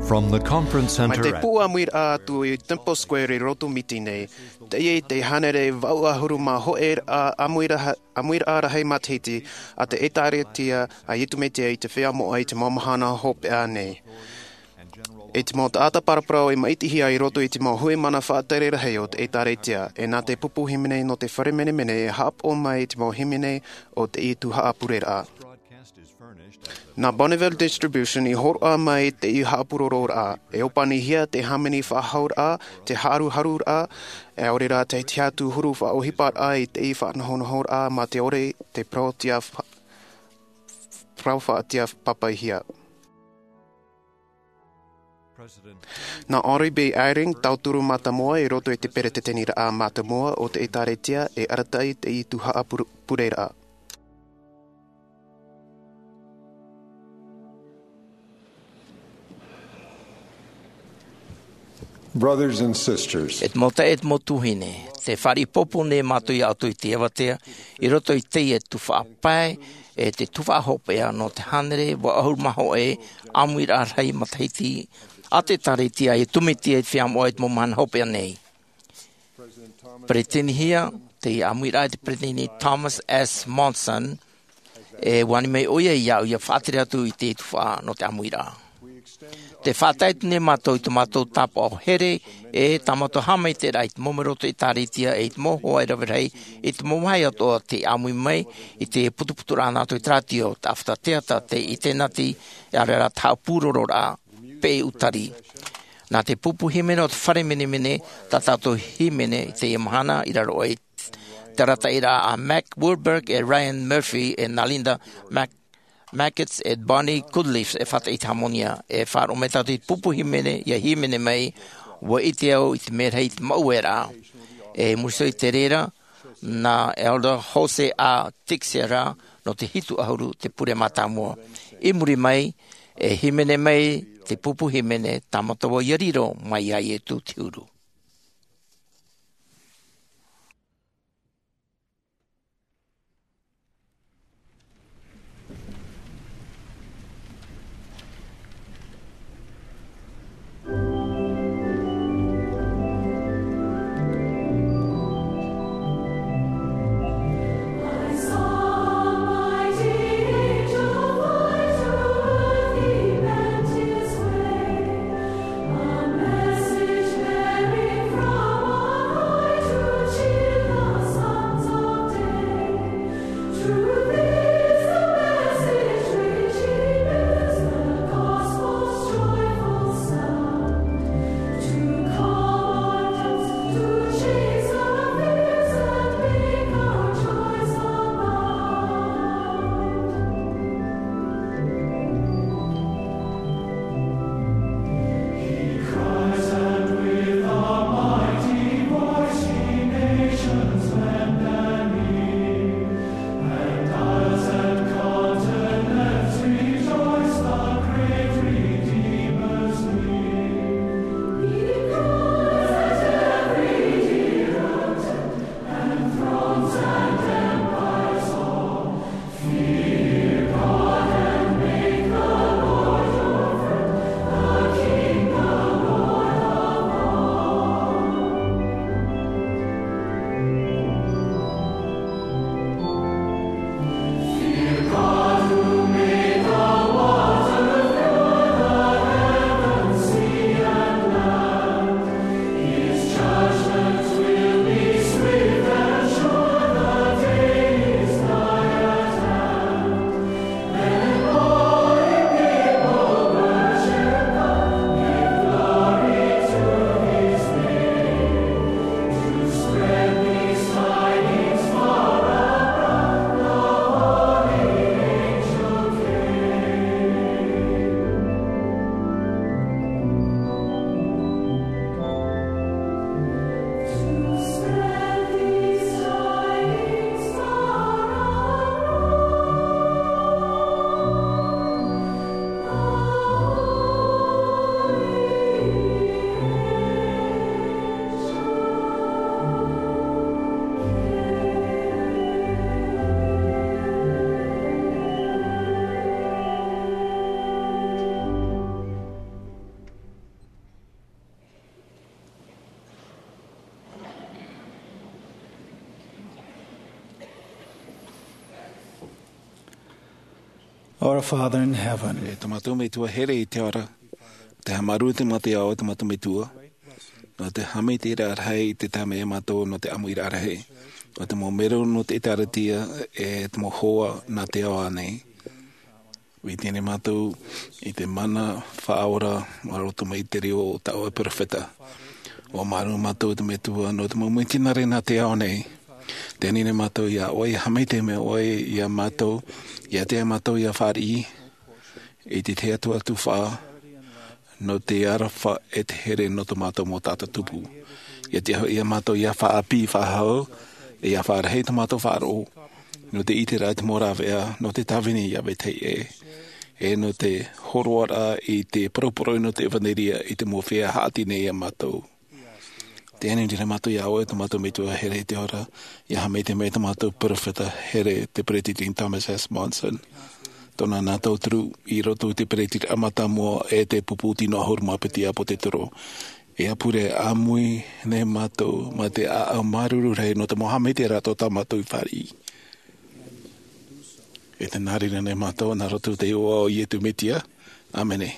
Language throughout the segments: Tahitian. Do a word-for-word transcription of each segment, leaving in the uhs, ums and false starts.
From the Conference Center. Mai te pū ʻāmuiraʻa atu i Temple Square i roto Miti nei, teie te hānere vaʻu ʻahuru mā hōʻē ʻāmuiraʻa, ʻāmuiraʻa rahi matahiti a te ʻĒtārētia a Iesu Mesia i te Feiā Moʻa i te mau mahana hopeʻa nei. E te mau taʻata paraparau e maʻitihia i roto i te mau hui mana faʻatere rahi o te ʻĒtārētia, e nā te pupu hīmene nō te fare menemene e haʻapaʻo mai i te mau hīmene o te tuhaʻa pureraʻa. Nā Bonneville Distribution i hōroʻa mai te haʻapurororaʻa, e ʻōpanihia te hāmani faʻahauraʻa, te haruharuraʻa, e ʻaore rā te tiʻaturi huru faʻaʻohiparaʻa i te faʻanahonahoraʻa mā te ʻore te parau tiʻa fa-, parau faʻatiʻa pāpaʻihia. Nā Henry B. Eyring, tauturu mātāmua i roto i te peresideniʻa mātāmua o te ʻĒtārētia, e arataʻi te tuhaʻa pure-, pureraʻa. Brothers and sisters. E te mau taeaʻe, e te mau tuahine, tē fāriʻi pōpō nei mātou iā ʻoutou i te avatea, i roto i teie tuhaʻa pae, e te tuhaʻa hopeʻa nō te hānere vaʻu ʻahuru mā hōʻē ʻāmuiraʻa rahi matahiti a te ʻĒtārētia a Iesu Mesia i te Feiā Moʻa i te mau mahana hopeʻa nei. Peresideniʻihia te ʻāmuiraʻa e te Peresideni Thomas S. Monson, e ani mai ʻoia iāʻu ʻia faʻatere atu i te tuhaʻa nō te ʻāmuiraʻa. Tē faʻatae atu nei mātou i tō mātou tāpaʻo here, e tā mātou haʻamaitaʻiraʻa i te mau melo o te ʻĒtārētia, e i te mau hoa e rave rahi, i te mau vāhi atoʻa tē ʻāmui mai, i te putuputuraʻa nā roto i te rātio, te ʻāfata teata, te ʻinitēneti, e ʻaore rā te haʻapurororaʻa, peʻe ʻūtari. Nā te pupu hīmene o te fare menemene, tā tātou hīmene i teie mahana, i raro aʻe i te arataʻiraʻa a Mac Wilberg e Ryan Murphy e nā Linda Mac-, Macketts e Bonnie Goodleaf e faʻataʻa i te hāmani. E faʻaroʻo mai tātou i te pupu hīmene, ʻia hīmene mai, ʻua ʻite au i te mea rahi i te mau ueraʻa. E muri iho i te reira, nā Elder Jose A. Teixeira nō te hitu ʻahuru te pure mātāmua. I muri mai, e hīmene mai te pupu hīmene, tā mātou ʻia riro mai iā Iesu te huru. Our Father in heaven. E tō mātou Metua here i te ao ra, te haʻamāuruuru te mea te ao, e tō mātou Metua, nō te haʻamaitaʻiraʻa rahi i te taime ia mātou nō te ʻāmuiraʻa rahi. ʻO te mau mero nō te ʻĒkālesia, e te mau hoa nā te ao ānei. ʻUa ʻite nei mātou i te mana faʻaora, mā roto mai i te reo o tā ʻoe perofeta. ʻUa māuruuru mātou te Metua nō te mau mitionare nā te ao nei. Tē ani nei mātou iā ʻoe, ʻia haʻamaitaʻi mai ʻoe iā mātou, ʻia ʻite mātou ʻia fāriʻi i te tahi atu tuhaʻa, nō te aroha e te here nō tō mātou mau taʻata tupu. ʻIa tiʻa hoʻi iā mātou ʻia faʻaʻāpī faʻahou, ʻia faʻarahi tō mātou faʻaroʻo, nō te ʻiteraʻa i te mau rāveʻa, nō te tāvini iā vetahi ʻē, e nō te hōroʻaraʻa i te poroporoʻi nō te ʻevanelia i te mau feiā haʻati nei iā mātou. Tē ani nei mātou iā ʻoe, tō mātou Metua here i te ao ra, ʻia haʻamaitaʻi mai tō mātou perofeta here, te Peresideni Thomas S. Monson. Tōna nā tauturu i roto i te peretitiraʻa mātāmua e te pupu tino ʻahuru mā piti ʻāpōsetolo. E ʻāpure ʻāmui nei mātou, mā te ʻāʻau māuruuru rahi nō te mau haʻamaitaʻiraʻa tā mātou i fāriʻi. E tē nā reira nei mātou, nā roto i te iʻoa o Iesu Mesia. ʻĀmene.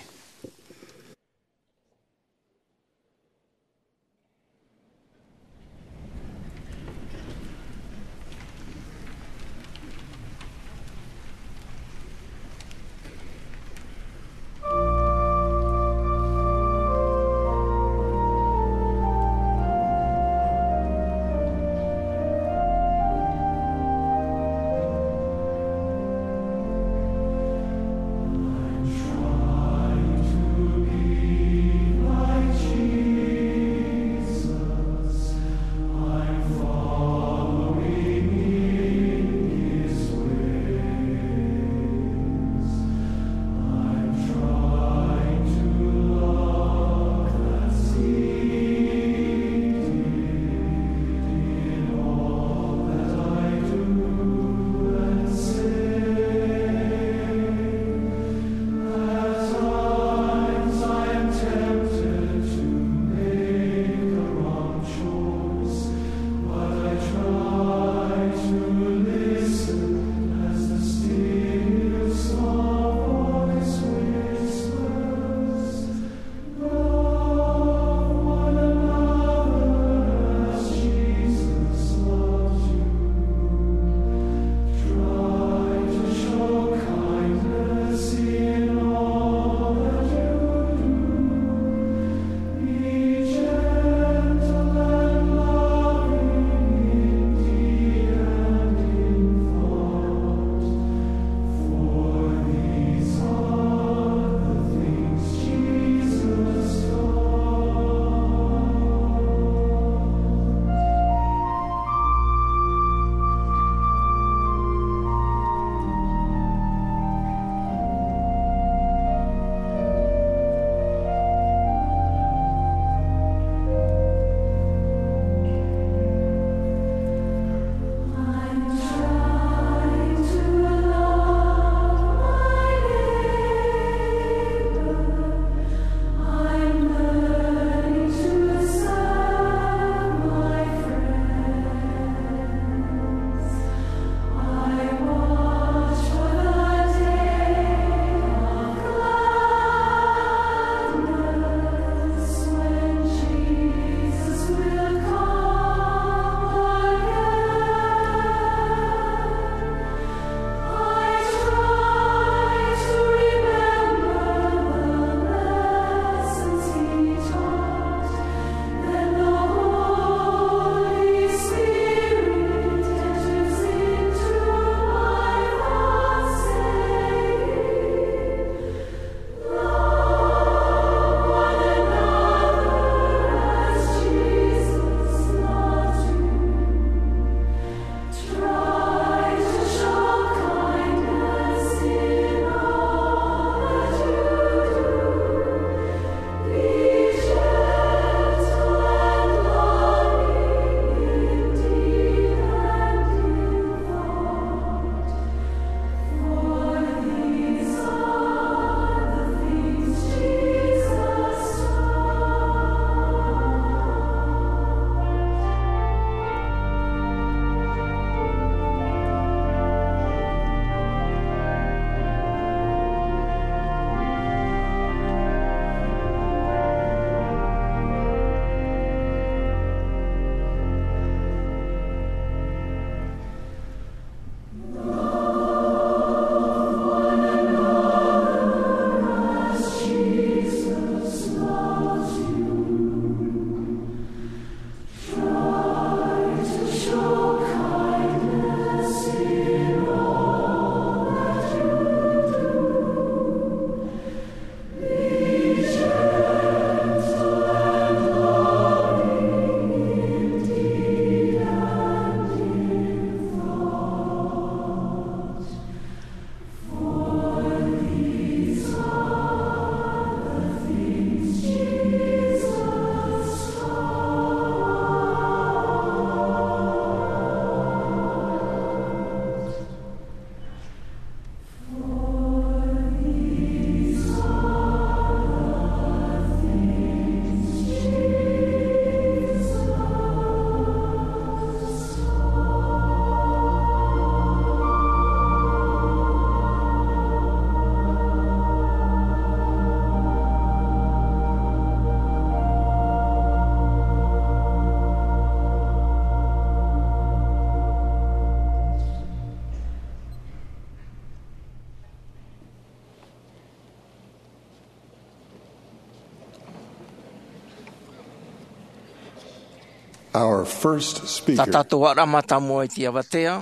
Our first speaker. Tā tātou ʻaore mātāmua i te avatea,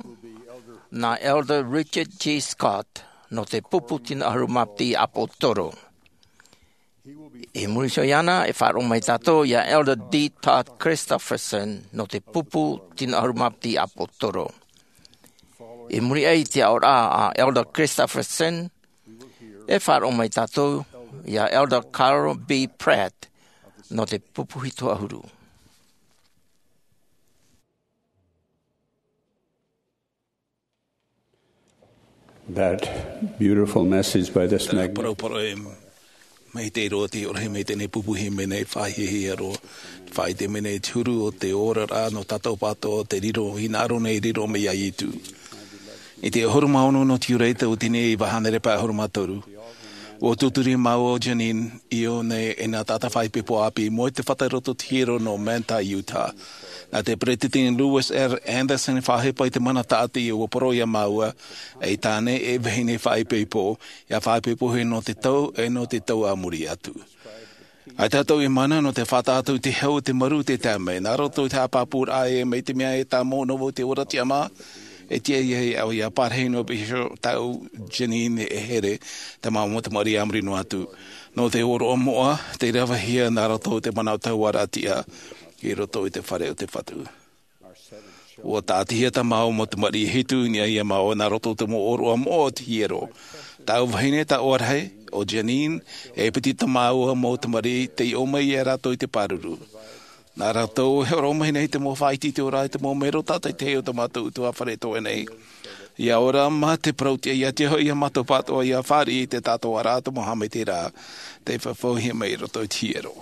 nā Elder Richard G. Scott, nō te pupu tino ʻahuru mā piti ʻāpōsetolo. I muri iho iāna, e faʻaroʻo mai tātou iā Elder D. Todd Christofferson, nō te pupu tino ʻahuru mā piti ʻāpōsetolo. I muri aʻe i te aʻoraʻa a Elder Christofferson, e faʻaroʻo mai tātou iā Elder Carl B. Pratt, nō te pupu hitu ʻahuru. That beautiful message by this magnificent. Paraparau e maitaʻi roa te ora, e maitaʻi nei pupu, e maitaʻi nei faʻahiahia roa. Faʻaʻite mai nei te huru o te oraraʻa nō tātou pātoʻa, te riro, hinaʻaro nei riro mai iā Iesu. I te ʻahuru mā ono nō Tiurai, tauatini e iva hānere pae ʻahuru mā toru, ʻua tūturi māua ʻo Jeanene, ʻio nei, e nā taʻata faʻaipoipo ʻāpī, i mua i te fata i roto i te hiero nō Manti, Utah. Nā te Peresideni Lewis R. Anderson i faʻaʻohipa i te mana tāʻati, ʻua parau iā māua, e tāne, e vahine faʻaipoipo, ʻia faʻaipoipohia nō te tau, e nō te tau a muri atu. ʻAita tātou e mana nō te faʻataʻa atu i te hau, te maru, te taime, nā roto i te haʻapāpūraʻa, e mai te mea e tāmau noa vau i te ora tiʻamā, e tiʻa iā ʻoe ʻia parahi noa pē iho tāʻu Jeanene e here, te mau mau tamariʻi a muri noa atu. Nō te ʻōroʻa moʻa, tei ravehia nā roto i te manaʻo tauʻaraʻa tiʻa, i roto i te fare o te Fatu. ʻUa tāʻatihia tā māua mau tamariʻi e hitu i niʻa iā māua nā roto i te mau ʻōroʻa moʻa o te hiero. Tāʻu vahine, tāʻu ʻārahi, ʻo Jeanene, e piti tā māua mau tamariʻi, tei ʻō mai ia rātou i te pāruru. Nā rātou e hōroʻa mai nei te mau faʻaʻite i te ora, i te mau mero tātaʻitahi o tā mātou ʻutuāfare atoʻa nei. ʻIa ora mā te parau tiʻa, ʻia tiʻa hoʻi iā mātou pātoʻa ʻia fāriʻi i te tātōʻaraʻa o te mau haʻamaitaʻiraʻa, tei faʻaʻitehia mai i roto i te hiero.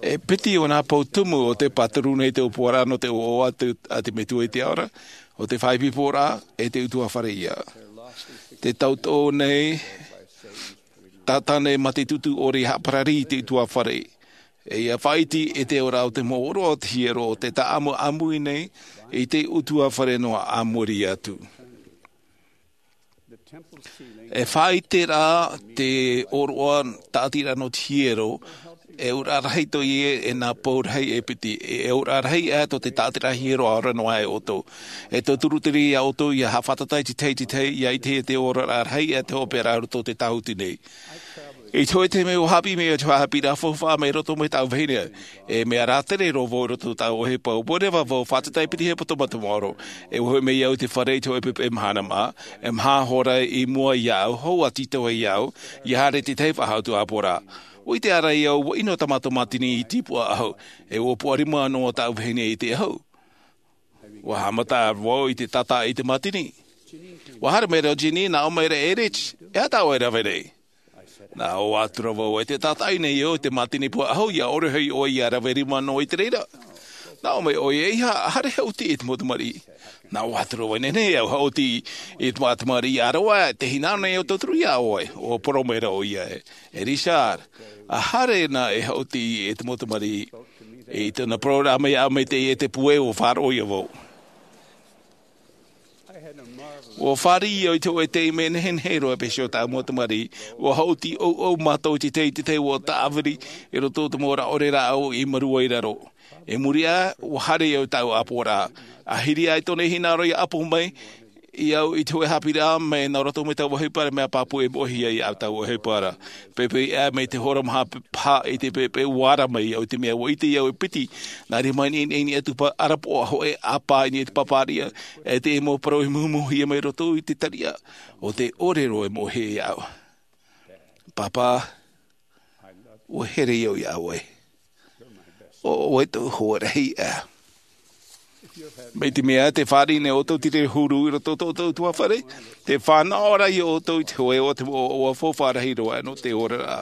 E piti o nā pou tumu o tē pāturu nei te ʻōpuaraʻa nō te ʻoaʻoa a te, a te Metua i te ao ra, ʻo te faʻaipoiporaʻa e te ʻutuāfare ia. Tē tauturu nei tātane mā te tūtū ʻore i haʻaparari i te ʻutuāfare. E ʻia faʻaʻite i te ora o te mau ʻōroʻa o te hiero, ʻo tē tāʻamuʻamu nei i te ʻutuāfare noa a muri atu. E faʻaʻite rā te ʻōroʻa tāʻatiraʻa nō te hiero, e ʻauraʻa rahi atoʻa ia e nā pou rahi e piti, e ʻauraʻa rahi atoʻa te tāʻatiraʻa hiero ʻaore noa e ʻoutou. E tauturu terā iā ʻoutou ʻia haʻafātata i te tahi, te tahi, ʻia ʻitehia te oraraʻa rahi atoʻa te hopeʻa i roto i te tāhuti nei. I te hōʻē taime ʻua haʻapiʻi mai au i te haʻapiʻiraʻa faufaʻa mai roto mai tāʻu vahine. E mea rātere roa vau i roto i tāʻu ʻohipa, ʻua reva vau e fātata i te piti hepetoma te maoro. E ʻua hoʻi mai au i te fare i te hōʻē poʻipoʻi mahana mā, e maha hora i mua iāʻu, hou atu i te ʻoaʻoa iāʻu, ʻia haere i te tahi faʻahou atu ʻāpoʻoraʻa. ʻUa ʻite ā rā au, ʻua ʻino tā mātou mātini i tīpuʻa ʻahu, e ʻua puʻa rima noa tāʻu vahine i te ʻahu. ʻUa haʻamata vau i te tātaʻi i te mātini. ʻUa haere mai ra ʻo Jeanene, nā ʻō mai ra e Rich, e aha tā ʻoe e rave nei? Nā ʻō atu ra vau, e tē tātaʻi nei au i te mātini puʻa ʻahu, ʻia ʻore hoʻi ʻoe ʻia rave rima noa i te reira. Nā ʻō mai ʻoia, e ʻeiaha, ʻaore e haʻuti i te mau tamariʻi. Nā ʻō atu ra vau, e nehenehe au e haʻuti i te mau tamariʻi, ʻa rāua, tē hinaʻaro nei au e tauturu iā ʻoe. ʻUa parau mai ra ʻoia, e, e Richard, ʻaore na e haʻuti i te mau tamariʻi. I tōna parau ra mai, ʻa mai te, e te puʻe ʻua faʻaroʻo ia vau. ʻUa fāriʻi au i te hōʻē taime nehenehe roa e pēhea tā tāʻu mau tamariʻi. ʻUa haʻuti ʻouʻou mātou i te tahi, te tahi ʻua tāviri i roto i te mau rāʻau ʻore rāʻau i maru ai raro. I muri aʻe, ʻua haere au i tāʻu ʻāpoʻoraʻa. ʻAhiri aʻe tōna hinaʻaro ʻia ʻapo mai iāʻu i te hōʻē haʻapiʻiraʻa mai nā roto mai tāʻu ʻohipa ra, mea pāpū e moʻehia ai tāʻu ʻohipa ra. Poʻipoʻi aʻe mai te hora maha paha i te poʻipoʻi, ʻua ara mai au i te mea ʻua ʻite au e piti nā reira mai nei, nei, nei atu pa-, ʻarapoʻa hōʻē ʻāpā i niʻa i te pāpāriʻa, e te mau parau i muhumuhia mai roto i te tariʻa, ʻo tē ʻore roa e moʻehia iāʻu. Pāpā, ʻua here au iā ʻoe. ʻO ʻoe tōʻu hoa rahi aʻe. Mai te mea tē fāriʻi nei ʻoutou i te reira huru i roto i tō ʻoutou ʻutuāfare, tē fānaʻo ra ia ʻoutou i te hōʻē ʻoaʻoa, te ʻoaʻoa faufaʻa rahi roa nō te oraraʻa.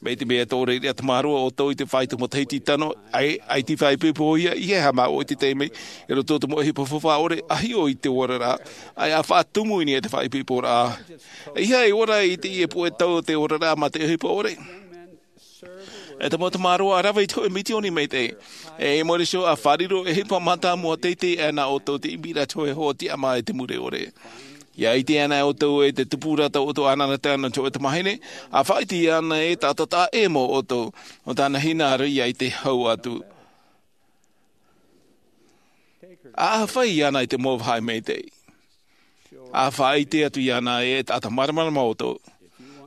Mai te mea tō reira tamaroa ʻoutou i te fāito matahiti tano, ʻaita, ʻaita faʻaipoipohia, ʻeiaha māua i te taime, i roto i te mau ʻohipa faufaʻa ʻore, ʻa hiʻo i te oraraʻa, ʻaita faʻatumu i niʻa i te faʻaipoiporaʻa. ʻEiaha e ora i teie puʻe tau o te oraraʻa mā te ʻohipa ʻore. E te mau tamaroa, rave i te hōʻē misioni maitaʻi. E mōrī iho ʻa fārerei, e ʻohipa mātāmua teitei aʻe nā ʻoutou i te ʻimiraʻa i te hōʻē hoa tiʻamā i te mure ʻore. ʻIa ʻite anaʻe ʻoutou e te tupuraʻa o tō ʻoutou anaanatae nō te hōʻē tamāhine, ʻa faʻaʻite anaʻe e tātaʻitahi ʻē mau ʻoutou, nō tāna hinaʻaro ʻia ʻite hau atu. A fai iāna i te mau vāhi maitaʻi. A faʻaʻite atu iāna e taʻata māramarama ʻoutou.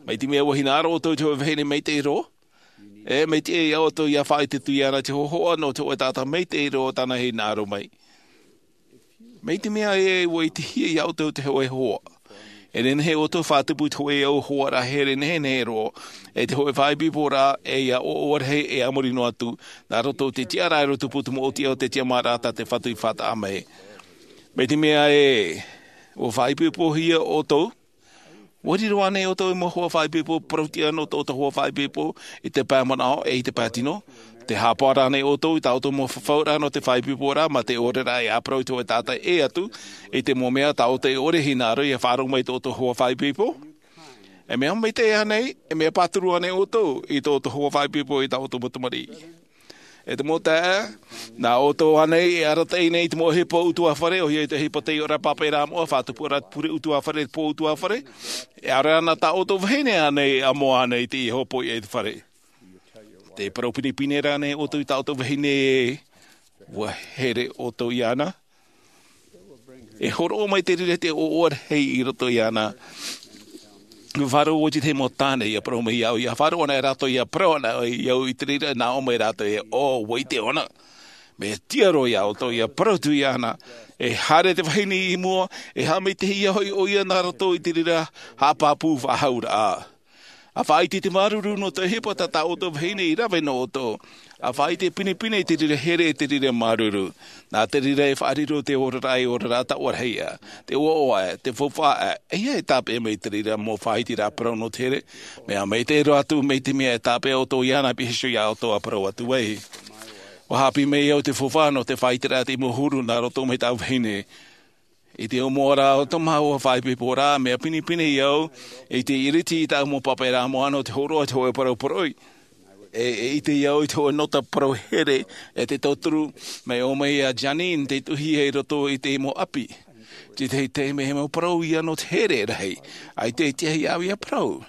Mai te mea ua hinaʻaro ʻoutou i te hōʻē vahine maitaʻi roa, e maitaʻi ia ʻoutou ia faʻaʻite atu iāna te hōhoʻa nō te hōʻē taʻata maitaʻi roa tāna e hinaʻaro mai. Mai te mea ē ua ʻitehia ia ʻoutou te hōʻē hoa, e nehenehe ʻoutou faʻatupu i te hōʻē au hoa rā here nehenehe roa, e te hōʻē faʻaipoiporaʻa e ia ʻoaʻoa rahi e a muri noa atu nā roto i te tiʻaraʻa i roto i te puta moʻotiʻa o te tiʻamāraʻa tā te Fatu i faʻataʻa mai. Mai te mea ē ua faʻaipoipohia ʻoutou, ua riro ānei ʻoutou i te mau hoa faʻaipoipo parauʻtiʻa nō tō ʻoutou hoa faʻaipoipo i te pae manaʻo e i te pae tino? Te haʻapaʻo ānei ʻoutou i tā ʻoutou mau fafauraʻa nō te faʻaipoiporaʻa mā te ʻōreraʻa e ʻāparau i te hōʻē taʻata ʻē atu i te mau mea tā ʻoutou e ʻore e hinaʻaro ia faʻaroʻo mai i tō ʻoutou hoa faʻaipoipo? E mea maitaʻi ānei, e mea pāturu ānei ʻoutou i tō ʻoutou hoa faʻaipoipo i tā ʻoutou mau tamariʻi? E te mau taeaʻe, nā ʻoutou ānei e arataʻi nei i te mau ʻohipa ʻutuāfare, ʻoia hoʻi te ʻohipa tei ora pāpaʻi rā moʻa, faʻatupu ra te pure ʻutuāfare, te pō ʻutuāfare, e ʻaore rā nā tā ʻoutou vahine ānei e amo ānei i te hopoiʻa i te fare? Tē parau pinepine ra ānei ʻoutou i tā ʻoutou vahine ē ua here ʻoutou iāna? E hōroʻa mai te reira te ʻoaʻoa rahi i roto iāna. Ua faʻaroʻo i te mau tāne ia parau mai iāʻu, ia faʻaroʻo ana e rātou ia parau ana iāʻu i te reira nā ʻō mai rātou ē, ʻo, ua ʻite ʻōna. Mea tiʻa roa iā ʻoutou ia parau atu iāna. E haere te vahine i mua, e haʻamaitaʻihia hoʻi ʻoia nā roto i te reira haʻapāpū faʻahauraʻa. A faʻaʻite te māuruuru nō te ʻohipa tā tā ʻoutou vahine i rave nō ʻoutou. A faʻaʻite pinepine i te reira here, te reira māuruuru. Nā te reira e faʻariro te oraraʻa, e oraraʻa taʻoraʻa, te ʻoaʻoa, te faufaʻa, e ia e tāpeʻa mai te reira mau faʻaʻiteraʻa parau nō te here. Mea maitaʻi roa atu mai te mea e tāpeʻa ʻoutou iāna, pīhaʻi iho iā ʻoutou a parau atu ai. Ua haʻapiʻi mai au te faufaʻa nō te faʻaʻiteraʻa tei mau huru nā roto mai tāʻu vahine. I te ʻōmuaraʻa o tō māua faʻaipoiporaʻa, mea pinepine au i te ʻiriti i tāʻu mau pāpaʻiraʻa moʻa nō te hōroʻa i te hōʻē parau poroʻi. E, e ʻite au i te hōʻē nota parau here e te tauturu, mai ʻō mai iā Janine tei tuʻuhia i roto i te mau ʻapi. Te tahi taime he mau parau ia nō te here rahi, ʻaita e tiʻa iāʻu ia parau.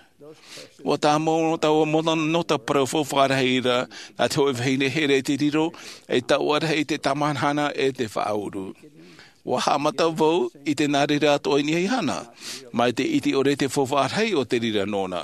Ua tāmau nō taua mau nota parau faufaʻa rahi ra, nā te hōʻē vahine here te riro, e taʻoraʻa rahi te tāmahanahana e te faʻauru. Ua haʻamata vau i te nā reira atoʻa i niʻa iāna, mai te ʻite ʻore i te faufaʻa rahi o te reira nōna.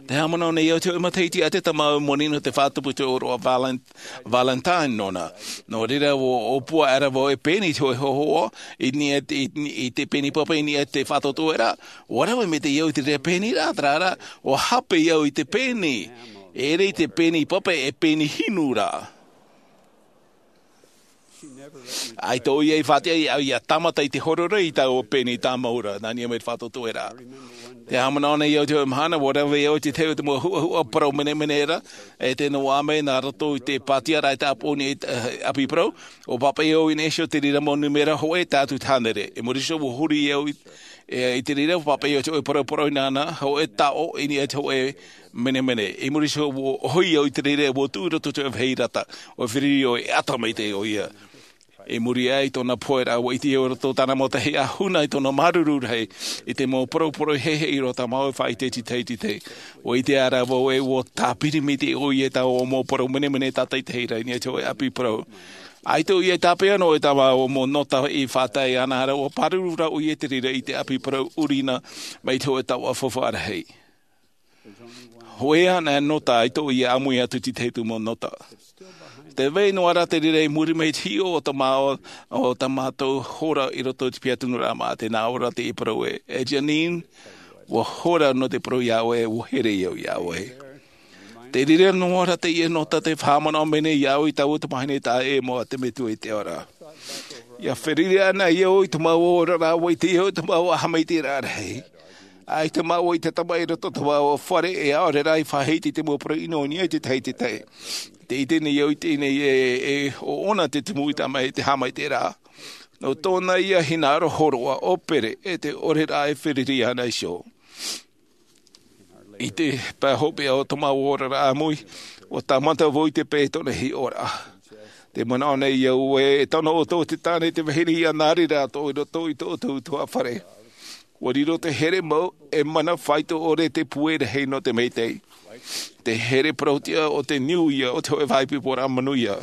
Te haʻamanaʻo nei au te hōʻē matahiti a te tamau moni nō te faʻatupu i te ʻōroʻa Valen-, Valentine nōna. Nō reira ua ʻōpua aʻera vau e pēni i te hōʻē hōhoʻa, i niʻa i te, i, i te pēni pape i niʻa i te faʻatupu ra. Ua rave maitaʻi au i te reira pēni ra, terā rā, ua hape au i te pēni. E ʻere i te pēni pape, e pēni hinu rā. ʻAita ʻoia i faʻatiʻa iāʻu ia tāmata i te horoi i taua pēni tāmau ra, nā niʻa mai i te faʻatupu ra. Te haʻamanaʻo nei au te hōʻē mahana, ua rave au i te tahi o te mau huʻahuʻa parau menemene ra, e tē noaʻa mai nā roto i te pātiaraʻa e tāpoʻo nei i te, eh, ʻapi parau, ʻua pāpaʻi au i niʻa iho i te reira mau nūmera hōʻē tae atu i te hānere. I muri iho ua huri au i, e, i te reira, ua pāpaʻi au i te hōʻē parau poroʻi nāna, hōʻē taʻo i niʻa i te hōʻē menemene. I muri iho ua ʻohi au i te reira, ua tuʻu i roto i te vāhi rata, ʻua feruri au e ʻata maitaʻi ʻoia. I muri aʻe i tōna pohe ra, ua ʻite au i roto i tāna mau tahi ʻahuna i tōna māuruuru rahi i te mau parau poroʻi heihei roa tā māua e faʻaʻite i te tahi i te tahi. Ua ʻite aʻera vau ē ua tāpiri maitaʻi ʻoia i taua mau parau menemene tātaʻitahi ra i niʻa i te hōʻē ʻapi parau. ʻAita ʻoia i tāpeʻa noa i tā māua mau nota i faʻatae ana ra, ua pāruru rā ʻoia i te reira i te ʻapi parau ʻurina mai te hōʻē taoʻa faufaʻa rahi. Hōʻē anaʻe nota, ʻaita ʻoia ʻāmui atu i te tahi atu mau nota. Tē vai noa ra te reira i muri mai i te hiʻo o tā māua, o tā mātou hora i roto i te piha tunuraʻa maʻa, tē nā ʻō ra teie parau ē, e Janine, ua hora nō te parau iā ʻoe, ua here au iā ʻoe. Te reira noa ra teie nota tē haʻamanaʻo mai nei iāʻu i taua tamahine taʻa ʻē mau a te Metua i te ao ra. ʻIa feruri ana au i tō māua oraraʻa, ua ʻite au i tō māua haʻamaitaʻiraʻa rahi. ʻAita māua i te tamaʻi i roto i tō māua fare, e ʻaore rā i faʻahiti i te mau parau ʻino i niʻa i te tahi i te tahi. Tē ʻite nei au i teie nei ē, e ʻoʻona te tumu i tā māua i te haʻamaitaʻiraʻa. Nō tōna ia hinaʻaro hōroʻa ʻo Pere, e te ʻōreraʻa e feruri ana iho. I te pae hopeʻa o tō māua oraraʻa ʻāmui, ua tāmata vau i te pae i tōna hiʻoraʻa. Tē manaʻo nei au ē, e tano ʻoutou te tāne, te vahine ia nā reira atoʻa i roto i tō ʻoutou ʻutuāfare. Ua riro te here mau, e mana faito ʻore te pūai rahi nō te maitaʻi. Te here parauʻtiʻa o te niu ia, o te hōʻē faʻaipoiporaʻa manuia.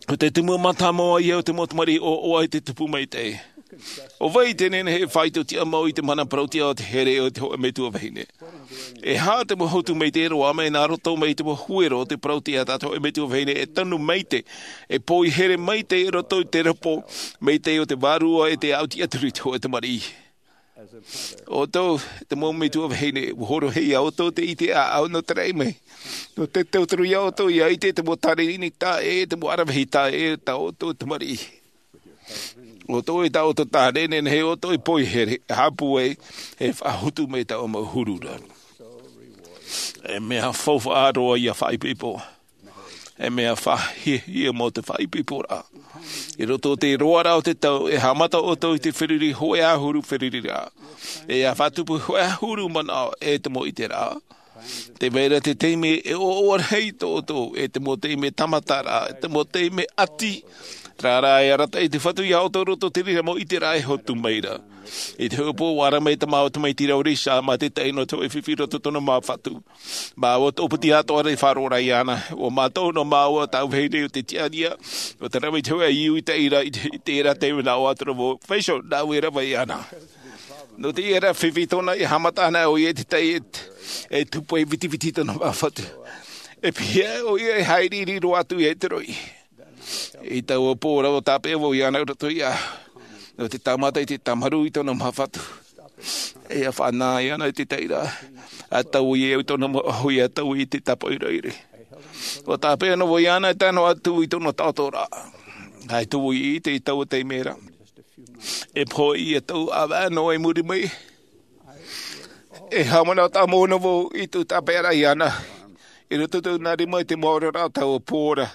ʻO te tumu mātāmua ia o te mau tamariʻi ʻoaʻoa i te tupu maitaʻi. ʻO vai te nehenehe e faʻaitoitoʻa mau i te mana parauʻtiʻa o te here o te hōʻē metua vahine? E aha te mau hotu maitaʻi roa mai nā roto mai i te mau huero o te parauʻtiʻa tā te hōʻē metua vahine e tanu maitaʻi, e poihere maitaʻi i roto i te ropo maitaʻi o te Vārua e te aʻu tiʻaturi i te hōʻē tamariʻi? ʻOutou, te mau metua vahine, ʻua hōroʻa iā ʻoutou te ʻite ʻāʻau nō te raʻi mai. Nō te tauturu iā ʻoutou ʻia ʻite te mau tāne ʻini taʻa ʻē, te mau aravihi taʻa ʻē, tā ʻoutou tamariʻi. ʻOutou e tā ʻoutou tāne, nehenehe ʻoutou e poihere, e haʻapūai, e faʻahotu mai taua mau huru ra. E mea faufaʻa roa ʻia faʻaipoipo. E mea faʻahiahia mau te faʻaipoiporaʻa. I roto i te roaraʻa o te tau, e haʻamata ʻoutou i te feruri hōʻē ʻahuru feruriraʻa. E ʻia faʻatupu hōʻē ʻahuru manaʻo e te mau ʻiteraʻa. Tē vai ra te taime e ʻoaʻoa rahi tō ʻoutou, e te mau taime tāmataraʻa, e te mau taime ʻati. Terā rā e arataʻi te Fatu iā ʻoutou i roto i te reira mau ʻiteraʻa e hotu mai ra. I te hōʻē pō, ʻua ara mai te mau tamaiti ra ʻo Risa, mā te tahi nō te hōʻē fifi i roto i tōna mau fatu. Māua tō piti atoʻa ra i faʻaroʻo ra iāna. ʻO mātou nō māua tāʻu vahine ʻo te tiʻa ra, ʻo te rave i te hōʻē iu i te ʻaira, i te, i terā taime nā ʻō atu ra vau, Faisal, nāʻu e rave iāna. Nō te ʻīrava fifi tōna, e haʻamata ana ʻoia i te tahi e, e tupu e vitiviti tōna mau fatu. E pīhaʻi ʻoia e haere i riro atu i te roʻi. I taua pō ra ʻua tāpeʻa vau iāna i roto iāʻu. Nō te tāmata i te tāmarū i tōna mau fatu. E ʻia faʻanaho iāna i te tahi ra. ʻA taui au i tōna mau ʻahu ʻia taui i te tāpaʻo ʻoire. ʻUa tāpeʻa noa vau iāna e tae noa atu i tōna taʻoto ra. ʻAita vau i ʻite i taua taime ra. E pohe ïa tau ʻāvaʻe noa i muri mai. E haʻamanaʻo tāmau noa vau i tō tāpeʻaraʻa iāna. I roto i tōna rima i te mau oraraʻa o taua pō ra.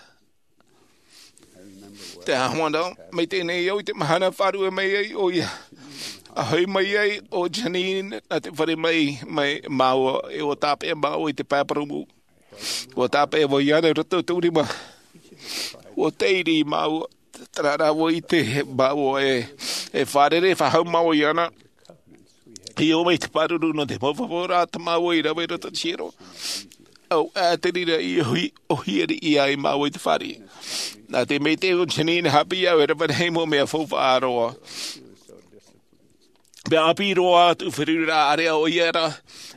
Tē haʻamanaʻo maitaʻi nei au i te mahana faʻaruʻe mai ai ʻoia. ʻA hoʻi mai ai ʻo Janine nā te fare mai, mai māua, e ʻua tāpeʻa māua i te pae parau mū. ʻUa tāpeʻa vau iāna i roto i tōʻu rima. ʻUa taʻiri māua, terā rā ʻua ʻite māua e, e fārerei faʻahou māua iāna. I ʻō mai te pāruru nō te mau fafauraʻa tā māua i rave i roto i te hiero. ʻAuʻa te reira i ʻōhie, ʻōhie riʻi ai māua i te fāriʻi. Nā te maitaʻi o Janine haʻapiʻi au e rave rahi mau mea faufaʻa roa. Mea ʻāpī roa atu feruriraʻa ʻāreʻa ʻoia ra,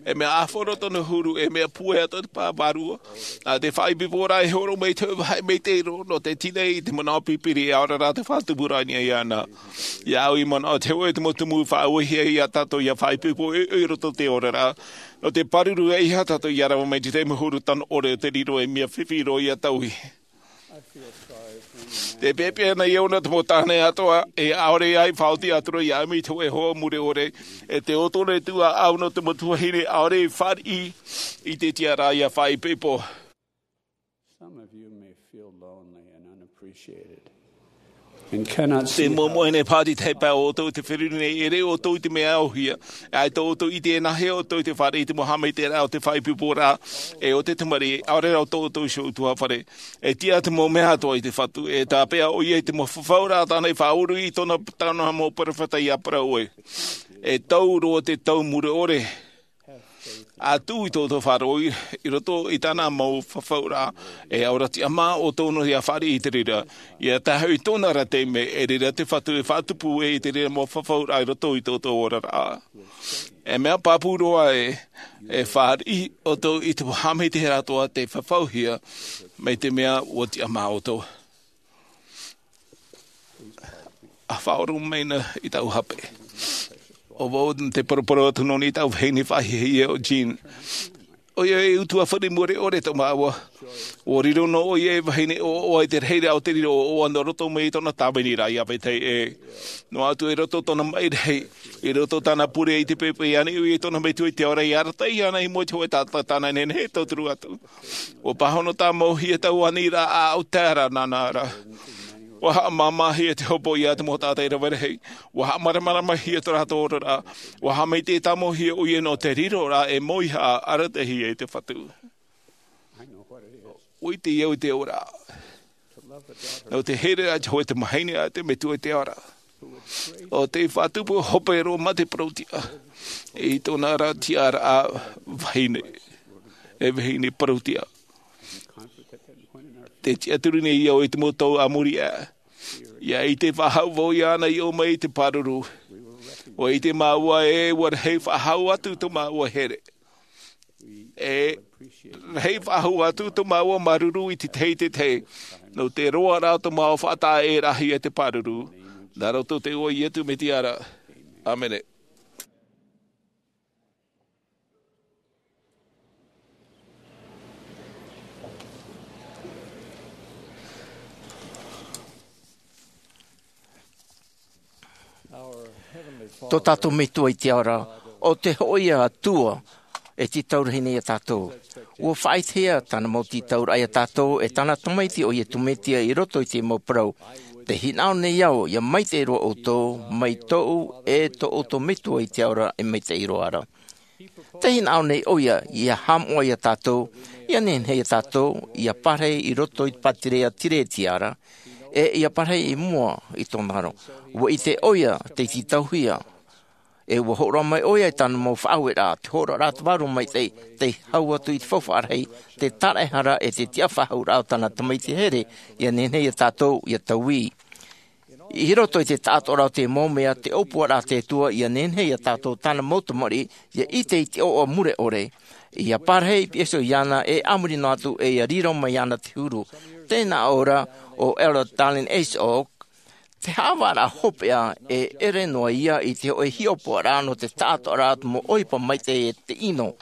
e mea ʻāfaro tōna huru, e mea puʻe atu te pā vārua. Nā te faʻaipoiporaʻa e horo mai te vahi maitaʻi roa, nō te tīaʻi i te manaʻo pipiri e ʻaore rā te faʻatupu rānei iāna. Iāʻu i manaʻo te hōʻē tumu tumu faʻauehia iā tātou ʻia faʻaipoipo i, i roto i te oraraʻa. Nō te pāruru e ʻeiaha tātou ʻia rave mai te taime huru tano ʻore o te riro e mea fifi roa ʻia taui. Tē peʻapeʻa nei au nā te mau tāne atoʻa, e ʻaore ai faʻaoti atu ra iāʻu mai te hōʻē hoa mure ʻore, e te ʻōtore tuaʻau nō te mau tuahine ʻaore i fāriʻi i te tiʻaraʻa ʻia faʻaipoipo. Some of you may feel lonely and unappreciated and cannot see. Te moemoeā nei pāʻati tahi paʻi ʻoutou i te feruri nei, e rave ʻoutou i te mea ʻōhie. ʻAita ʻoutou i ʻite e nāhea ʻoutou i te fāriʻi i te mau haʻamaitaʻiraʻa o te faʻaipoiporaʻa, e o te tamariʻi, ʻaore rā ʻoutou i te hōʻē ʻutuāfare. E tiʻa te mau mea atoʻa i te Fatu, e tāpeʻa ʻoia i te mau fafauraʻa tāna i faʻauru i tōna, tāna mau perofeta ʻia parau ē. E tau roa te tau mure ʻore. ʻA tuʻu i tō ʻoutou faʻaroʻo i, i roto i tāna mau fafauraʻa, e ʻaore rā tiʻamā ʻoutou noa ʻia fāriʻi i te reira. ʻIa tae hoʻi i tōna ra taime, e reira te Fatu e faʻatupu ē i te reira mau fafauraʻa i roto i tō ʻoutou oraraʻa. E mea pāpū roa ē, e fāriʻi ʻoutou i te mau haʻamaitaʻiraʻa atoʻa tē fafauhia, mai te mea ʻua tiʻamā ʻoutou. ʻA faʻaroʻo mai na i tāʻu hape. ʻO vau te poroporo atu nō niʻa i tāʻu vahine faʻahiahia ʻo Jean. ʻOia e ʻutuāfare mure ʻore tō māua. ʻUa riro noa ʻoia e vahine ʻoaʻoa i te rahiraʻa o te riro ʻoaʻoa nō roto mai i tōna tāviniraʻa ʻia vetahi ē. Noa atu i roto tōna maʻi rahi, i roto tāna pure i te pepe i ani ʻoia i tōna metua i te ao ra ʻia arataʻi iāna i mua i te hōʻē taʻata tāna e nehenehe e tauturu atu. ʻUa pāhono tāmauhia taua aniraʻa ʻaʻau tae ra nāna ra. ʻUa haʻamāmāhia te hopoiʻa a te mau taʻata e rave rahi. ʻUa haʻamaramaramahia tō rātou oraraʻa. ʻUa haʻamaitaʻi tāmauhia ʻoia nō te riroraʻa e mauihaʻa arataʻihia e te Fatu. ʻUa ʻite au i te ora. Nō te here a te hōʻē tamahine a te metua i te ao ra. ʻO tei faʻatupu hope roa mā te parautiʻa. I tōna ra tiʻaraʻa vahine. E vahine parautiʻa. Te tiʻaturi nei au i te mau tau a muri aʻe. ʻIa ʻite faʻahou vau iāna i ʻō mai i te pāruru. ʻUa ʻite māua ē ʻua rahi faʻahou atu tō māua here. E rahi faʻahou atu tō māua māuruuru i te tahi i te tahi. Nō te roaraʻa o tō māua faʻataʻa e rahi e te pāruru. Nā roto i te iʻoa o Iesu Mesia ra. ʻĀmene. Tō tātou Metua i te ao ra, ʻo te hōʻē Atua e tītau rahi nei iā tātou. ʻUa faʻaʻitehia tāna mau tītauraʻa iā tātou e tāna Tamaiti ʻo Iesu Mesia i roto i te mau parau. Tē hinaʻaro nei au ʻia maitaʻi roa ʻoutou, mai tōʻu e tō ʻoutou Metua i te ao ra e maitaʻi roa ra. Tē hinaʻaro nei ʻoia ʻia haʻamoʻa iā tātou, ʻia nehenehe iā tātou ʻia parahi i roto i te pātireia Tiretiara, e ʻia parahi i mua i tōna aro. ʻUa ʻite ʻoia tei tītauhia, e ʻua hōroʻa mai ʻoia i tāna mau faʻaueraʻa, te hōroʻaraʻa te Vārua Maitaʻi, tei hau atu i te faufaʻa rahi, te tāraʻehara e te tiʻafaʻahouraʻa o tāna Tamaiti here, ʻia nehenehe iā tātou ʻia taui. I roto i te taʻatoʻaraʻa o te mau mea, te ʻōpuaraʻa a te Atua ʻia nehenehe iā tātou tāna mau tamariʻi, ʻia ʻite i te ʻoaʻoa mure ʻore, ʻia parahi i te peʻe iāna e a muri noa atu e ʻia riro mai iāna te huru. Tēnā ʻō ra ʻo Elder Dallin H. Oaks, te haʻavāraʻa hopeʻa e ʻere noa ia i te hōʻē hiʻopoʻaraʻa nō te taʻatoʻaraʻa o te mau ʻohipa maitaʻi e te ʻino,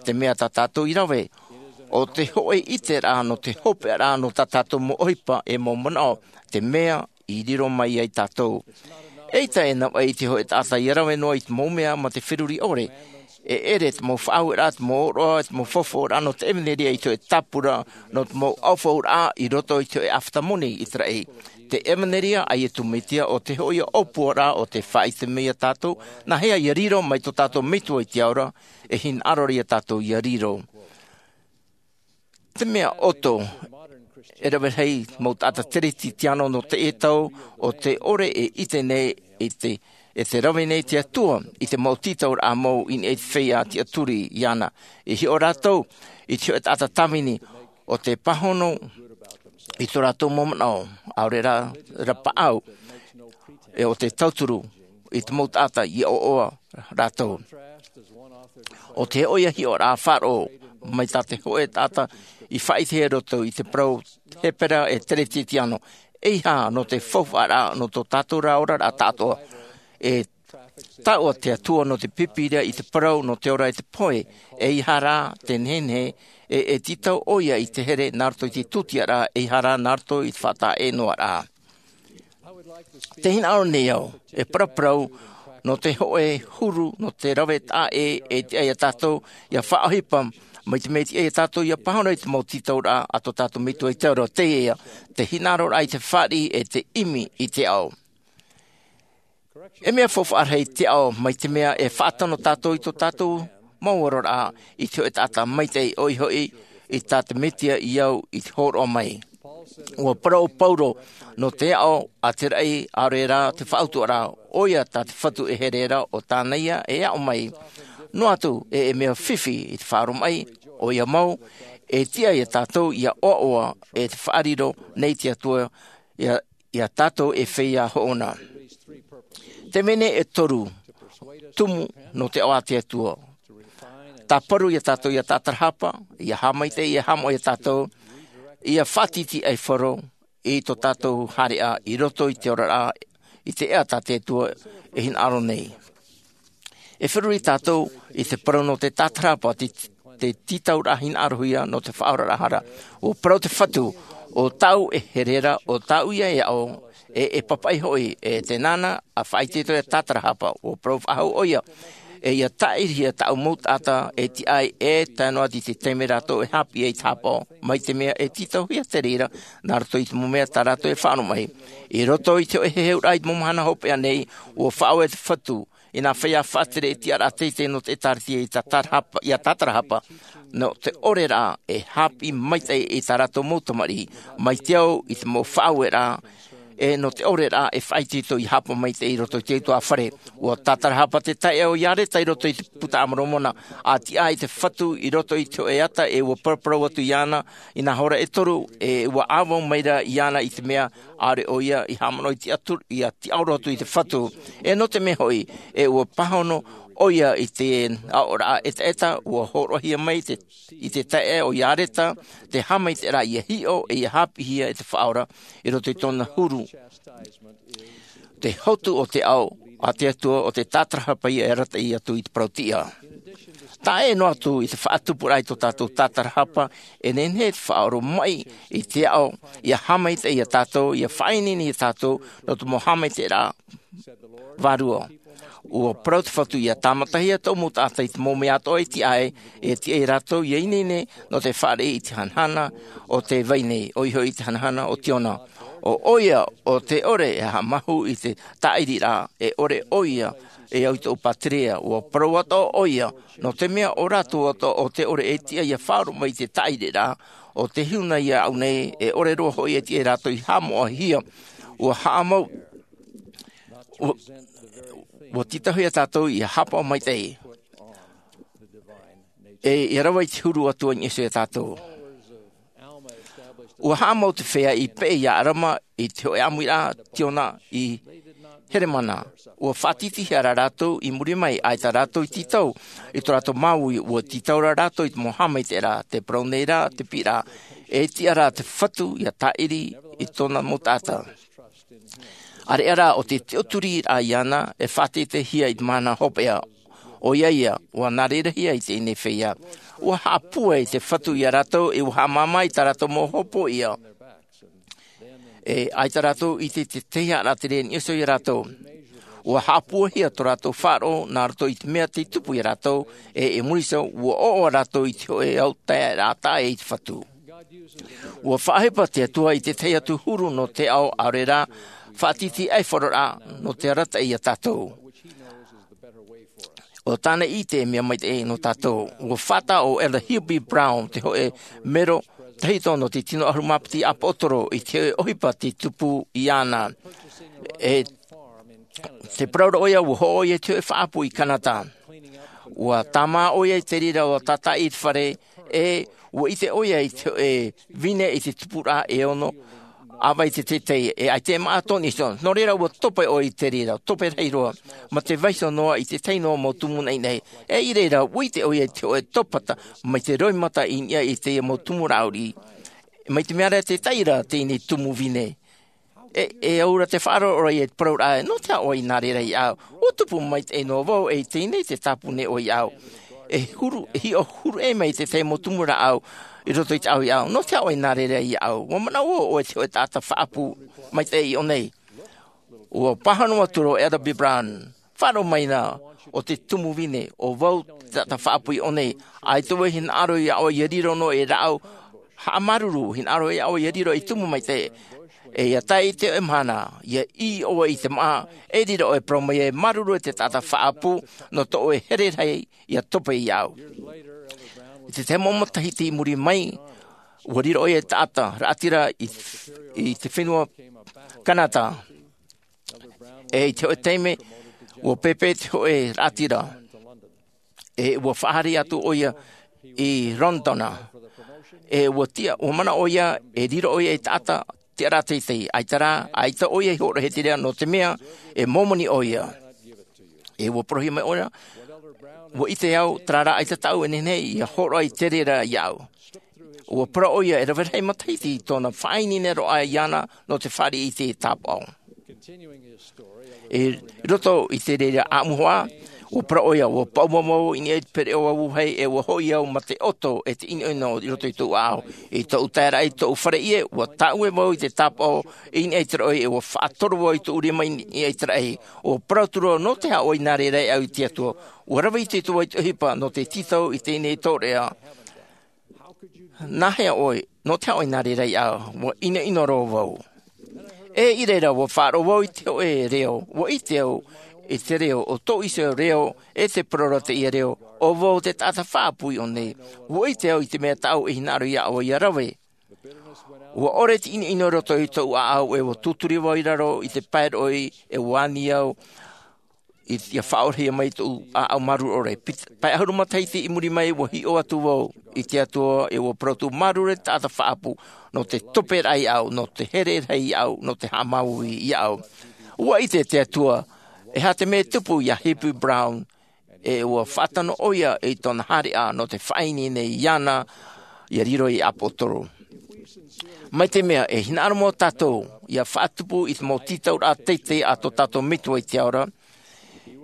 te mea tā tātou i rave. ʻO te hōʻē ʻiteraʻa nō te hopeʻaraʻa nō tā tātou mau ʻohipa e mau manaʻo, te mea i riro mai ai tātou. ʻEita e navaʻi i te hōʻē taʻata ʻia rave noa i te mau mea mā te feruri ʻore. E ʻere te mau faʻaueraʻa, te mau ʻōroʻa, te mau faufaʻauraʻa nō te ʻevanelia i te hōʻē tāpura, nō te mau ʻaufaʻauraʻa i roto i te hōʻē ʻāfata moni i te raʻi. Te ʻevanelia a Iesu Mesia ʻo te hōʻē ʻōpuaraʻa o te faʻaʻite mai iā tātou, nāhea ʻia riro mai tō tātou Metua i te ao ra, e hinaʻaro iā tātou ʻia riro. Te mea ʻoto, e rave rahi mau taʻata Teretitiano nō teie tau, ʻo te ʻore e ʻite nei i te, e te rave nei te Atua i te mau tītauraʻa mau i niʻa i te feiā tiʻaturi iāna. I hiʻo rātou i te hōʻē taʻata tāvini, ʻo te pāhono i tō rātou mau manaʻo, ʻaore rā, rā paʻau, e ʻo te tauturu i te mau taʻata ʻia ʻoaʻoa rātou. ʻO te hōʻē hiʻoraʻa faʻaroʻo mai tā te hōʻē taʻata i faʻaʻitehia i roto i te parau Hepera e Teretitiano, eiaha nō te faufaʻaraʻa nō tō tātou ra oraraʻa taʻatoʻa. E taʻua te Atua nō te Pīpīria i te parau nō te ora e te pohe, eiaha rā te nehenehe, e, e tītau ʻoia i te here nā roto i te tūtiaraʻa, eiaha rā nā roto i te faʻataʻa-ʻē-noa-raʻa. Tē hinaʻaro nei au, e paraparau, nō te hōʻē huru, nō te rave taʻa ʻē, e tiʻa iā tātou, ʻia faʻaʻohipa, mai te mea tiʻa iā tātou, ʻia pāhono i te mau tītauraʻa, a tō tātou Metua i te ao ra, teie, te hinaʻaroraʻa i te fāriʻi, e te ʻimi i te ao. E mea faufaʻa rahi te ao, mai te mea e faʻatano tātou i tō tātou mau oraraʻa, i te hōʻē taʻata maitaʻi ʻoia hoʻi, i tā te Mesia i au i te hōroʻa mai. ʻUa parau ʻo Pauro, nō te aʻo a te raʻi, ʻaore rā te faʻautuʻaraʻa, ʻoia tā te Fatu e here ra, ʻo tāna ia e aʻo mai. Noa atu, e, e mea fifi i te faʻaroʻo mai, ʻoia mau, e tiʻa iā tātou ʻia ʻoaʻoa, e te faʻariro nei te Atua, ʻia, ʻia tātou e feiā hoʻona. Te mea nei e toru, tumu nō te aʻo a te Atua. Tāparu iā tātou ʻia tātarahapa, ʻia haʻamaitaʻi, ʻia haʻamoʻe iā tātou, ʻia faʻatītīʻaifaro i tō tātou haereʻa i roto i te oraraʻa, i te ʻēʻa tā te Atua e hinaʻaro nei. E feruri tātou i te parau nō te tātarahapa, te, te tītauraʻa hinaʻarohia nō te faʻaoraraʻa hara. ʻUa parau te Fatu, ʻo tāʻu e here ra, ʻo tāʻu ia e aʻo, e, e papaʻi hoʻi, e tē nāna ʻa faʻaitoito e tātarahapa, ʻua parau faʻahou ʻoia. E ʻia tāʻirihia tāʻu mau taʻata, e tiʻa ai e tae noa atu i te taime rātou e haʻapiʻi ai i te hāpaʻo, mai te mea e tītauhia te reira, nā roto i te mau mea tā rātou e faʻaroʻo mai. I roto i te hōʻē heheuraʻa i te mau mahana hopeʻa nei, ʻua faʻaue te Fatu, i nā feiā faʻatere e tiʻaraʻa teitei nō te ʻĒtārētia i tātarahapa, ʻia tātarahapa, nō te ʻore ra e haʻapiʻi maitaʻi i tā rātou mau tamariʻi, mai te au i te mau faʻaueraʻa, e nō te ʻore rā e faʻaitoito i haʻapaʻo maitaʻi i roto i te utuāfare. Ua tātarahapa te taeaʻe o Iareta i roto i te Buka a Moromona, a tiʻa i te Fatu i roto i te hōʻē ata, e ua paraparau atu iāna i nā hora e toru, e ua ʻāvaʻe mai ra iāna i te mea ʻaore ʻoia i haʻamanaʻo i te atu, ia tiʻaoro atu i te Fatu. E nō te mea hoʻi, e ua pāhono ʻoia i te aʻoraʻa ʻetaʻeta, ua hōroʻahia mai te, i te taeaʻe o Iareta te haʻamaitaʻiraʻa ia hiʻo, e ia haʻapiʻihia e te Faʻaora i roto i tōna huru. Te hotu o te ao a te Atua, ʻo te tātarahapa ia e arataʻi atu i te parau-tiʻa. Taʻa ʻē noa atu i te faʻatupuraʻa i tō tātou tātarahapa, e nehenehe te faʻaoromaʻi i te ao ia haʻamaitaʻi ia tātou, ia faʻaineine ia tātou nō te mau haʻamaitaʻiraʻa vārua. Ua parau te Fatu ia tāmatahia tōʻu mau taʻata i te mau mea atoʻa e tiʻa ai, e tiʻa ia rātou ia ineine nō te fāriʻi i te hanahana o te vai nei, ʻoia hoʻi i te hanahana o Tiona. ʻO ʻoia ʻo te ʻore e haʻamāuruuru i te tāʻiriraʻa, e ʻore ʻoia e au i tōʻu pātireia. Ua parau atoʻa ʻoia, nō te mea ʻo rātou atoʻa ʻo te ʻore e tiʻa ia faʻaoromaʻi i te tāʻiriraʻa, ʻo te huna ia au nei, e ʻore roa hoʻi e tiʻa ia rātou i haʻamoʻahia. Ua haʻamau, ua, ua tītauhia tātou ia haʻapaʻo maitaʻi, e ia rave i te huru Atua i niʻa iho ia tātou. Ua haʻamau te feiā i peʻe ia ʻAlama i te hōʻē ʻāmuiraʻa Tiona i Heremana. Ua faʻatītīhia rā rātou i muri mai, ʻaita rātou i tītau i tō rātou māuiui, ua tītau rā rātou i te mau haʻamaitaʻiraʻa. Tē parau nei rā te piʻiraʻa, e tiʻa rā te Fatu ia tāʻiri i tōna mau taʻata. ʻAreʻa rā ʻo te tiʻaturiraʻa iāna e faʻateiteihia i te mahana hopeʻa. ʻOia ia, ua nā reira hia i teie nei feiā. Ua haʻapūai te Fatu ia rātou, e ua haʻamāmā i tā rātou mau hopoiʻa. E ʻaita rātou i ʻite i te tahi haʻaraʻa tere i niʻa iho ia rātou. Ua haʻapūaihia tō rātou faʻaroʻo nā roto i te mea tei tupu ia rātou, e i muri iho, ua ʻoaʻoa rātou i te hōʻē ao taeaʻe taʻa ʻē i te Fatu. Ua faʻaʻohipa te Atua i te tahi atu huru nō te ao, ʻaore rā, faʻatītīraʻa nō te arataʻi ia tātou. ʻO tāna i ʻite e mea maitaʻi nō tātou. Ua faʻataʻa ʻo Elder Hill B. Brown, te hōʻē mero tahito nō te tino ʻahuru mā piti ʻĀpōsetolo, i te hōʻē ʻohipa tei tupu iāna. E tē parau ra ʻoia, ua hoʻo ʻoia i te hōʻē faʻaʻapu i Kanata. Ua tāmā ʻoia i te reira ʻua tātaʻi i te fare, e ua ʻite ʻoia i te hōʻē vine i te tupuraʻa e ono ʻāvaʻe i te teitei, e ʻaita e māʻa tōna iho. Nō reira, ua topa ʻoia i te reira, topa rahi roa, mā te vaiiho noa i te tahi noa mau tumu naʻinaʻi. E i reira, ua ʻite ʻoia i te hōʻē taupata mai te roimata i niʻa i teie mau tumu rāʻau riʻi. Mai te mea ra, e taiʻo ra teie nei tumu vine. E, e au ra te faʻaroʻo ra ia i te parau ra, nō te aha ʻoe i nā reira iāʻu? Ua tupu maitaʻi noa vau, e i teie nei te tāpuni ʻoe iāʻu. E huru, e hiʻo huru ʻē mai te tahi mau tumu rāʻau i roto i te ʻāʻau iāʻu. Nō te aha ʻoe i nā reira iāʻu? Ua manaʻo ʻoe i te hōʻē taʻata faʻaʻapu maitaʻi i ʻō nei. Ua pāhono atu ra ʻo Elder B. Brown. Faʻaroʻo mai na, ʻo te tumu vine, ʻo vau te taʻata faʻaʻapu i ʻō nei. ʻAita vau e hinaʻaro iā ʻoe ia riro noa ei rāʻau haʻamāuruuru, hinaʻaro iā ʻoe ia riro ei tumu maitaʻi. E ia tae i te hōʻē mahana, ia ʻī ʻoe i te māʻa, e riro ʻoe e parau mai, e māuruuru e te taʻata faʻaʻapu, nō tō ʻoe here rahi ia topa iāʻu. I te tahi mau matahiti i muri mai, ua riro ʻoia ei taʻata raʻatira i, i te fenua Kanata. E i te hōʻē taime, ua pēpē te hōʻē raʻatira. E ua faʻahaere atu ʻoia i Rotana. E ua tiʻa, ua manaʻo ʻoia, e riro ʻoia ei taʻata tiʻaraʻa teitei. ʻAita rā, ʻaita ʻoia i hōroʻahia i te reira, nō te mea, e Momoni ʻoia. E ua parauhia mai ʻoia, ua ʻite au, terā rā ʻaita tāʻu e nehenehe ia hōroʻa i te reira iāʻu. Ua parau ʻoia, e rave rahi matahiti tōna faʻaineineraʻa iāna nō te fāriʻi i te tāpaʻo. I roto i te reira ʻāʻamu hoʻi, ua parau ʻoia, ua paʻuma vau i niʻa i te pereʻoʻo vauhai, e ua hoʻi au mā te ʻoto e te ʻinoʻino i roto i tōʻu ʻāʻau. I tōʻu taeraʻa i tōʻu fare ʻie, ua tāʻue vau i te tāpaʻo i niʻa i te raʻi, e ua faʻatoro vau i tōʻu rima i niʻa i te raʻi. Ua parau atu ra, nō te aha ʻoe i nā reira iāʻu, e te Atua? Ua rave ʻite atu vau i te ʻohipa nō te tītau i teie nei tōreʻa. Nā hea ʻoe, nō te aha ʻoe i nā reira iāʻu? Ua ʻinoʻino roa vau. E i reira, ua faʻaroʻo vau i te hōʻē reo, ua ʻite au i te reo, ʻo tōʻu iho reo, e tē parau ra teie reo, ʻo vau te taʻata faʻaʻapu i ʻō nei. Ua ʻite au i te mea tāʻu e hinaʻaro iā ʻoe ia rave. Ua ʻore te ʻinoʻino i roto i tōʻu ʻāʻau, e ua tūturi vau i raro i te pae roʻi, e ua ani au i te faʻaorahia mai tōʻu ʻāʻau māuruuru. Pae ʻahuru matahiti i muri mai, ua hiʻo atu vau i te Atua, e ua parau atu, māuruuru e taʻata faʻaʻapu, nō te tope raʻa iāʻu, nō te here rahi iāʻu, nō te haʻamāuiui iāʻu. Ua ʻite te Atua e aha te mea e tupu iā Hippie Brown, e ua faʻatano ʻoia i tōna haereʻa nō te faʻaineine iāna ia riro ei ʻāpōsetolo. Mai te mea e hinaʻaro mau tātou ia faʻatupu i te mau tītauraʻa teitei a tō tātou Metua i te ao ra,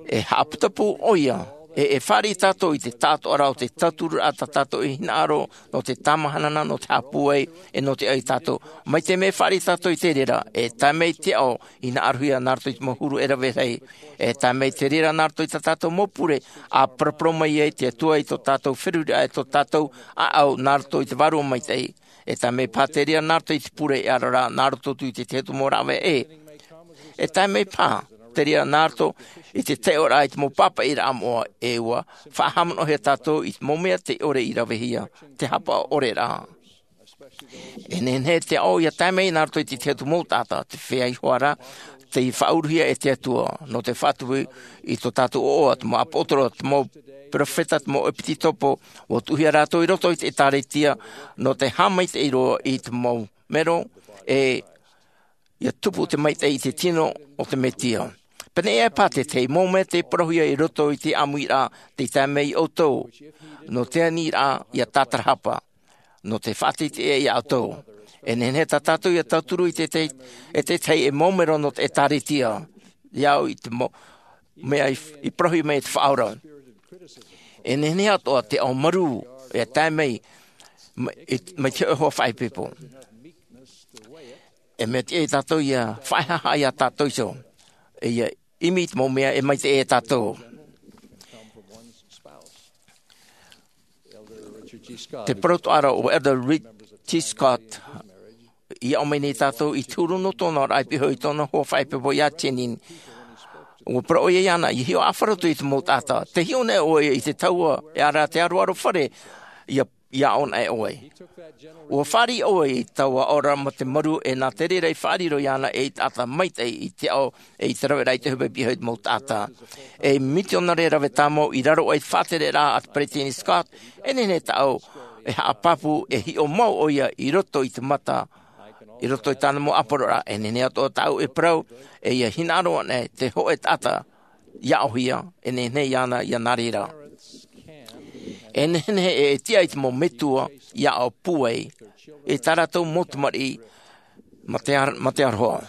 e haʻaputapū ʻoia, e e fāriʻi tātou i te taʻatoʻaraʻa o te tauturu a tā tātou e hinaʻaro nō te tāmāhanahana, nō te haʻapūai, e nō te ʻai tātou. Mai te mea e fāriʻi tātou i te reira, e tae mai te ao hinaʻarohia nā roto i te mau huru e rave rahi, e tae mai te reira nā roto i tā tātou mau pure, ʻa paraparau mai ai te Atua i tō tātou feruriraʻa, e tō tātou ʻāʻau nā roto i te Vārua Maitaʻi. E tae mai paha te reira nā roto i te pure e ʻaro ra nā roto atu i te tahi atu mau rāveʻa ʻē. E tae mai paha te reira nā roto i te taiʻoraʻa i te mau pāpaʻiraʻa moʻa, e ua faʻahaʻamanaʻohia tātou i te mau mea tei ʻore i ravehia, te haʻapaʻo ʻore ra. E nehenehe te ao ia tae mai nā roto i te tahi atu mau taʻata, te feiā iho ā ra, tei faʻauruhia e te Atua nō te faʻatupu i tō tātou ʻoaʻoa, te mau ʻāpōsetolo, te mau perofeta, te mau ʻepitopo, ua tuʻuhia rātou i roto i te ʻĒtārētia nō te haʻamaitaʻi roa i te mau mero, e ia tupu te maitaʻi i te tino o te Mesia. Pēneiaʻe paha te tahi mau mea tei parauhia i roto i te ʻāmuiraʻa tei tae mai iā ʻoutou, nō te aniraʻa ia tātarahapa, nō te faʻateiteʻa iā ʻoutou. E nehenehe tā tātou ia tauturu i te, te, e te tahi e mau mero nō te ʻĒtārētia, iā ʻu i te mau mea i, i parauhia mai e te Faʻaora. E nehenehe atoʻa te ao marū e tae mai, mai, i, mai te hōʻē hoa faʻaipoipo. E mea tiʻa ia tātou ia faʻahaʻehaʻa iā tātou iho, e ia ʻimi i te mau mea e maitaʻi ia tātou. Te parau atoʻa ra o Elder Richard G. Scott, i aʻo mai nei tātou i te huru nō tōna oraraʻa i pihaʻi i tōna hoa faʻaipoipo iā Jeanene. Ua parau ʻoia iāna, ia hiʻo ʻāfaro atu i te mau taʻata. Tē hiʻo nei ʻoe i te taua, e ʻaore rā te aroaro fare, ia, ia aʻo nei ʻoe. Ua fāriʻi ʻoe i taua aʻoraʻa mā te marū, e nā te reira i faʻariro iāna ei taʻata maitaʻi i te ao, e i te raveraʻa i te hope pihaʻi i te mau taʻata. Ei mitionare rave tāmau i raro aʻe i te faʻatereraʻa a te Peresideni Scott, e nehenehe tāʻu e haʻapāpū, e hiʻo mau ʻoia i roto i te mata, i roto i tāna mau ʻāpōsetoloraʻa. E nehenehe atoʻa tāʻu e parau, e ia hinaʻaro anaʻe te hōʻē taʻata ia aʻohia, e nehenehe iāna ia nā reira. E nehenehe e tiʻa i te mau metua ia aʻo pūai i tā rātou mau tamariʻi mā te ar-, mā te aroha.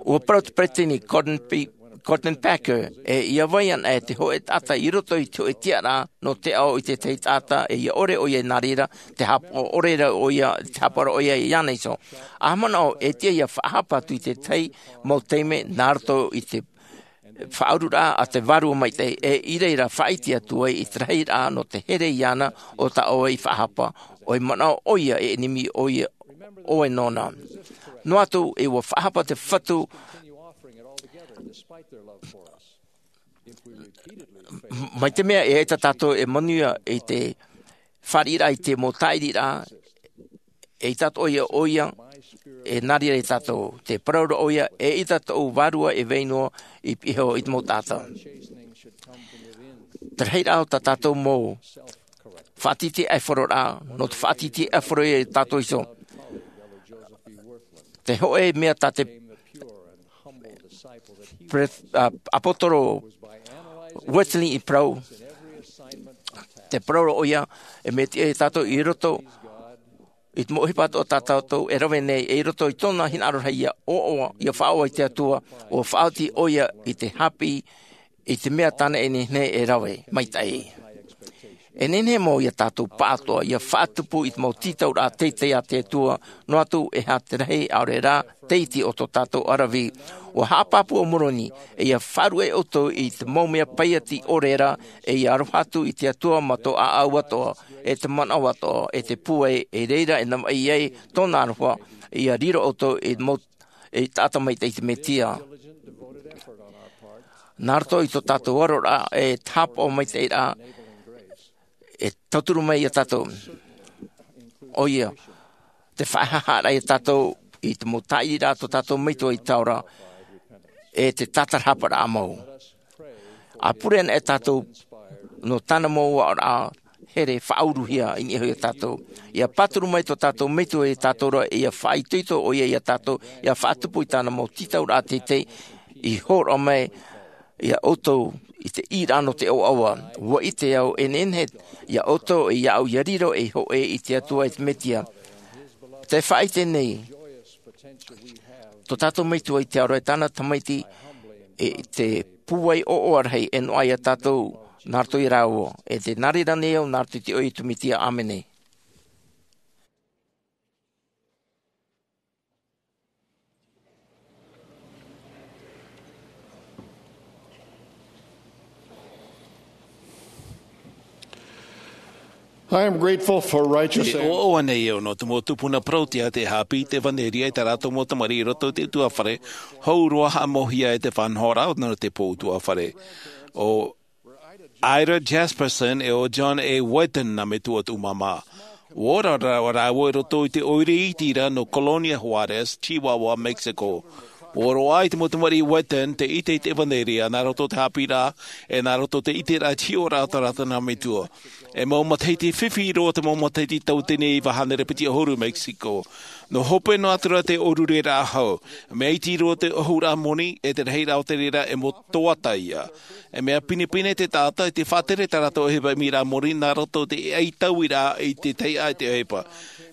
Ua parau te Peresideni Gordon P-, Gordon Packer, e ia vai anaʻe te hōʻē taʻata i roto i te hōʻē tiʻaraʻa nō te ao i te tahi taʻata, e ia ʻore ʻoia i nā reira, te haʻapaʻo ʻore ra ʻoia, te haʻapaʻo ra ʻoia iāna iho. ʻA manaʻo, e tiʻa ia faʻahapa atu i te tahi mau taime nā roto i te faʻaururaʻa a te Vārua Maitaʻi, e i reira faʻaʻite atu ai i te rahiraʻa nō te here iāna o tā ʻoe i faʻahapa, ʻoia manaʻo ʻoia e ʻenemi ʻoia ʻoe nōna. Noa atu, e ua faʻahapa te Fatu, mai te mea e ʻaita tātou e manuia i te fāriʻiraʻa i te mau tāʻiriraʻa, e ʻaita atoʻa ia ʻoia e nā reira ia tātou. Te parau ra ʻoia, e ʻaita tōʻu Vārua e vai noa i pihaʻi iho i te mau taʻata. Te rahiraʻa o tā tātou mau faʻatītīʻaifaro ra, nō te faʻatītīʻaifaro ia tātou iho. Te hōʻē mea tā te pre-, ā, ʻāpōsetolo Wesley i parau, te parau ra ʻoia, e mea tiʻa ia tātou i roto i te mau ʻohipa atoʻa tā tātou e rave nei, e i roto i tōna hinaʻaro rahi ia ʻoaʻoa, ia faʻaʻoaʻoa i te Atua, ʻua faʻaoti ʻoia i te haʻapiʻi i te mea tāna e nehenehe e rave maitaʻi. E nehenehe mau ia tātou pāʻatoʻa ia faʻatupu i te mau tītauraʻa teitei a te Atua, noa atu e aha te rahi ʻaore rā te iti o tō tātou ʻaravihi. ʻUa haʻapāpū ʻo Moroni, e ia faʻaruʻe ʻoutou i te mau mea paiati ʻore ra, e ia aroha atu i te Atua mā tō ʻāʻau atoʻa, e te manaʻo atoʻa, e te pūai, e reira e navaʻi ai tōna aroha, ia riro ʻoutou i te mau, ei taʻata maitaʻi i te Mesia. Nā roto i tō tātou aroraʻa, e te haʻapaʻo maitaʻiraʻa, e tauturu mai iā tātou. ʻOia, te faʻahaʻahaʻaraʻa iā tātou i te mau tāʻiriraʻa tō tātou metua i taora, e te tātarahaparaʻa mau. ʻA pure ana e tātou nō tāna mau aʻoraʻa here faʻauruhia i niʻa iho iā tātou. ʻIa pāturu mai tō tātou metua iā tātou ra, ʻia faʻaitoito ʻoia iā tātou, ʻia faʻatupu i tāna mau tītauraʻa teitei, i hōroʻa mai iā ʻoutou i te ʻīraʻa nō te ʻoaʻoa. ʻUa ʻite au e nehenehe iā ʻoutou e iāʻu ʻia riro ei hōʻē i te Atua e te Mesia. Te faʻaʻite nei tō tātou metua i te aroha e tāna tamaiti, e te pūai ʻoaʻoa rahi e noaʻa iā tātou nā roto iā rāua. E te nā reira nei au nā roto i te iʻoa o Iesu Mesia, ʻāmene. I am grateful for righteous E ʻoaʻoa nei au nō te mau tupuna parau tiʻa tē haʻapiʻi i te ʻevanelia i tā rātou mau tamariʻi i roto i te ʻutuāfare hou roa, haʻamauhia e te faʻanahoraʻa nō te pō ʻutuāfare. ʻO Ida Jasperson e ʻo John A. Whetten nā metua tuʻu māmā. ʻUa ora rā-, rāua i roto i te ʻoire iti ra nō Colonia Juárez, Chihuahua, Mexico. ʻUa roaʻa i te mau tamariʻi Whetten te ʻite i te ʻevanelia nā roto i te haʻapiʻiraʻa, e nā roto i te ʻiteraʻa i te hiʻoraʻa o tā rātou nā metua. E mau matahiti fifi roa te mau matahiti tauatini e iva hānere piti ʻahuru Mexico. Nō hope noa atu ra te ʻōrureraʻa hou. Mea iti roa te ʻōhuraʻa moni, e te rahiraʻa o te reira e mau toata ia. E mea pinepine te taʻata i te faʻatere tā rātou ʻohipa ʻimiraʻa moni nā roto i te ʻaitauiraʻa i te taiʻa i te ʻohipa.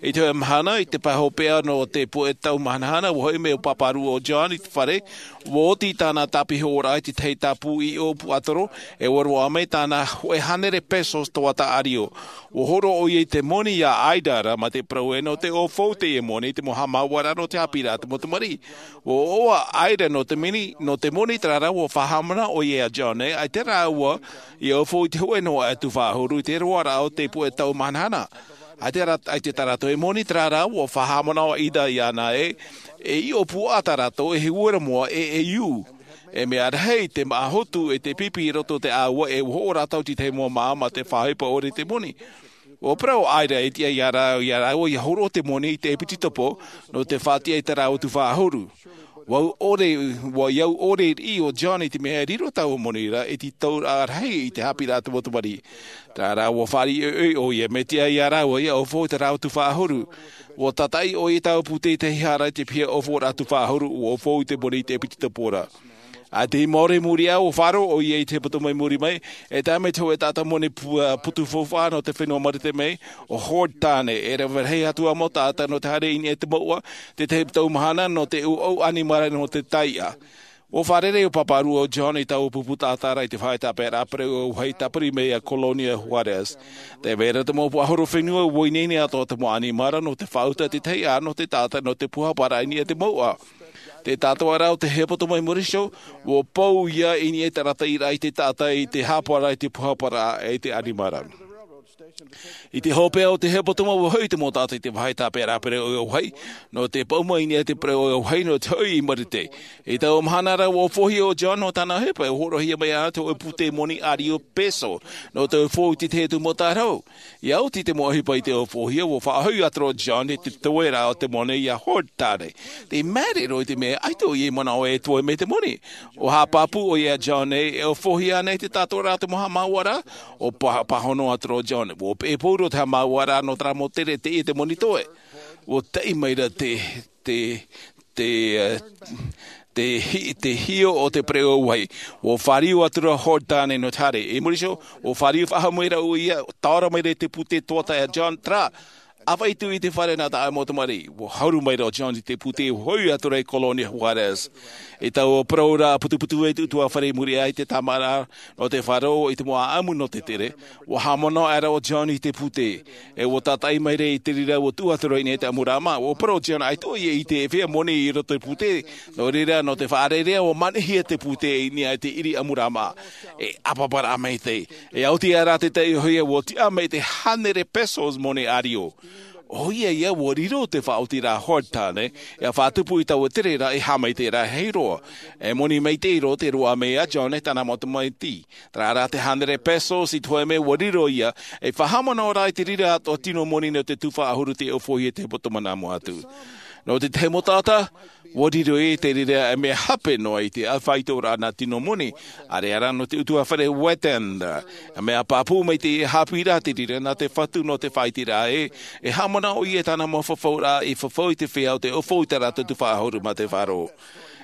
I te hōʻē mahana, i te pae hopeʻa nō te puʻe tau mahanahana, ʻua hoʻi mai ʻo Pāpārū ʻo John i te fare, ʻua oti tāna tāpihoraʻa i te tahi tāpū ʻiʻo puaʻatoro, e ʻua roaʻa mai tāna hōʻē hānere pesos toata ʻārio. ʻUa hōroʻa ʻoia i te moni iā Ida ra, mā te parau ē nō te ʻōfou teie moni i te mau haʻamāuʻaraʻa nō te haʻapiʻiraʻa a te mau tamariʻi. ʻUa ʻoaʻoa ʻo Ida nō te moni, nō te moni terā rā ʻua faʻahaʻamanaʻo ʻoia iā John ē, ʻaita rāua ʻia ʻōfou i te hōʻē noa atu faʻahuru i te roaraʻa o te puʻe tau mahanahana. ʻAita rā-, ʻaita tā rātou e moni terā rā, ʻua faʻahaʻamanaʻo ʻo Ida iāna ē, e ʻiʻo puaʻa tā rātou, e uera moa, e, e ʻū. E mea rahi te māʻa hotu, e te pipi i roto i te ʻāua, e ʻua hoʻo rātou i te tahi mau māʻa mā te faʻaʻohipa ʻore i te moni. ʻUa parau ʻo Ida e tiʻa iā rā-, iā rāua ʻia hōroʻa te moni i te ʻepitopo, nō te faʻatiʻa i tā rāua tuhaʻa ʻahuru. ʻUa au ʻore, ʻua au ʻore riʻi ʻo John i te mea e riro taua moni ra, e tītauraʻa rahi i te haʻapiʻiraʻa a te mau tamariʻi. Terā rā ʻua fāriʻi ʻoiʻoi ʻoia, mea tiʻa iā rāua ʻia ʻōfou i tā rāua tuhaʻa ʻahuru. ʻUa tātaʻi ʻoia i taua pūtē i te hara i te piha ʻōfouraʻa tuhaʻa ʻahuru, ʻua ʻōfou i te moni i te ʻepitopo ra. ʻAita i muri iho, ʻua faʻaroʻo ʻoia i te hepetoma i muri mai, e tae mai te hōʻē taʻata moni pu-, ā, potu faufaʻa nō te fenua Marite mai, ʻo Hord Tane, e rave rahi atu ā mau taʻata nō te haere i niʻa i te mouʻa, te tahi tau mahana nō te ʻūʻau ʻanimara nō te taiʻa. ʻUa fārerei ʻo Pāpārū ʻo John i taua pupu taʻata ra i te faʻaʻite tāpeʻaraʻa pereʻoʻo auahi tāpiri mai iā Colonia Juárez. Tē vai ra te mau puaʻahorofenua ʻua ineine atoʻa te mau ʻanimara nō te faʻauta i te taiʻa nō te taʻata nō te pūhaparaʻa i niʻa i te mouʻa. Te tātoʻaraʻa o te hepetoma i muri iho, ʻua pou ia i niʻa i te arataʻiraʻa i te taʻata i te haʻapaʻo i te pūhaparaʻa e te ʻanimara. I te hopeʻa o te hepetoma ʻua hoʻi te mau taʻata i te vāhi tāpeʻaraʻa pereʻoʻo auahi, nō te paʻuma i niʻa i te pereʻoʻo auahi nō te hoʻi i Marite. I taua mahana ra ʻua ʻōfohia ʻo John nō tāna ʻohipa, e hōroʻahia mai ana te hōʻē pūtē moni ʻārio peso, nō te ʻōfou i te tahi atu mau tārahu. ʻIa oti te mau ʻohipa i te ʻōfohia, ʻua faʻahoʻi atu ra ʻo John i te toeraʻa o te moni iā Hord Tane. Tē māere roa i te mea ʻaita ʻoia i manaʻo e toe mai te moni. ʻUa haʻapāpū ʻoia iā John ē, e ʻōfohia ānei te tātoʻaraʻa o te mau haʻamāuʻaraʻa, ʻua pā-, pāhono atu ra ʻo John. ʻUa peʻe pauroa te haʻamāuʻaraʻa nō terā mau tere teie te moni toe. ʻUa taʻi mai ra te, te, te, ā, te hi-, te hiʻo o te pereʻoʻo auahi. ʻUa fāriu atu ra ʻo Hord Tane nō te haere. I muri iho, ʻua fāriu faʻahou mai ra ʻoia, taora mai ra i te pūtē toata iā John, terā, ʻāfaʻi atu i te fare nā tāʻu mau tamariʻi. ʻUa haru mai ra ʻo John i te pūtē, ʻua hoʻi atu ra i Colonia Juárez. I taua parauraʻa putuputu e te ʻutuāfare i muri aʻe i te tāmāʻaraʻa nō te faʻaroʻo i te mau ʻāʻamu nō te tere, ʻua haʻamanaʻo aʻera ʻo John i te pūtē. E ʻua tātaʻi mai ra i te reira ʻua tuʻu atu ra i niʻa i te ʻamuraʻa mā. ʻUa parau ʻo John ʻaita ʻoia i te feiā moni i roto i te pūtē. Nō reira, nō te faʻarearea ʻua manihia te pūtē i niʻa i te ʻiri ʻamuraʻa mā. E ʻāpaparaʻa maitaʻi. E ʻaita rā te taiʻohia ʻua tiʻa mai te hānere pesos moni ʻārio. ʻO ia ia ua riro te faʻaotiraʻa Hōrtane, ia faʻatupu i taua tere ra e haʻamaitaʻi rahi roa. E moni maitaʻi roa te roaʻa mai a John e tāna mau tamaiti. Terā rā te hānere pesos i te hōʻē mea ua riro ia, e faʻahaʻamanaʻo rā i te reira atoʻa tino moni nō te tufa ʻahuru tei ʻōfaʻi i te poto mana mua atu. Nō te tahi mau taʻata, ua riro i te reira e mea hape noa i te ʻāfaʻitoraʻa nā tino moni, ʻāreʻa rā nō te ʻutuāfare Whetten. E mea pāpū mai te haʻapiʻiraʻa te reira nā te Fatu nō te faʻaiteraʻa ē, e haʻamanaʻo ʻoia i tāna mau fafauraʻa i fafau i te feiā o te ʻōfaʻi i tā rātou tufa ʻahuru mā te faʻaroʻo.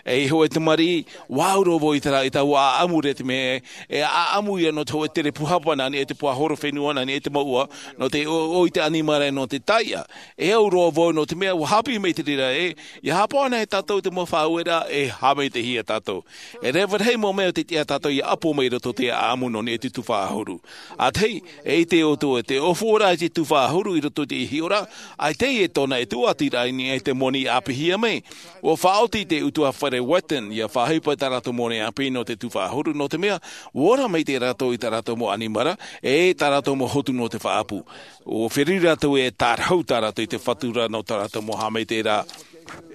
E iho e tamariʻi, ʻua au roa vau i terā, i taua ʻāʻamu ra te mea, e ʻāʻamu ia nō te hōʻē tere pūhapa nā niʻa i te puaʻahorofenua, nā niʻa i te mouʻa, nō te ʻoʻoʻo i te ʻanimara nō te taiʻa. E au roa vau nō te mea ʻua haʻapiʻi mai te reira ē, ʻia haʻapaʻo ana e tātou te mau faʻaueraʻa e haʻamaitaʻihia tātou. E reva rahi mau mea o te tiʻa tātou ʻia ʻapo mai i roto i te ʻāʻamu nō niʻa i te tufa ʻahuru. ʻA tahi, e ʻite ʻoutou ē, te ʻōfaʻiraʻa i te tufa ʻahuru i roto i te hiʻoraʻa, ʻaita e tōna e tuatiraʻa i niʻa i te moni ʻāpīhia mai. ʻUa faʻaoti te ʻutuāfare Whetten ʻia faʻaʻohipa i tā rātou moni ʻāpī nō te tufa ʻahuru, nō te mea, ʻua ora maitaʻi rātou i tā rātou mau ʻanimara, e tā rātou mau hotu nō te faʻaʻapu. ʻUa feruri rātou e tārahu tā rātou i te Fatu ra nō tā rātou mau haʻamaitaʻiraʻa.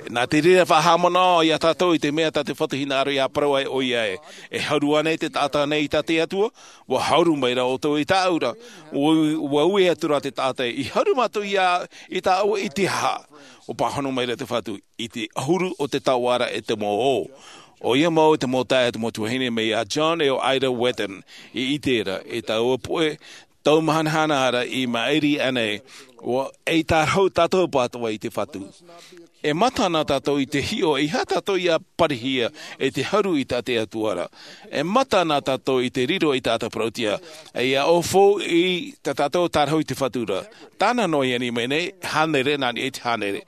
Nā te reira faʻahaʻamanaʻo ia tātou i te mea tā te Fatu hinaʻaro ʻia parau ai ʻoia ē, e haru ānei te taʻata nei i tā te Atua, ʻua haru mai ra ʻoutou i tāʻu ra. ʻUa, ʻua ui atu ra te taʻata ē, i haru mātou ia, i tāʻu i te aha? ʻUa pāhono mai ra te Fatu, i te ʻahuru o te taoʻa ra e te mau ō. ʻOia mau te mau taeaʻe, te mau tuahine mai iā John e ʻo Ida Whetten, i ʻite ra, i taua poʻe tau mahanahana ra i maʻiri aʻenei, ʻua, e tārahu tātou atoʻa i te Fatu. E mata ana tātou i te hiʻo, ʻeiaha tātou ʻia parihia e te haru i tā te Atua ra. E mata ana tātou i te riro i tā tātou parauʻtiʻa, e ʻia ʻōfaʻi i tā tātou tārahu i te Fatu ra. Tāna noa i ani mai nei, hānere nā niʻa i te hānere.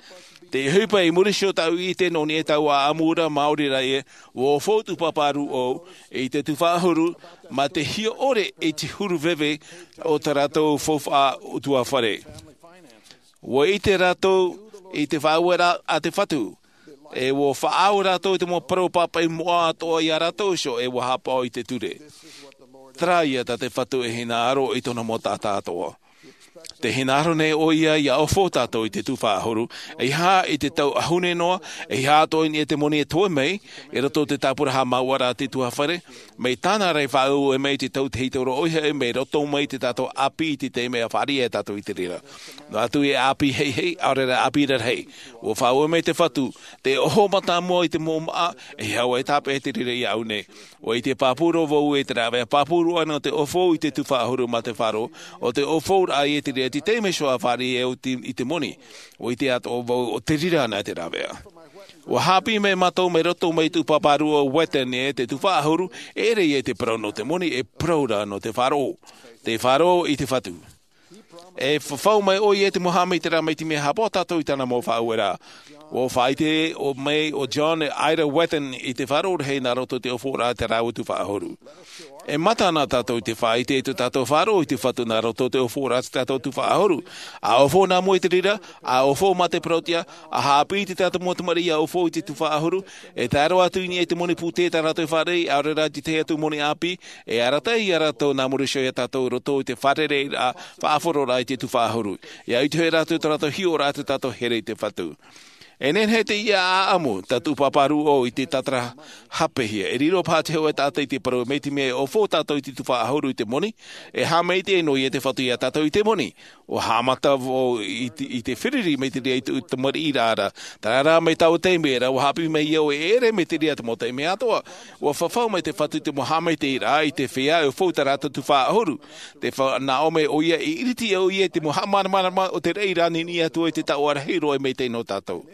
Te ʻohipa i muri iho tāʻu i ʻite nō niʻa i taua ʻāʻamu ra, maori rā ē, ʻua ʻōfaʻi tū pāpā rūʻau i te tufa ʻahuru, mā te hiʻo ʻore i te huru veve o tā rātou faufaʻa ʻutuāfare. ʻUa ʻite rātou i te faʻaueraʻa a te Fatu, e ʻua faʻaau rātou i te mau parau pāpaʻi moʻa atoʻa iā rātou iho, e ʻua haʻapaʻo i te ture. Terā ia tā te Fatu e hinaʻaro i tōna mau taʻata atoʻa. Tē hinaʻaro nei ʻoia ʻia ʻōfaʻi tātou i te tufa ʻahuru, ʻeiaha i te tau ʻahune noa, ʻeiaha atoʻa i niʻa i te moni e toe mai, i roto i te tāpura haʻamāuʻaraʻa a te ʻutuāfare, mai tāna ra i faʻaue mai i te tau tahito roa ʻoia hoʻi, mai roto mai i tā tātou ʻāpī i te taime ʻa fāriʻi ai tātou i te reira. Noa atu e ʻāpī heihei, ʻaore rā ʻāpī rarahi. ʻUa faʻaue mai te Fatu, te ʻoho mātāmua i te mau māʻa, e hau e tāpeʻa te reira iāʻu nei. ʻUa ʻite pāpū roa vau ē te rāveʻa pāpū roa nō te ʻōfaʻi i te tufa ʻahuru mā te faʻaroʻo, ʻo te ʻōfaʻiraʻa ïa te reira i te taime iho ʻa fāriʻi ai i te moni. ʻUa ʻite atoʻa vau ʻo te reira ana te rāveʻa. ʻUa haʻapiʻi mai mātou mai roto mai tū pāpā rūʻau Whetten ē, te tufa ʻahuru, e ʻere ïa i te parau nō te moni, e parau rā nō te faʻaroʻo. Te faʻaroʻo i te Fatu. E fafau mai ʻoia i te mau haʻamaitaʻiraʻa mai te mea haʻapaʻo tātou i tāna mau faʻaueraʻa. ʻUa faʻaʻite mai ʻo John e Ida Whetten i te faʻaroʻo rahi nā roto i te ʻōfaʻiraʻa i tā rāua tufa ʻahuru. E mata ana tātou i te faʻaʻite i tō tātou faʻaroʻo i te Fatu nā roto i te ʻōfaʻiraʻa i tō tātou tufa ʻahuru. ʻA ʻōfaʻi nā mua i te reira, ʻa ʻōfaʻi mā te parauʻtiʻa, ʻa haʻapiʻi i tā tātou mau tamariʻi ʻia ʻōfaʻi i te tufa ʻahuru, e tae roa atu i niʻa i te moni pūtē tā rātou e fāriʻi, ʻaore rā i te tahi atu moni ʻāpī, e arataʻi ia rātou nā muri iho ia tātou i roto i te fārereiraʻa, faʻahororaʻa i te tufa ʻahuru. ʻIa ʻite hoʻi rātou tō rātou hiʻoraʻa i tō tātou here i te Fatu. E nehenehe teie ʻāʻamu, tā tū pāpā rūʻau i te tātara hāpeʻahia. E riro paha te hōʻē taʻata i te parau mai te mea e ʻōfaʻi tātou i te tufa ʻahuru i te moni, e haʻamaitaʻi noa ïa te Fatu ia tātou i te moni. ʻUa haʻamata vau i te, i te feruri mai te reira i tōʻu tamariʻiraʻa ra. Terā rā mai taua taime ra, ʻua haʻapiʻi mai au e ʻere mai te reira te mau taime atoʻa. ʻUa fafau mai te Fatu i te mau haʻamaitaʻiraʻa i te feiā e ʻōfaʻi i tā rātou tufa ʻahuru. Tē fānaʻo mai ʻoia, e ʻiriti ʻoia i te mau haʻamāramarama o te raʻi ra niniʻi atu ai te taoʻa rahi roa e maitaʻi nō tātou.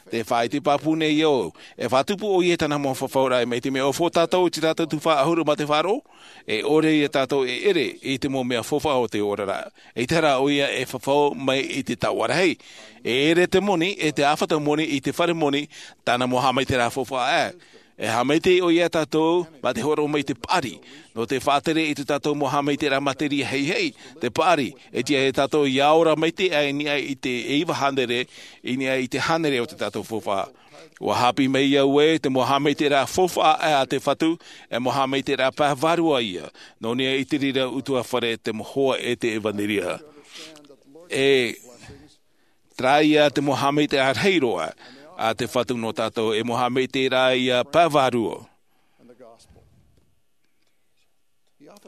Tē faʻaʻite pāpū nei au, e faʻatupu ʻoia i tāna mau fafauraʻa mai te mea e ʻōfaʻi tātou i tā tātou tufa ʻahuru mā te faʻaroʻo, e ʻore ia tātou e ʻere i te mau mea faufaʻa o te oraraʻa. ʻEita rā ʻoia e fafau mai i te taoʻa rahi. E ʻere te moni, e te ʻāfata moni i te fare moni, tāna mau haʻamaitaʻiraʻa faufaʻa aʻe. E haʻamaitaʻi ʻoia ia tātou, mā te hōroʻa mai i te paʻari. Nō te faʻatere i tō tātou mau haʻamaitaʻiraʻa materia heihei, te paʻari, e tiʻa ia tātou ʻia ora maitaʻi i niʻa i te iva hānere, i niʻa i te hānere o tō tātou faufaʻa. ʻUa haʻapiʻi mai au ē, te mau haʻamaitaʻiraʻa faufaʻa aʻe a te Fatu, e mau haʻamaitaʻiraʻa pae vārua ïa, nō niʻa i te reira ʻutuāfare, te mau hoa e te ʻevanelia. E Terā ia te mau haʻamaitaʻiraʻa rahi roa a te Fatu nō tātou, e mau haʻamaitaʻiraʻa ia pae vārua.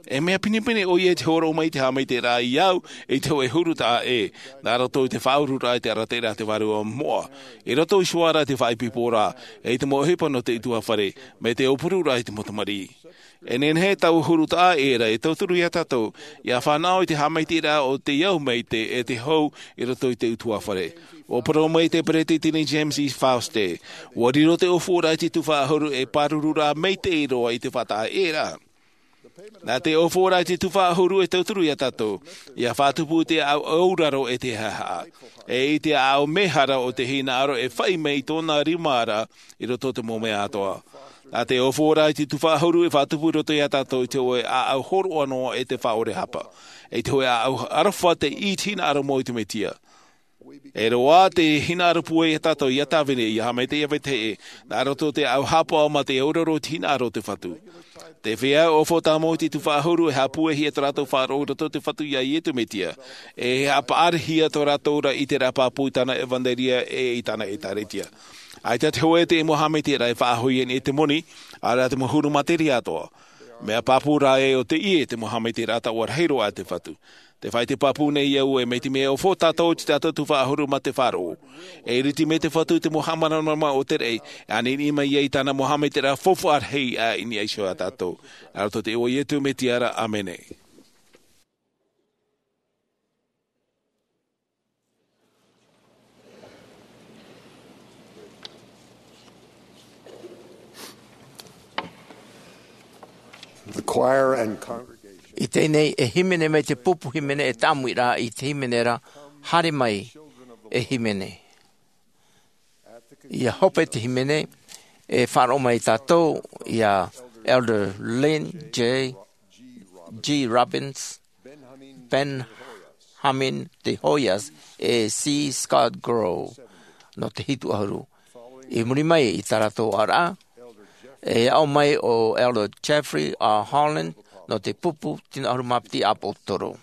E mea pinepine ʻoia i te hōroʻa mai i te haʻamaitaʻiraʻa i au i te hōʻē huru taʻa ʻē, nā roto i te faʻaururaʻa i te arataʻiraʻa a te Vārua Moʻa, i roto iho ā ra i te faʻaipoipo ra, e i te mau ʻohipa nō te ʻutuāfare, mai te ʻōpururaʻa i te mau tamariʻi. E nehenehe taua huru taʻa ʻē ra e tauturu ia tātou, ʻia fānaʻo i te haʻamaitaʻiraʻa o te au maitaʻi e te hou i roto i te ʻutuāfare. ʻUa parau mai te Peretiteni James E. Faust ē, ʻua riro te ʻōfuaraʻa i te tuhaʻa ʻahuru ei pārururaʻa maitaʻi roa i te faʻataʻa ʻē ra. Nā te ʻōfuaraʻa i te tuhaʻa ʻahuru e tauturu ia tātou, ʻia faʻatupu i te auraro e te haʻehaʻa, e i te ʻāʻau mehara o te hinaʻaro e faʻi mai i tōna rima ra i roto i te mau mea atoʻa. Nā te ʻōfuaraʻa i te tuhaʻa ʻahuru e faʻatupu i roto ia tātou i te hōʻē ʻāʻau hōroʻa noa e te faʻaʻore hapa, e i te hōʻē ʻāʻau aroha te hinaʻaro mau i te Mesia. E roaʻa te hinaʻaro pūai ia tātou ʻia tāvini, ʻia haʻamaitaʻi, ʻia vetahi, nā roto i te ʻāʻau hapa mā te auraro i te hinaʻaro o te Fatu. Te feiā ʻohipa tāmau i te tuhaʻa ʻahuru e haʻapūaihia tō rātou faʻaroʻo i roto i te Fatu iā Iesu Mesia, e haʻapaʻarihia tō rātou ra i te pāpū i tāna ʻevanelia e i tāna ʻĒtārētia. ʻAita te hōʻē mau haʻamaitaʻiraʻa e faʻahoʻi anaʻe i te moni, ʻaore rā te mau huru materia atoʻa. Mea pāpū rā ē ʻo teie te mau haʻamaitaʻiraʻa taʻua rahi roa a te Fatu. Tē faʻaʻite pāpū nei au ē, mai te mea ʻohipa tātou i te taʻata tuhaʻa ʻahuru mā te faʻaroʻo, e iriti mai te Fatu i te mau haʻamāramarama o te raʻi, e ʻaniʻini mai ai i tāna mau haʻamaitaʻiraʻa faufaʻa rahi i niʻa iho ia tātou. Nā roto i te iʻoa o Iesu Mesia ra, ʻāmene. The choir and congregation. I teie nei e hīmene mai te pupu hīmene e tāmui ra i te hīmene ra, Haere mai e hīmene. ʻIa hope te hīmene, e faʻaroʻo mai tātou ia Elder Lynn J. G. Robbins, Benjamin De Hoyos, e C. Scott Grow, nō te hitu ʻahuru. I muri mai i tā rātou ʻāraʻa, e aʻo mai ʻo Elder Jeffrey R. Holland, nō te pupu tino ʻahuru mā piti ʻāpōsetolo.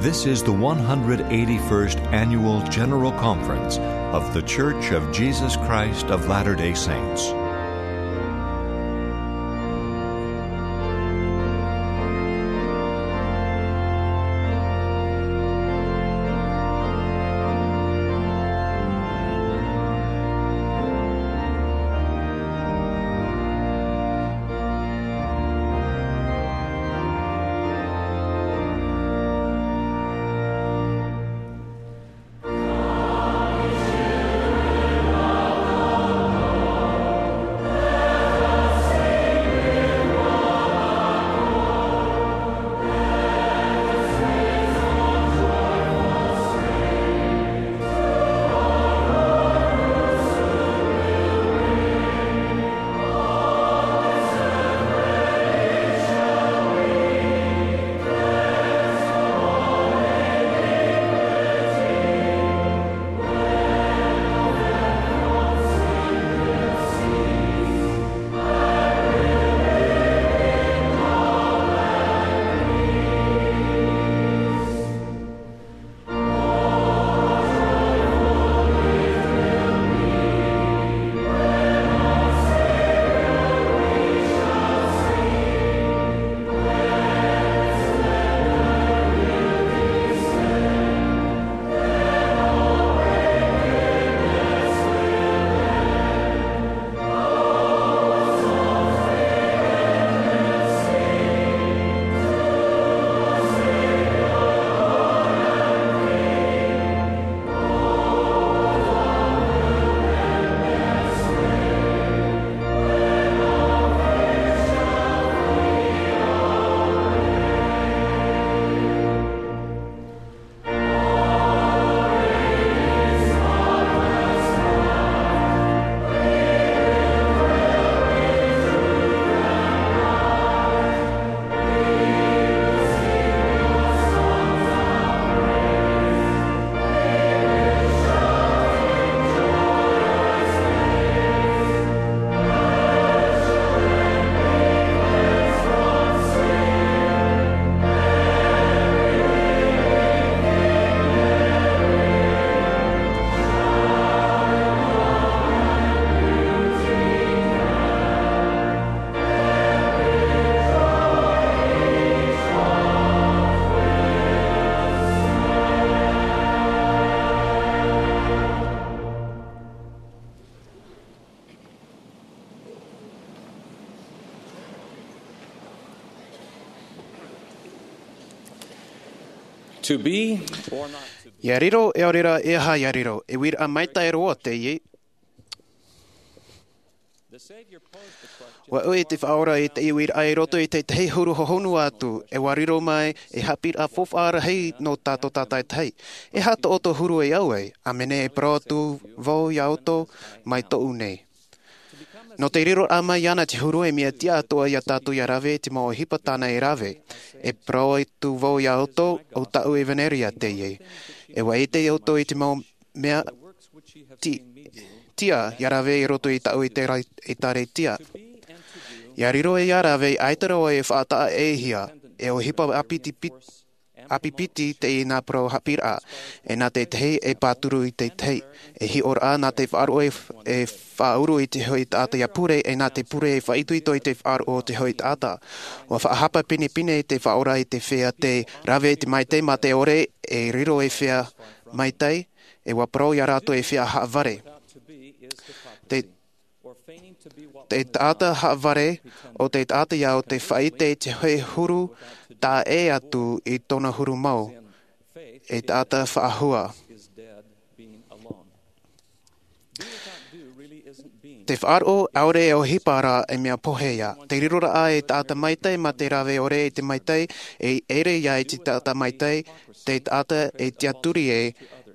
This is the one hundred eighty-first Annual General Conference of The Church of Jesus Christ of Latter-day Saints. To be or not to be. Ia riro, e ʻaore rā e aha ia riro, e uiraʻa maitaʻi roa teie. The Savior posed the question. Ua ui te Faʻaora i te uiraʻa i roto i te tahi huru hohonu atu, e ua riro mai e haʻapiʻiraʻa faufaʻa rahi nō tātou tātaitahi. E aha tō ʻoutou huru e au ai, ʻāmene, e parau atu vau ia ʻoutou, mai tōʻu nei. Nō te riroraʻa mai iāna te huru, e mea tiʻa atoʻa ia tātou ia rave i te mau ʻohipa tāna e rave. E parau atu vau ia ʻoutou, ʻo tāʻu ʻevaneria teie. E ua ʻite ʻoutou i te mau mea ti-, tiʻa ia rave i roto i tāʻu ʻēkālesia. Ia riro ia rave, ʻaita roa e faʻataʻa-ʻē-hia, e ʻohipa ʻāpiti piti, ʻāpipiti teie nā parau haʻapiʻiraʻa, e nā te tahi e pāturu i te tahi, e hiʻoraʻa nā te faʻaroʻo e, e faʻauru i te hoʻi taʻata ia pure, e nā te pure e faʻaitoito i te faʻaroʻo o te hoʻi taʻata. Ua faʻahapa pinepine te Faʻaora i te feiā tē rave i te maitaʻi mā te ʻore, e riro ei feiā maitaʻi, e ua parau ia rātou ei feiā haʻavare. Te, te taʻata haʻavare, ʻo te taʻata ia ʻo tē faʻaʻite i te hoʻi huru taʻa ʻē atu i tōna huru mau, ei taʻata faʻahua. Te faʻaroʻo ʻaore e ʻohipa rā e mea pohe ia. Te riroraʻa ei taʻata maitaʻi mā te rave ʻore i te maitaʻi, e ʻere ia i te taʻata maitaʻi, te taʻata e tiʻaturi e,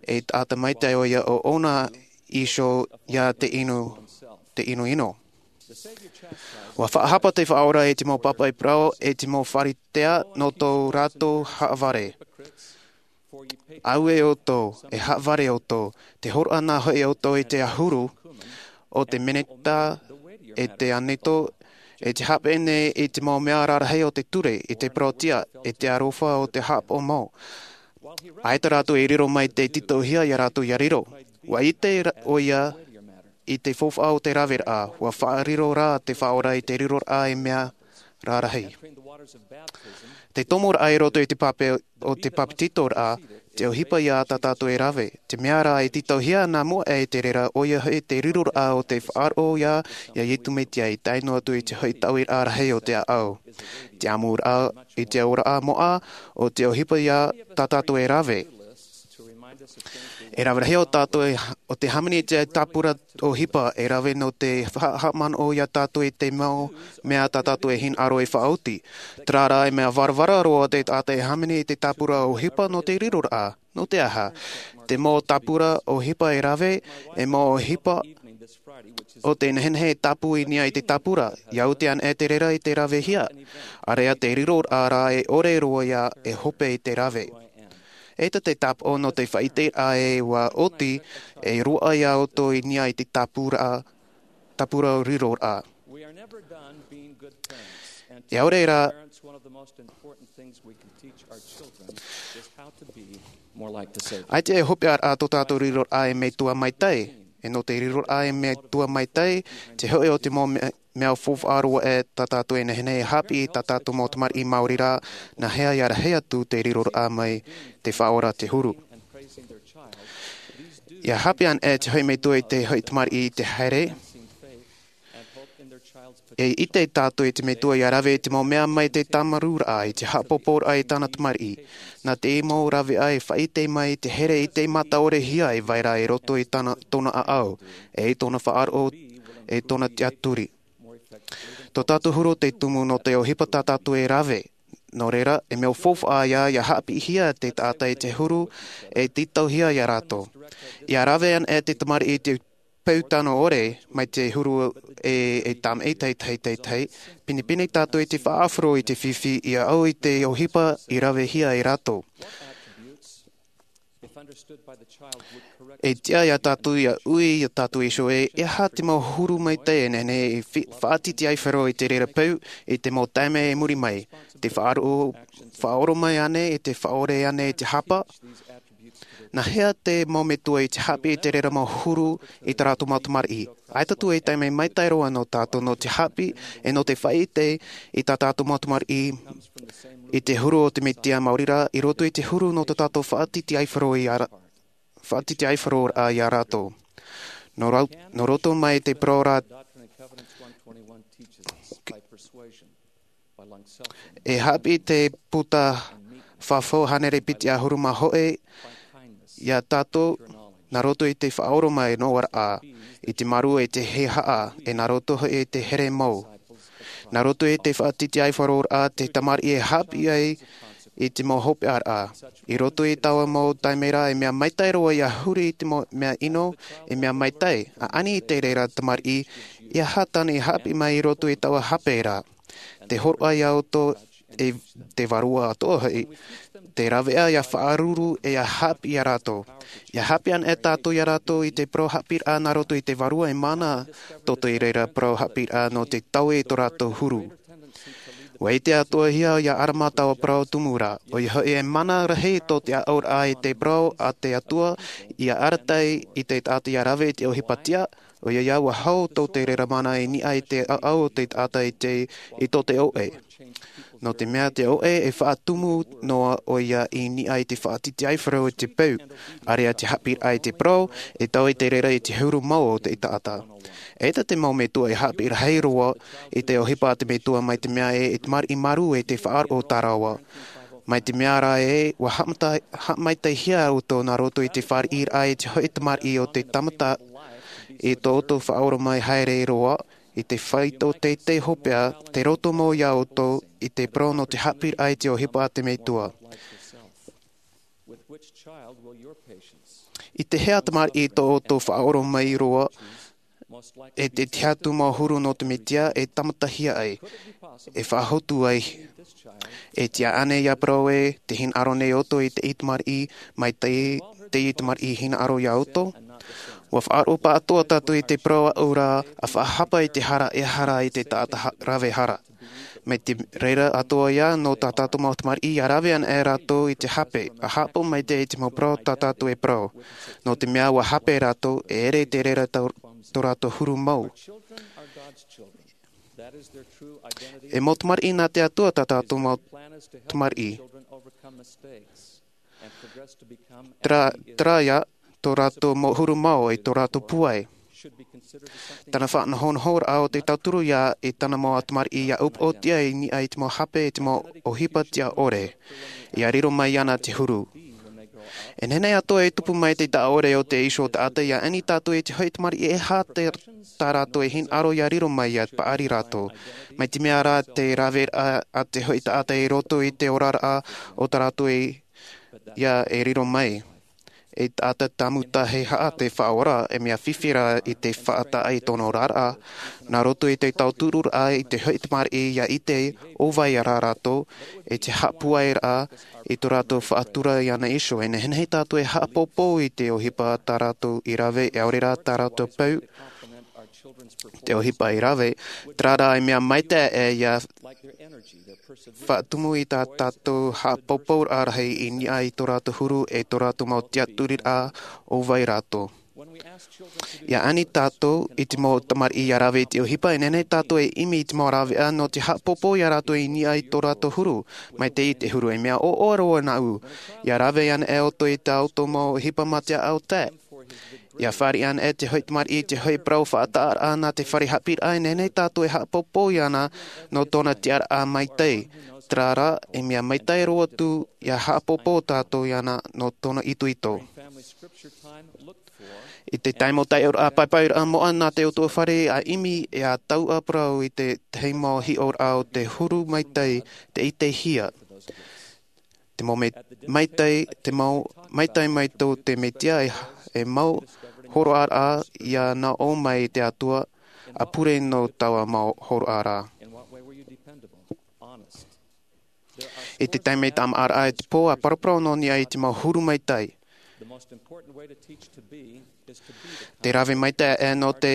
ei taʻata maitaʻi ʻoia ʻo ʻōna iho ia te inu, te inoino. Ua faʻahapa te Faʻaora i te mau pāpaʻi parau, e te mau Pharisea nō tō rātou haʻavare. Auē ʻoutou, e haʻavare ʻoutou, te hōroʻa nā hoʻi ʻoutou i te ʻahuru, ʻo te meneta, e te aneto, e te haʻapeʻe nei i te mau mea rarahi o te ture, i te parauʻtiʻa, e te aroha o te haʻapaʻo mau. ʻAita rātou e riro mai tē tītauhia ia rātou ia riro. Ua ʻite ra-, ʻoia i te faufaʻa o te raveraʻa, ua faʻariro rā te Faʻaora i te riroraʻa ei mea rarahi. Te tomoraʻa i roto i te pape o te papetitoraʻa, te ʻohipa ia tā tātou e rave. Te mea rā e tītauhia nā mua e te reira, ʻoia hoʻi te riroraʻa o te faʻaroʻo ia, ia Iesu Mesia i tae noa atu i te hoʻi taʻuiraʻa rahi o te ʻāʻau. Te ʻamuraʻa i te auraʻa moʻa, ʻo te ʻohipa ia tā tātou e rave. E rave rahi ʻo tātou e, ʻo te hāmani i te tāpura ʻohipa e rave nō te haʻa-, haʻamanaʻo ia tātou i te mau mea tā tātou e hinaʻaro e faʻaoti. Terā rā e mea varavara roa te taʻata e hāmani i te tāpura ʻohipa nō te riroraʻa. Nō te aha? Te mau tāpura ʻohipa e rave, e mau ʻohipa o te nehenehe e tāpū i niʻa i te tāpura, ia oti ana e te reira i te ravehia. ʻĀreʻa te riroraʻa rā e ʻore roa ia e hope i te rave. ʻEita te tāpaʻo nō te faʻaʻiteraʻa e ua oti, e roaʻa ia ʻoutou i niʻa i te tāpura, tāpura riroraʻa. E ʻaore rā, ʻaita e hopeʻaraʻa tō tātou riroraʻa ei metua maitaʻi, e nō te riroraʻa ei metua maitaʻi, te hoʻi o te mau mea, mea faufaʻa roa e tā tātou e nehenehe e haʻapiʻi i tā tātou mau tamariʻi maori rā, nā hea ia rahi atu te riroraʻa mai te Faʻaora te huru. Ia haʻapiʻi ana e te hoʻi metua i te hoʻi tamariʻi i te haere, e ʻite tātou i te metua ia rave i te mau mea mai te tāmarūraʻa, i te haʻapōpōraʻa i tāna tamariʻi. Nā te mau rāveʻa e faʻaʻite mai i te here i te mataʻorehia e vai ra i roto i tāna, tōna ʻāʻau, e i tōna faʻaroʻo, e tōna tiʻaturi. Tō tātou huru te tumu nō te ʻohipa tā tātou e rave. Nō reira, e mea faufaʻa ia, ia haʻapiʻihia te taʻata i te huru, e tītauhia ia rātou. Ia rave ana e te tamariʻi i te peu tano ʻore, mai te huru e, e tāmaʻi teie, teie, teie, teie. Pinepine tātou i te faʻaʻāfaro i te fifi, ia au i te ʻohipa i ravehia e rātou. E tiʻa ia tātou ia ui ia tātou iho ē, e aha te mau huru maitaʻi e nehenehe e fi-, faʻatitiʻaifaro i te reira peu, i te mau taime i muri mai. Te faʻaroʻo, faʻaʻoro mai ānei, e te faʻaʻore ānei i te hapa? Nā hea te mau metua i te haʻapiʻi i te reira mau huru i tā rātou mau tamariʻi? ʻAita atu e taime maitaʻi roa nō tātou nō te haʻapiʻi, e nō te faʻaʻite i tā tātou mau tamariʻi i te huru o te Mesia maori rā, i roto i te huru nō tō tātou faʻatitiʻaifaro i ara-, faʻatitiʻaifaroraʻa ia rātou. Nō rau-, nō roto mai te parau ra, e haʻapiʻi te puta fāfau hānere piti ʻahuru mā hōʻē iā tātou, nā roto i te faʻaoromaʻi noa raʻa, i te marū e te hehā, e nā roto hoʻi i te here mau. Nā roto i te faʻatitiʻaifaro raʻa te tamariʻi e haʻapiʻi ai i te mau hopeʻa raʻa. I roto i taua mau taime ra, e mea maitaʻi roa ia huri i te mau mea ʻino, e mea maitaʻi, ʻaʻani i te reira tamariʻi, ia hātani haʻapiʻi mai i roto i taua hape ra. Te hōroʻa iā ʻoutou e te vārua atoʻa hoʻi, te rāveʻa ia faʻaruru e ia haʻapiʻi iā rātou. Ia haʻapiʻi ana e tātou iā rātou i te parau haʻapiʻiraʻa nā roto i te vārua e mana, tō te reira parau haʻapiʻiraʻa nō te taui i tō rātou huru. ʻUa ʻite atoʻahia iā ʻArama taua parau tumu ra, ʻoia hoʻi e mana rahi tō te ʻaʻauraʻa i te parau a te Atua, ia arataʻi i te taʻata ia rave i te ʻohipa tiʻa, ʻoia ia ʻua hau tō te reira mana i niʻa i te ʻaʻau o te taʻata i te, i tō te ʻoʻe. Nō te mea te ʻoʻe e faʻatumu noa ʻoia i niʻa i te faʻatitiʻaifaro i te peu, ʻāreʻa te haʻapiʻiraʻa i te parau, e taui te reira i te huru mau o te taʻata. ʻAita te mau metua e haʻapiʻi rahi roa i te ʻohipa a te metua mai te mea e, e tamariʻi marū e te faʻaroʻo tarava. Mai te mea ra e, ʻua haʻamata-, haʻamaitaʻihia ʻoutou nā roto i te fāriʻiraʻa i te hoʻi tamariʻi o te tāmata i tō ʻoutou faʻaoromaʻi haere roa, i te faito teitei hopeʻa, te roto mau iā ʻoutou i te parau nō te haʻapiʻiraʻa i te ʻohipa a te metua. I te hea tamariʻi tō ʻoutou faʻaoromaʻi roa, e te tiʻa atu mau huru nō te metua e tāmatahia ai, e faʻahotu ai. E tiʻa ānei ia parau e, te hinaʻaro nei ʻoutou i te tamariʻi, mai te, te tamariʻi hinaʻaro iā ʻoutou. ʻUa faʻaroʻo paʻatoʻa tātou i te parau aʻu ra, ʻa faʻahapa i te hara e hara i te taʻata ha-, rave hara. Mai te reira atoʻa ia nō tā tātou mau tamariʻi ia rave ana e rātou i te hape, ʻa haʻapaʻo maitaʻi i te mau parau tā tātou e parau. Nō te mea ʻua hape rātou, e ʻere te reira tau-, tō rātou huru mau. E mau tamariʻi nā te Atua tā tātou mau tamariʻi. Terā, terā ia, tō rātou mau huru mau e tō rātou pūai. Tāna faʻanahonahoraʻa o te tauturu ia i tāna mau tamariʻi ia upoʻotiʻa i niʻa i te mau hape e te mau ʻohipa tiʻa ʻore. Ia riro mai iāna te huru. E nehenehe atoʻa e tupu mai te taʻa ʻore o te iho taʻata ia ani tātou i te hoʻi tamariʻi e aha te, tā rātou e hinaʻaro ia riro mai ia paʻari rātou. Mai te mea rā te rave a, a te hoʻi taʻata i roto i te oraraʻa o tā rātou e ia e riro mai. E taʻata tāmuta he haʻa te Faʻaora, e mea fifi rā i te faʻataʻa i tōna oraraʻa, nā roto i te tautururaʻa i te hoʻi tamariʻi ia ʻite ʻo vai rā rātou, e te haʻapūairaʻa i tō rātou faʻatura iāna iho. E nehenehe tātou e haʻapōpō i te ʻohipa tā rātou i rave, e ʻaore rā tā rātou peu, te ʻohipa i rave, terā rā e mea maitaʻi e ia faʻatumu i tā tātou haʻapōpōraʻa rahi i niʻa i tō rātou huru e tō rātou mau tiʻaturiraʻa ʻo vai rātou. Ia ani tātou i te mau tamariʻi ia rave i te ʻohipa, e nehenehe tātou e ʻimi i te mau rāveʻa nō te haʻapōpō ia rātou i niʻa i tō rātou huru, mai te, i te huru e mea ʻoʻoa roa nāʻu. Ia rave ana e ʻoutou i tā ʻoutou mau ʻohipa mā te ʻaʻau tae. Ia fāriʻi ana e te hoʻi tamariʻi i te hoʻi parau faʻataʻaraʻa nā te fare haʻapiʻiraʻa, e nehenehe tātou e haʻapōpō iāna nō tōna tiʻaraʻa maitaʻi. Terā rā, e mea maitaʻi roa atu ia haʻapōpō tātou iāna nō tōna itoito. I te taime o te taiʻoraʻa, paipairaʻa moʻa nā te utuafare, ʻa ʻimi e ʻa tauʻa parau i te tahi mau hiʻoraʻa o te huru maitaʻi, te ʻitehia. Te mau me-, maitaʻi, te mau, maitaʻi mai tō te Mesia e, e mau hōroʻaraʻa ia nā ʻō mai te Atua, ʻa pure nō taua mau hōroʻa ra. I te taime tāmāʻaraʻa e te pō, ʻa paraparau nō niʻa i te mau huru maitaʻi. Te rave maitaʻi e nō te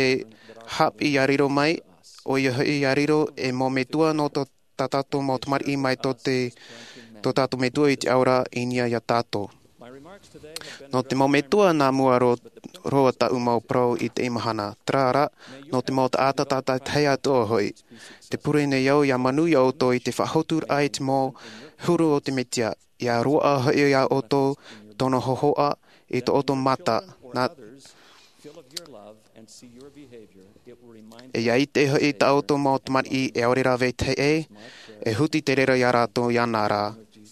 haʻapiʻi ia riro mai, ʻoia hoʻi ia riro e mau metua nō tō tā tātou mau tamariʻi mai tō te, tō tātou Metua i te ao ra i niʻa iā tātou. Nō te mau metua nā mua ro-, roa tāʻu mau parau i teie mahana, terā rā, nō te mau taʻata tātaʻitahi atoʻa hoʻi. Te pure nei au ia manuia ʻoutou i te faʻahotu raʻa i te mau huru o te Mesia, ia roaʻa hoʻi iā ʻoutou tōna hōhoʻa i tō ʻoutou mata, nā E ia ʻite hoʻi tā ʻoutou mau tamariʻi e ʻaore rā vetahi ʻē, e huti te reira iā rātou iāna rā.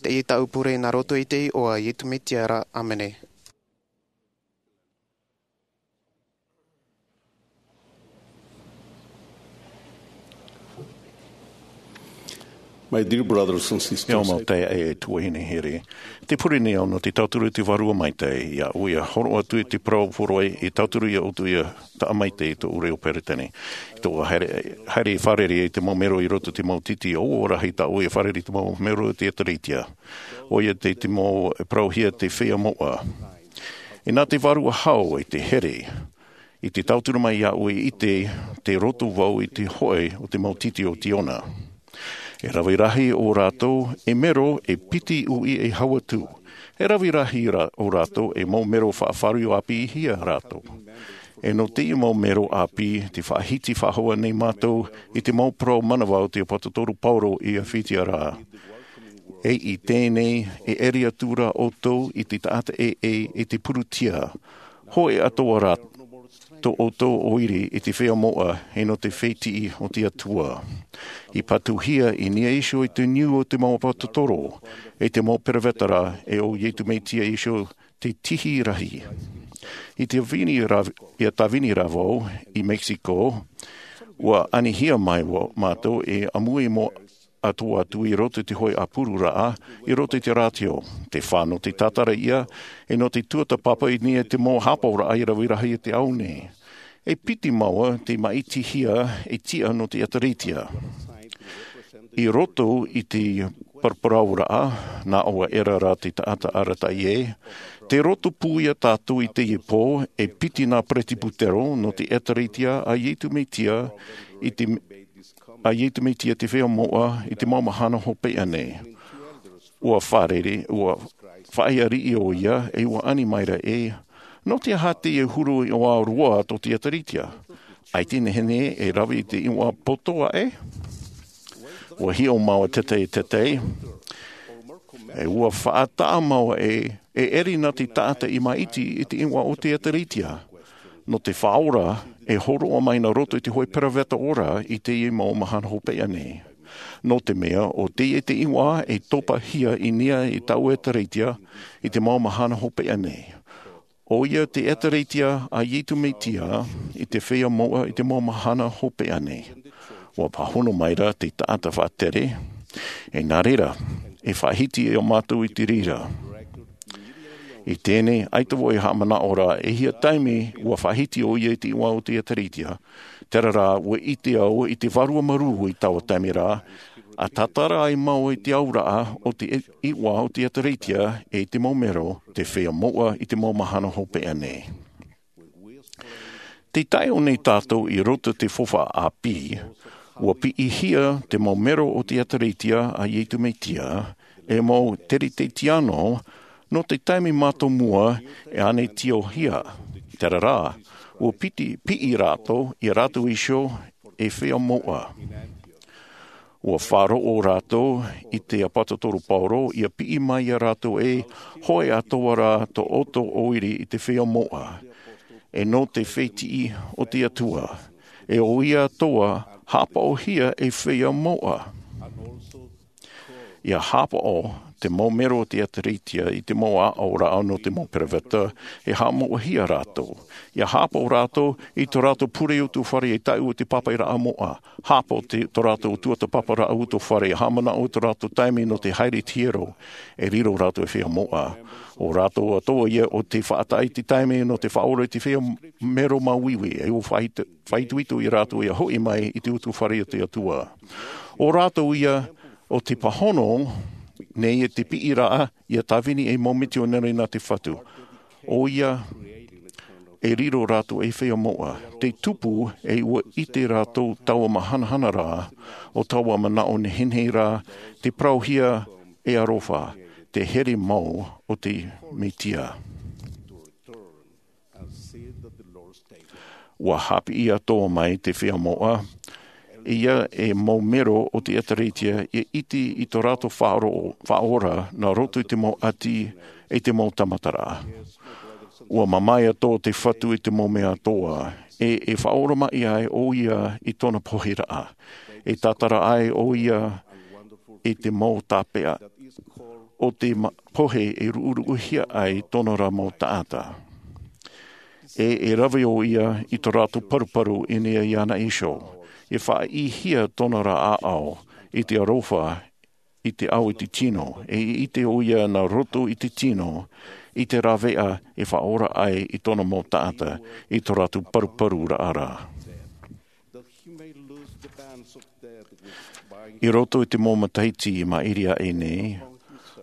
Teie taʻu pure nā roto i te iʻoa o Iesu Mesia ra. ʻĀmene. My dear brothers and sisters, e au mau taeaʻe e tuahine here, te pure nei au nō te tauturu i te Vārua Maitaʻi, ia ʻoia horo atu i te parau poroʻi, e tauturu ia ʻoutou ia taʻa maitaʻi i tōʻu reo Peretiteni. I tōʻu haere, haere i fārerei i te mau mero i roto i te mau tītī, ʻoia rahi tā ʻoia fārerei i te mau mero o te Ekalesia. ʻOia te, te mau parauhia te feiā moʻa. Inā te Vārua Hau i te here, i te tauturu mai iāʻu i te, te roto vau i te hoʻi o te mau tītī o Siona. E rave rahi ō rātou e mero e piti ui e hau atu. E rave rahi rā, ō rātou e mau mero faʻafāriu āpīhia rātou. E nō teie mau mero āpī, te faʻahiti faʻahou nei mātou i te mau parau manava o te Aposetolo Paulo i Efetia ra. E i teie nei, e ʻere atu ra ʻoutou i te taʻata ʻē, ʻē, i te purutia. Hoʻi atoʻa ra tō ʻoutou ʻoire i te feiā moʻa, e nō te fētiʻi o te Atua. I patuhia i niʻa iho i te niu o te mau Aposetolo, e te mau peroveta ra, e ʻo Iesu Mesia iho te tihi rahi. I te vini ra, ia tāvini ra vau i Mexico, ua anihia mai vau mātou e ʻāmui mau atoʻa atu i roto i te hoʻi ʻāpuru raʻa, i roto i te rātio. Te fā nō te tātara ia, e nō te tuatāpapa i niʻa i te mau hāpaʻoraʻa i rave rahi i te ao nei. E piti mau te māʻitihia e tiʻa nō te Ekalesia. I roto i te paraparauraʻa, nā ʻō ʻera ra te taʻata arataʻi ē, tē roto pū ia tātou i teie pō, e piti nā Peretiputero nō te Ekalesia a Iesu Mesia i te, a Iesu Mesia te feiā moʻa i te mau mahana hopeʻa nei. Ua fārerei, ua faʻaea riʻi ʻoia, e ua ani mai ra ē, nō te aha teie huru iʻoa roa tō te Ekalesia? ʻAita e nehenehe e rave i te iʻoa poto aʻe? Ua hiʻo mau e tētahi, tētahi, e ua faʻataʻa mau e, e ʻere nā te taʻata i māʻiti i te iʻoa o te Ekalesia. Nō te Faʻaora, e hōroʻa mai nā roto i te hoʻi peroveta ora i teie mau mahana hopeʻa nei. Nō te mea, ʻo teie te iʻoa e topahia i niʻa i taua Ekalesia i te mau mahana hopeʻa nei. ʻOia te Ekalesia a Iesu Mesia i te feiā moʻa i te mau mahana hopeʻa nei. Ua pāhono mai ra te taʻata faʻatere, e nā reira, e faʻahiti ia mātou i te reira. I teie nei, ʻaita vau e haʻamanaʻo ra, e hia taime ua faʻahiti ʻoia i te iʻoa o te Ekalesia. Terā rā, ua ʻite au i te vārua marū i taua taime ra, ʻa tātara ai mau i te auraʻa o te i-, iʻoa o te Ekalesia, e te mau mero, te feiā moʻa i te mau mahana hopeʻa nei. Tē taeʻo nei tātou i roto i te faufaʻa ʻāpī, ua piʻihia te mau mero o te Ekalesia a Iesu Mesia, e mau Teretetiano, nō te taime mātāmua e ʻānetiohia. Terā rā, ua piti, piʻi rātou, ia rātou iho e feiā moʻa. Ua faʻaroʻo rātou i te Aposetolo Paulo, ia piʻi mai ia rātou e hoʻi atoʻa ra tō ʻoutou ʻoire i te feiā moʻa. E nō te fētiʻi o te Atua. E ʻoia atoʻa, haʻapaʻohia e feiā moʻa. Ia haʻapaʻo te mau mero o te Ekalesia i te mau aʻoraʻa nō te mau peroveta, e haʻamoʻahia rātou. Ia haʻapaʻo rātou i tō rātou pure utuafare e taʻu o te pāpaʻiraʻa moʻa. Haʻapaʻo te, tō rātou tuatāpaparaʻa utuafare, haʻamanaʻo tō rātou taime nō te haere i te hiero, e riro rātou e feiā moʻa. ʻO rātou atoʻa ia ʻo tē faʻataʻa i te taime nō te faʻaora i te feiā mero māuiui, e ua faʻaitoito ia rātou ia hoʻi mai i te utuafare o te Atua. ʻO rātou ia ʻo tē pāhono nei i te piʻiraʻa, ia tāvini ei mau mitionare nā te Fatu. ʻOia e riro rātou ei feiā moʻa. Te tupu e ua ʻite rātou taua mahana ra, ʻo taua manaʻo nehenehe ra, te parauhia e aroha, te here mau o te Mesia. Ua haʻapiʻi atoʻa mai te feiā moʻa, ia e mau mero o te Ekalesia, ia ʻite i tō rātou faʻaroʻo, faʻaora, nā roto i te mau ʻati, e te mau tāmataraʻa. Ua mamae atoʻa te Fatu i te mau mea atoʻa, e, e faʻaoromaʻi ai ʻoia i tōna pohiraʻa. E tātara ai ʻoia i te mau tāpeʻa o te ma- pohe e ruʻuruʻuhia ai tōna rā mau taʻata. E e rave ʻo ia i tō rātou paruparu i niʻa iāna iho, e faʻaʻīhia tōna rā ʻāʻau i te aroha i te ao i te tino, e i ʻite ʻo ia nā roto i te tino i te rāveʻa e faʻaora ai i tōna mau taʻata i tō rātou paruparu raʻa rā. I roto i te mau matahiti i maʻiri aʻe nei,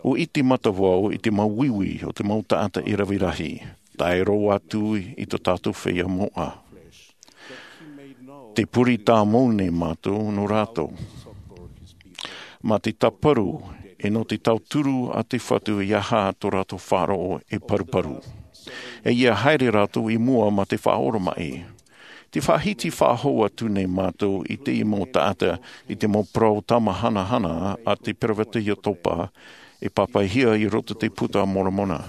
ʻua ʻite mātou i te mau uiui o te mau taʻata i rave rahi, tae roa atu i tō tātou feiā moʻa. Te pure tāmau nei mātou nō rātou. Mā te tāparu e nō te tauturu a te Fatu i aha tō rātou faʻaroʻo e paruparu. E ia haere rātou i mua mā te faʻaoromaʻi. Te faʻahiti faʻahou atu nei mātou i te mau taʻata i te mau parau tāmahanahana a te peroveta Iotopa e pāpaʻihia i roto i te Puta a Moromona.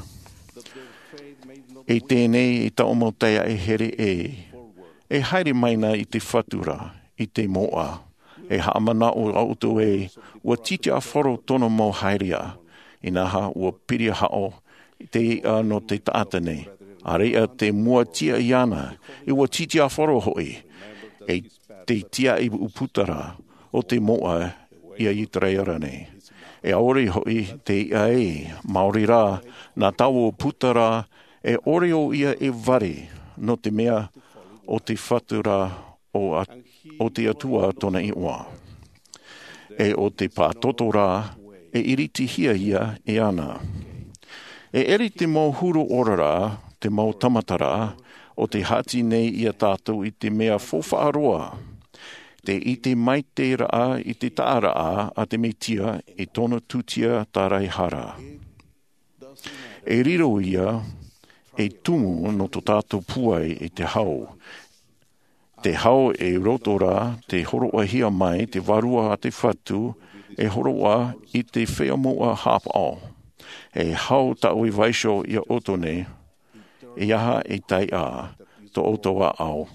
E teie nei e taʻu mau taeaʻe here ē, e haere mai na i te Fatu ra, i te moʻa. E haʻamanaʻo ʻoutou ē, ʻua titiʻafaro tōna mau haereʻa, inaha ʻua piri haʻo te iʻa nō te taʻata nei. ʻAreʻa te mua tiʻa iāna, e ʻua titiʻafaro hoʻi, e te tiaʻi ʻūputa ra o te moʻa ia Iteraera nei. E ʻaore hoʻi te iʻa ē, maori rā, nā taua ʻūputa rā, e ʻore ʻo ia e vare, nō te mea o te Fatu ra o, a, o te Atua tōna iʻoa. E o te pātoto rā, e iritihia ia e ana. E ʻere te mau huru ora rā, te mau tamata rā, o te hati nei ia tātou i te mea faufaʻa roa. Te ʻite mai te raʻa i te taʻaraʻa a te Metia i tōna tūtia tāraehara. E riro ia, e tumu nō tō tātou pūai i te hau. Te hau e roto rā, te hōroʻahia mai, te vārua a te Fatu, e hōroʻa i te feiā moʻa hāpaʻo. E hau taʻu i vaiiho ia ʻoutou nei, e aha e taiʻa, tō ʻoutou ʻāʻau,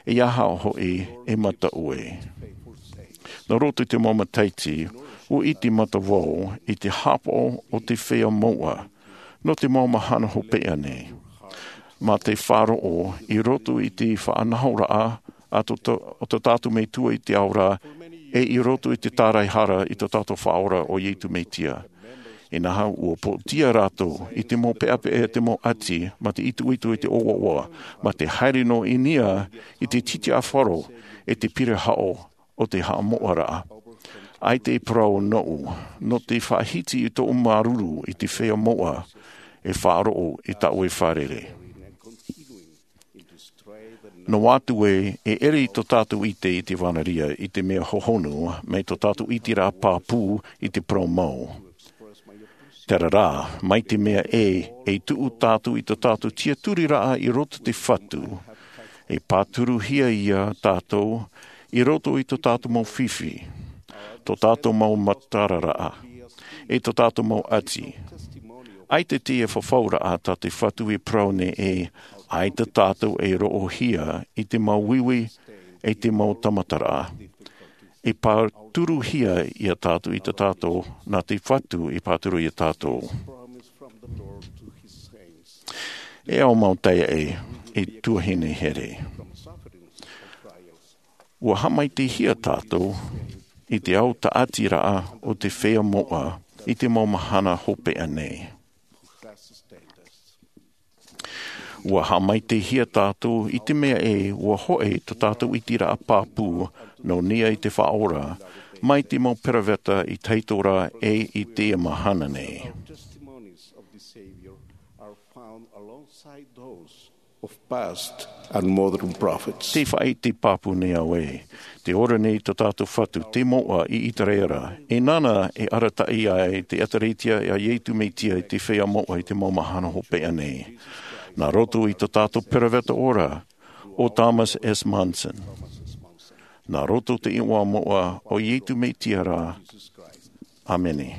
e aha hoʻi e mataʻu ē. Nā roto i te mau matahiti, ʻua ʻite mātou i te hāpaʻo o te feiā moʻa, nō te mau mahana hopeʻa nei. Mā te faʻaroʻo i roto i te faʻanahoraʻa a tō, tō, o tō tātou Metua i te ao ra, e i roto i te tāraehara i tō tātou Faʻaora ʻo Iesu Mesia. Inaha ʻua pōtia rātou i te mau peʻapeʻa e te mau ʻati, mā te itoito i te ʻoaʻoa, mā te haere noa i niʻa i te titiʻafaro e te piri haʻo o te haʻamoʻaraʻa. ʻAita e parau noʻu, nō te faʻahiti i tōʻu māuruuru i te feiā moʻa e faʻaroʻo i tāʻu e fārerei. Noa atu ē, e ʻere tō tātou ʻite i te vānaria i te mea hohonu, mai tō tātou ʻiteraʻa pāpū i te parau mau. Terā rā, mai te mea ē, e tuʻu tātou i tō tātou tiaturiraʻa i roto i te Fatu, e pāturuhia ia tātou i roto i tō tātou mau fifi, tō tātou mau matararaʻa, e tō tātou mau ʻati. ʻAita te faufaʻaraʻa tā te Fatu e parau nei ē, ʻaita tātou e roʻohia i te mau uiui, e te mau tamataraʻa. E pāturuhia ia tātou i tō tātou, nā te Fatu e pāturu ia tātou. E au mau taeaʻe, e tuahine here. ʻUa haʻamaitaʻihia tātou i te ao tāʻatiraʻa o te feiā moʻa i te mau mahana hopeʻa nei. ʻUa haʻamaitaʻihia tātou i te mea ē, ʻua hoʻi tō tātou ʻiteraʻa pāpū nō niʻa i te Faʻaora, mai te mau peroveta i te hau ra e i teie mahana nei. Te faʻaʻite pāpū nei au ē, tē ora nei tō tātou Fatu, te moʻa i ʻĪteraʻera, e nāna e arataʻi ai te ʻĒtārētia a Iesu Mesia i te feiā moʻa i te mau mahana hopeʻa nei. Nā roto i tō tātou peroveta ora, ʻo Thomas S. Monson. Nā roto i te iʻoa moʻa o Iesu Mesia ra. ʻĀmene.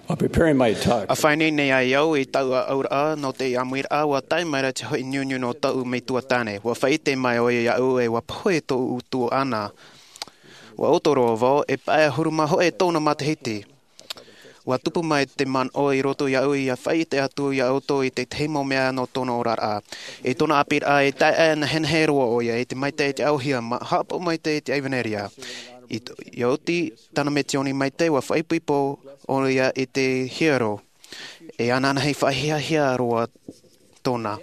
While preparing my talk, ʻA faʻaineine ai au i taʻu aʻoraʻa nō te ʻāmuiraʻa, ʻua tae mai ra te hoʻi niuniu nō taʻu metua tāne. ʻUa faʻaʻite mai ʻoia iāʻu ʻe ʻua pohe tōʻu tuaʻana. ʻUa ʻoto roa vau, e pae ʻahuru mā hōʻē tōna matahiti. ʻUa tupu mai te manaʻo i roto iāʻu ʻia faʻaʻite atu iā ʻoutou i te tahi mau mea nō tōna oraraʻa. I tōna ʻāpīraʻa e taeaʻe nehenehe roa ʻoia i te maitaʻi i te ʻaʻohia, ʻua haʻapaʻo maitaʻi i te ʻevanelia. I t-, ʻia oti tāna misiōni maitaʻi, ʻua faʻaipoipo ʻoia i te hiero. E ānānahi faʻahiahia roa tōna.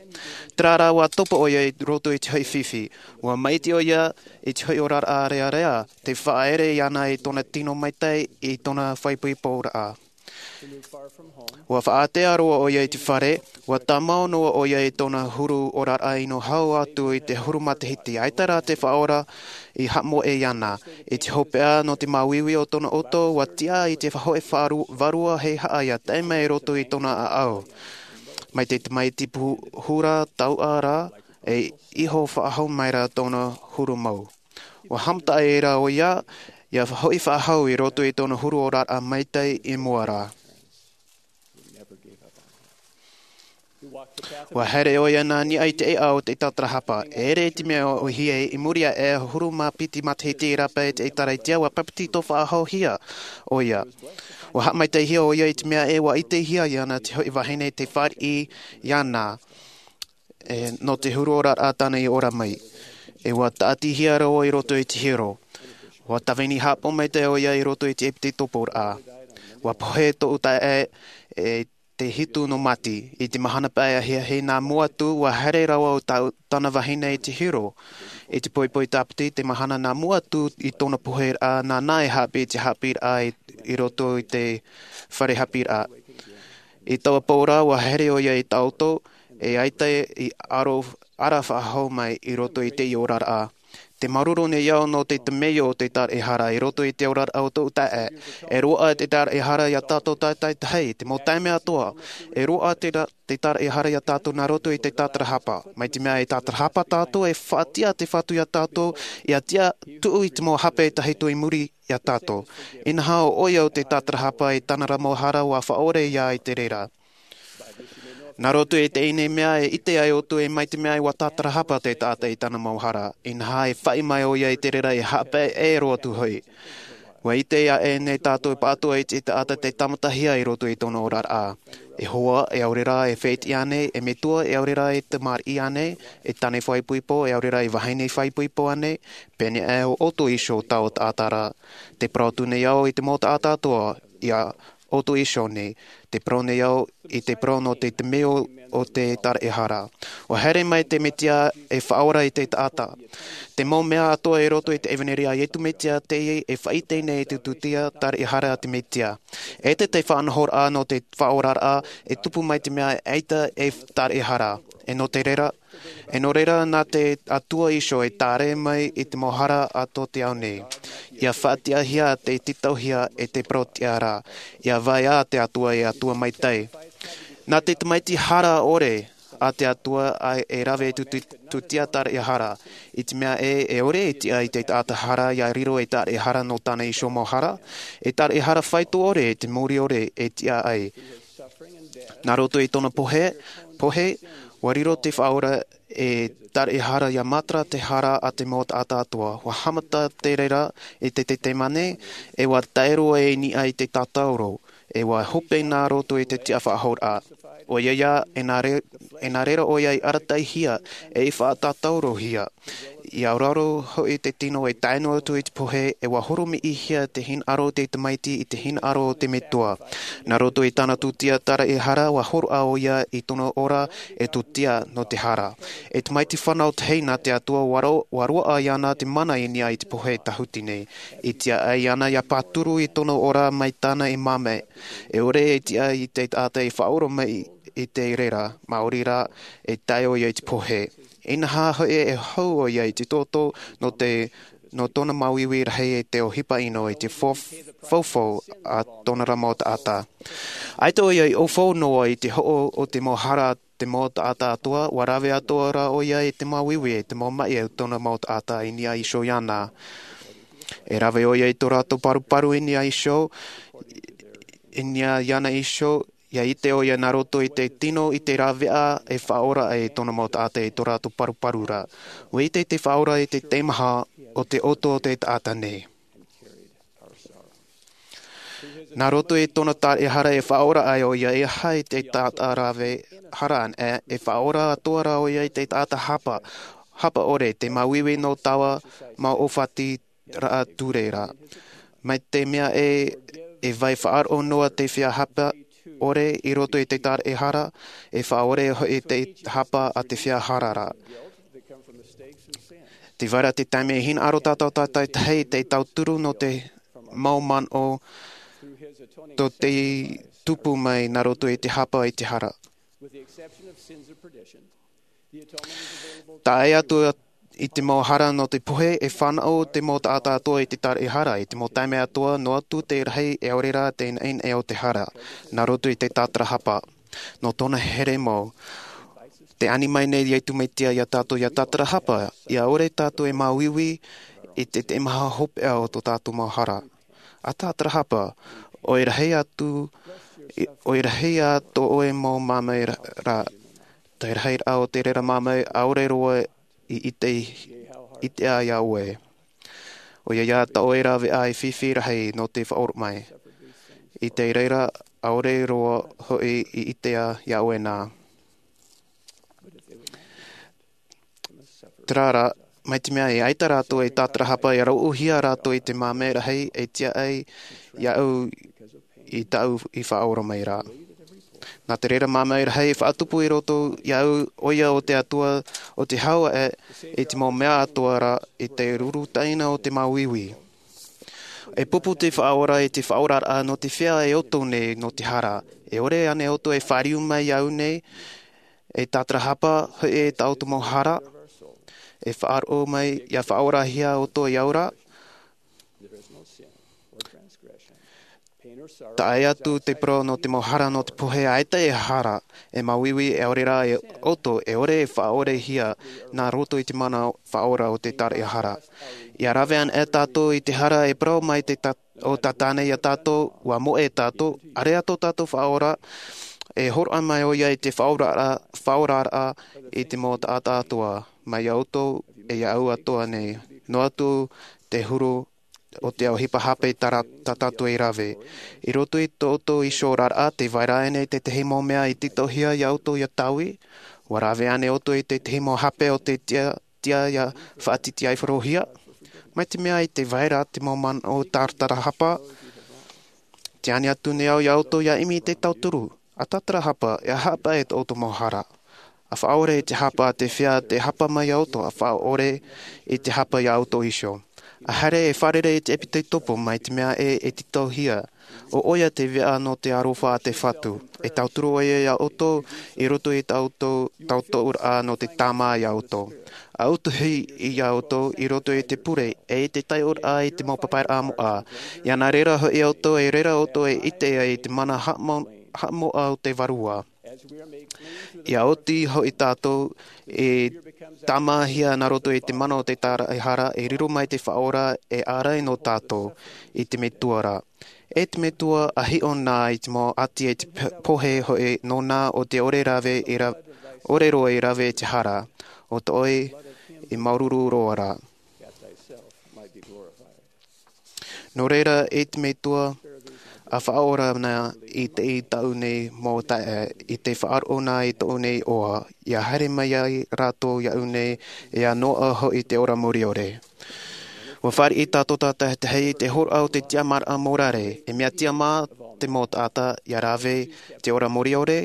Terā rā ʻua topa ʻoia i roto i te hoʻi fifi. ʻUa maʻiti ʻoia i te hoʻi oraraʻa rearea, tē faʻaere iāna i tōna tino maitaʻi i tōna faʻaipoiporaʻa. ʻUa faʻaātea roa ʻoia i te fare, ʻua tāmau noa ʻoia i tōna huru oraraʻa ʻino hau atu i te huru matahiti, ʻaita rā te Faʻaora i haʻamoʻe iāna. I te hopeʻa nō te māuiui o tōna ʻoto, ʻua tiʻa i te faʻahoʻi faʻaru-, vārua hei haʻa ʻia tae mai i roto i tōna ʻāʻau. Mai te tamaiti pu-, huru tauʻa rā, e iho faʻahou mai ra tōna huru mau. ʻUa haʻamata ai ra ʻoia, ʻia hoʻi faʻahou i roto i tōna huru oraraʻa maitaʻi i mua ra. ʻUa haere ʻoia nā niʻa i te ʻēʻa o te tātarahapa. E ʻere i te mea ʻōhie, i muri iho e ʻahuru mā piti matahiti i rāpae i te ʻĒtārētia, ʻua pāpetito faʻahouhia ʻoia. ʻUa haʻamaitaʻihia ʻoia i te mea ē ʻua ʻitehia iāna te hoʻi vahine tei fāriʻi iāna, e, nō te huru oraraʻa tāna i ora mai. E ʻua tāʻatihia roa i roto i te hiero. ʻUa tāvini haʻapaʻo maitaʻi ʻoia i roto i te ʻepitekoporaʻa. ʻUa pohe tōʻu taeaʻe, e te hitu nō Māti. I te mahana pae ahiahi nā mua atu, ʻua haere rāua ʻo tā-, tāna vahine i te hiero. I te poipoi tāpiti, te mahana nā mua atu i tōna poheraʻa, nāna e haʻapiʻi i te haʻapiʻiraʻa i, i roto i te fare haʻapiʻiraʻa. I taua pō ra, ʻua haere ʻoia i Taoto, e ʻaita i aro, ara faʻahou mai i roto i te oraraʻa. Tē māuruuru nei au nō te temeio o te tāraʻehara i roto i te oraraʻa o tōʻu taeaʻe. E roaʻa te tāraʻehara iā tātou tātaʻitahi, te mau taime atoʻa. E roaʻa te ra-, te tāraʻehara iā tātou nā roto i te tātarahapa. Mai te mea e tātarahapa tātou, e faʻatiʻa te Fatu iā tātou, ʻia tiʻa tuʻu i te mau hape tahito i muri iā tātou. Inaha ʻo ʻoia ʻo te tātarahapa i tāna ra mau hara, ʻua faʻaʻore ia i te reira. Nā roto i teie nei mea e ʻite ai ʻoutou ē mai te mea ʻua tātarahapa te taʻata i tāna mau hara. Inaha e faʻi mai ʻoia i te reira e haʻapaʻo roa atu hoʻi. ʻUa ʻite aʻe nei tātou pāʻatoʻa i te taʻata tei tāmatahia i roto i tōna oraraʻa. E hoa, e ʻaore rā e fētiʻi ānei, e metua, e ʻaore rā e tamariʻi ānei, e tāne faʻaipoipo, e ʻaore rā e vahine faʻaipoipo ānei, pēneiaʻe ʻo ʻoutou iho taua taʻata ra. Tē parau atu nei au i te mau taʻata atoʻa, ia ʻoutou iho nei, tē parau nei au i te parau nō te temeio o te tāraʻehara. ʻUa haere mai te Mesia e faʻaora i te taʻata. Te mau mea atoʻa i roto i te ʻevanelia a Iesu Mesia teie e faʻaʻite nei i te tūtia tāraʻehara a te Mesia. ʻEita te faʻanahoraʻa nō te faʻaoraraʻa e tupu mai te mea ʻaita e tāraʻehara. E nō te reira, e nō reira nā te Atua iho e tāre mai i te mau hara a tō te ao nei. ʻIa faʻatiʻahia te tītauhia e te parauʻtiʻa ra. ʻIa vaea te Atua e Atua maitaʻi. Nā te tamaiti hara ʻore a te Atua ʻa e rave i te tū-, tūtia tāraʻehara. I te mea ē, e ʻore e tiʻa i te taʻata hara ʻia riro ei tāraʻehara nō tāna iho mau hara, e tāraʻehara faito ʻore i te mōrī ʻore e tiʻa ai. Nā roto i tōna pohe, pohe, ʻua riro te Faʻaora e tāraʻehara ʻia matara te hara a te mau taʻata atoʻa. ʻUa haʻamata te reira i te Tetemane, e ʻua tae roa i niʻa i te tātauro, e ʻua hope nā roto i te tiʻafaʻahouraʻa. ʻOia ia, e nā re-, e nā reira ʻoia i arataʻihia, e i faʻatātaurohia. ʻIa auraro hoʻi te tino e tae noa atu i te pohe, e ʻua horomiʻihia te hinaʻaro o te tamaiti i te hinaʻaro o te metua. Nā roto i tāna tūtia tāraʻehara, ʻua hōroʻa ʻoia i tōna ora e tūtia nō te hara. E tamaiti fānau tahi nā te Atua, ʻua ro-, ʻua roaʻa iāna te mana i niʻa i te pohe tāhuti nei. I tiʻa ai iāna ʻia pāturu i tōna ora mai tāna e māmā. E ʻore e tiʻa i te taʻata e faʻaora mai i te reira, maori rā, e tae ʻoia i te pohe. Inaha hoʻi e hau ʻoia i te toto nō te, nō tōna māuiui rahi e te ʻohipa ʻino i te fo-, faufaʻa a tōna ra mau taʻata. ʻAita ʻoia i ʻaufau noa i te hoʻo o te mau hara a te mau taʻata atoʻa, ʻua rave atoʻa rā ʻoia i te māuiui e te mau maʻi o tōna mau taʻata i niʻa iho iāna. E rave ʻoia i tō rātou paruparu i niʻa iho, i niʻa iāna iho, ia ʻite ʻoia nā roto i te tino i te rāveʻa e faʻaora ai tōna mau taʻata i tō rātou paruparu ra. Ua ʻite te faʻaora i te teimaha o te ʻoto o te taʻata nei. Nā roto i tōna taraʻehara e faʻaora ai ʻoia e aha i te taʻata rave hara ana, e faʻaora atoʻa ra ʻoia i te taʻata hapa, hapa ʻore, te māuiui nō taua mau ʻōfati raʻa ture ra. Mai te mea e, e vai faʻaroʻo noa te feiā hapa ʻore i roto i te taraʻehara, e faʻaʻore hoʻi te hapa a te feiā hara ra. Te vai ra te taime e hinaʻaro tātou tātaitahi te tauturu nō te mau manaʻo tō te tupu mai nā roto i te hapa i te hara. Tae atu i te mau hara nō te pohe, e fānaʻo te mau taʻata atoʻa i te taraʻehara, i te mau taime atoʻa, noa atu te rahi e ʻaore rā te naʻinaʻi o te hara, nā roto i te tātarahapa. Nō tōna here mau, te ani mai nei Iesu Mesia iā tātou ia tātarahapa, ia ʻore tātou e māuiui i te teimaha hopeʻa o tō tātou mau hara. A tātarahapa, ʻoe rahi atu, ʻoe rahi atu ʻoe mau māmā ra, te rahi raʻa o te reira māmā ʻaore roa i ʻite, ʻite ai iā ʻoe. ʻOia ia tā ʻoe rāveʻa e fifi rahi nō te faʻaora mai. I te reira, ʻaore roa hoʻi i ʻite ai iā ʻoe nā. Terā rā, mai te mea e ʻaita rātou e tātarahapa, ia rauʻauhia rātou i te māmā rahi e tiʻa ai iāʻu i tāʻu i faʻaora mai ra. Nā te reira māmā rahi e faʻatupu i roto iāʻu, ʻoia o te Atua, o te hau aʻe i te mau mea atoʻa ra i te ruru taʻina o te māuiui. E pupu te faʻaora i te faʻaoraraʻa nō te feiā e ʻoto nei nō te hara. E ʻore ānei ʻoutou e fāriu mai iāʻu nei, e tātarahapa hoʻi i tā ʻoutou mau hara, e faʻaroʻo mai, ia faʻaorahia ʻoutou iāʻu ra? Taʻa ʻē atu te parau nō te mau hara nō te pohe, ʻaita e hara, e māuiui, e ʻaore rā e ʻoto, e ʻore e faʻaorehia nā roto i te mana faʻaora o te taraʻehara. Ia rave ana e tātou i te hara e parau mai te ta-, o Tātane iā tātou, ua moʻe tātou, ʻāreʻa tō tātou faʻaora, e hōroʻa mai ʻoia i te faʻaoraraʻa, faʻaoraraʻa i te mau taʻata atoʻa, mai iā ʻoutou, e iāʻu atoʻa nei. Noa atu te huru o te ʻohipa hape tā ra-, tā tātou e rave. I roto i tō ʻoutou iho oraraʻa, tē vai ra ānei tētahi mau mea i tītauhia iā ʻoutou ia taui? Ua rave ānei ʻoutou i tētahi mau hape o te tiʻa, tiʻa ia faʻatītīʻaifarohia? Mai te mea i te vai ra te mau manaʻo tātarahapa, tē ani atu nei au iā ʻoutou ia ʻimi i te tauturu. A tātarahapa, e haʻapaʻo i tō ʻoutou mau hara. A faʻaʻore i te hapa a te feiā tē hapa mai iā ʻoutou, a faʻaʻore i te hapa iā ʻoutou iho. A haere e fārerei i te ʻEpitekopo mai te mea ē e tītauhia. ʻO ʻoia te veʻa nō te aroha a te Fatu. E tauturu ʻoia iā ʻoutou i roto i tā ʻoutou, tauturu ra nō te tāmā iā ʻoutou. A utuhi iā ʻoutou i roto i te pure, e i te taiʻoraʻa i te mau papairaʻa moʻa. Ia nā reira hoʻi ʻoutou, e reira ʻoutou e ʻite ai i te mana haʻamau-, haʻamoʻa o te Vārua. Ia oti hoʻi tātou e tāmāhia nā roto i te mana o te taraʻehara, e riro mai te faʻaora e ārai nō tātou i te Metua ra. E te Metua a hiʻo na i te mau ʻati e te p-, pohe hoʻi nōna o te ʻore rave i ra-, ʻore roa i rave i te hara, ʻo tō ʻoe i māuruuru roa ra. Nō reira, e te Metua, a faʻaora na i te, i tāʻu nei mau taeaʻe, i te faʻaroʻo na i tōʻu nei iʻoa, ia haere mai ai rātou iāʻu nei, e ia noaʻa hoʻi te ora mure ʻore. Ua fāriʻi tātou tātaʻitahi i te hōroʻa o te tiʻamāraʻa mōrare, e mea tiʻamā te mau taʻata ia rave te ora mure ʻore,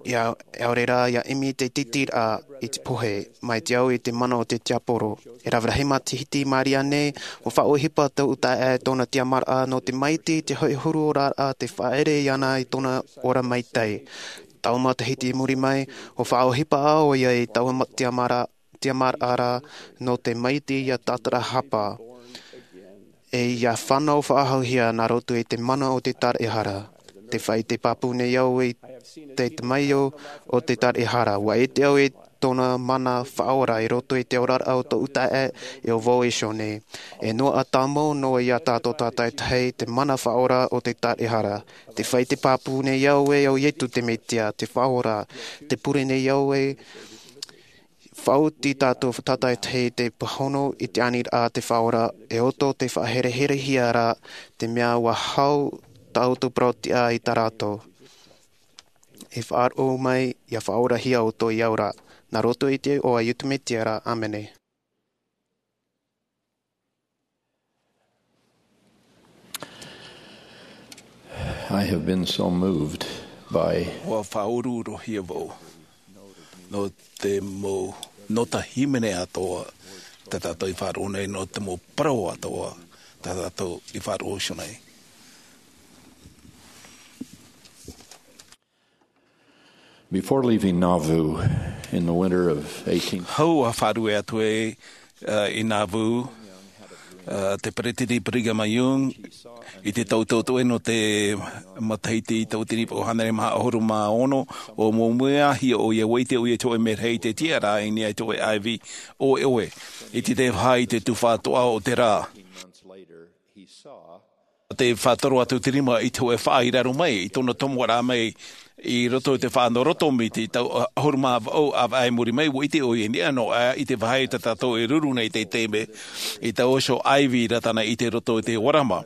ia, ʻaore rā, ia ʻimi te tītīraʻa i te pohe, mai te au i te mana o te tiaporo. E rave rahi matahiti i maori nei, ua faʻaʻohipa tōʻu taeaʻe tōna tiʻamāraʻa nō te maitaʻi i te hoʻi huru oraraʻa tē faʻaʻere iāna i tōna ora maitaʻi. Taua matahiti i muri mai, ua faʻaʻohipa ʻoia i taua ma-, tiʻamāra-, tiʻamāraʻa nō te maitaʻi ia tātarahapa. E ia fānau faʻahouhia nā roto i te mana o te taraʻehara. Tē faʻaʻite pāpū nei au i te tamaio o te taraʻehara. Ua ʻite au i tōna mana faʻaora i roto i te oraraʻa o tōʻu taeaʻe e ʻo vau iho nei. E noaʻa tāmau noa iā tātou tātaitahi te mana faʻaora o te taʻehara. Te fai te pāpū nei au ē ʻo Ietu te Metia, te Faʻaora, te pure nei au ē, faʻaoti tātou tātaitahi te pāhono i te aniraʻa te Faʻaora, e ʻo tō te faʻahereherehia ra, te mea ʻua hau tā ʻoutou parau-tiʻa i tā rātou. E faʻaroʻo mai, ʻia faʻaorahia ʻoutou i au ra. Nā roto i te iʻoa o Ietu Metia ra, ʻāmene. I have been so moved by ʻUa faʻauruuruhia vau. Nō te mau, nō te hīmene atoʻa, tā tātou i faʻaroʻo nei, nō te mau parau atoʻa, tā tātou i faʻaroʻo iho nei. Before leaving Nauvoo in the winter of eighteen Hau ʻa faʻarue atu e, uh, i Nauvoo, uh, te peretiteni Brigham Young, i te tau tautoʻe nō te matahiti tauatini vaʻu hānere maha ʻahuru mā ono, ʻua mōmuihia ʻoia, ʻua ʻite ʻoia i te hōʻē merahi i te tiʻaraʻa i niʻa i te hōʻē ʻāivi ʻoeʻoe, i te tae faʻahou i te tufa atoʻa o te rā. Te faʻatoro atu te rima i te hōʻē faʻa i raro mai, i tōna tomoraʻa mai, i roto i te faʻa nō roto miti, tau ʻahuru mā vaʻu ʻāvaʻe i muri mai, ʻua ʻite ʻoia i niʻa noa aʻe i te vāhi tā tātou e ruru nei i te taime, i taua iho ʻāivi i rata na i te roto i te ʻōrama.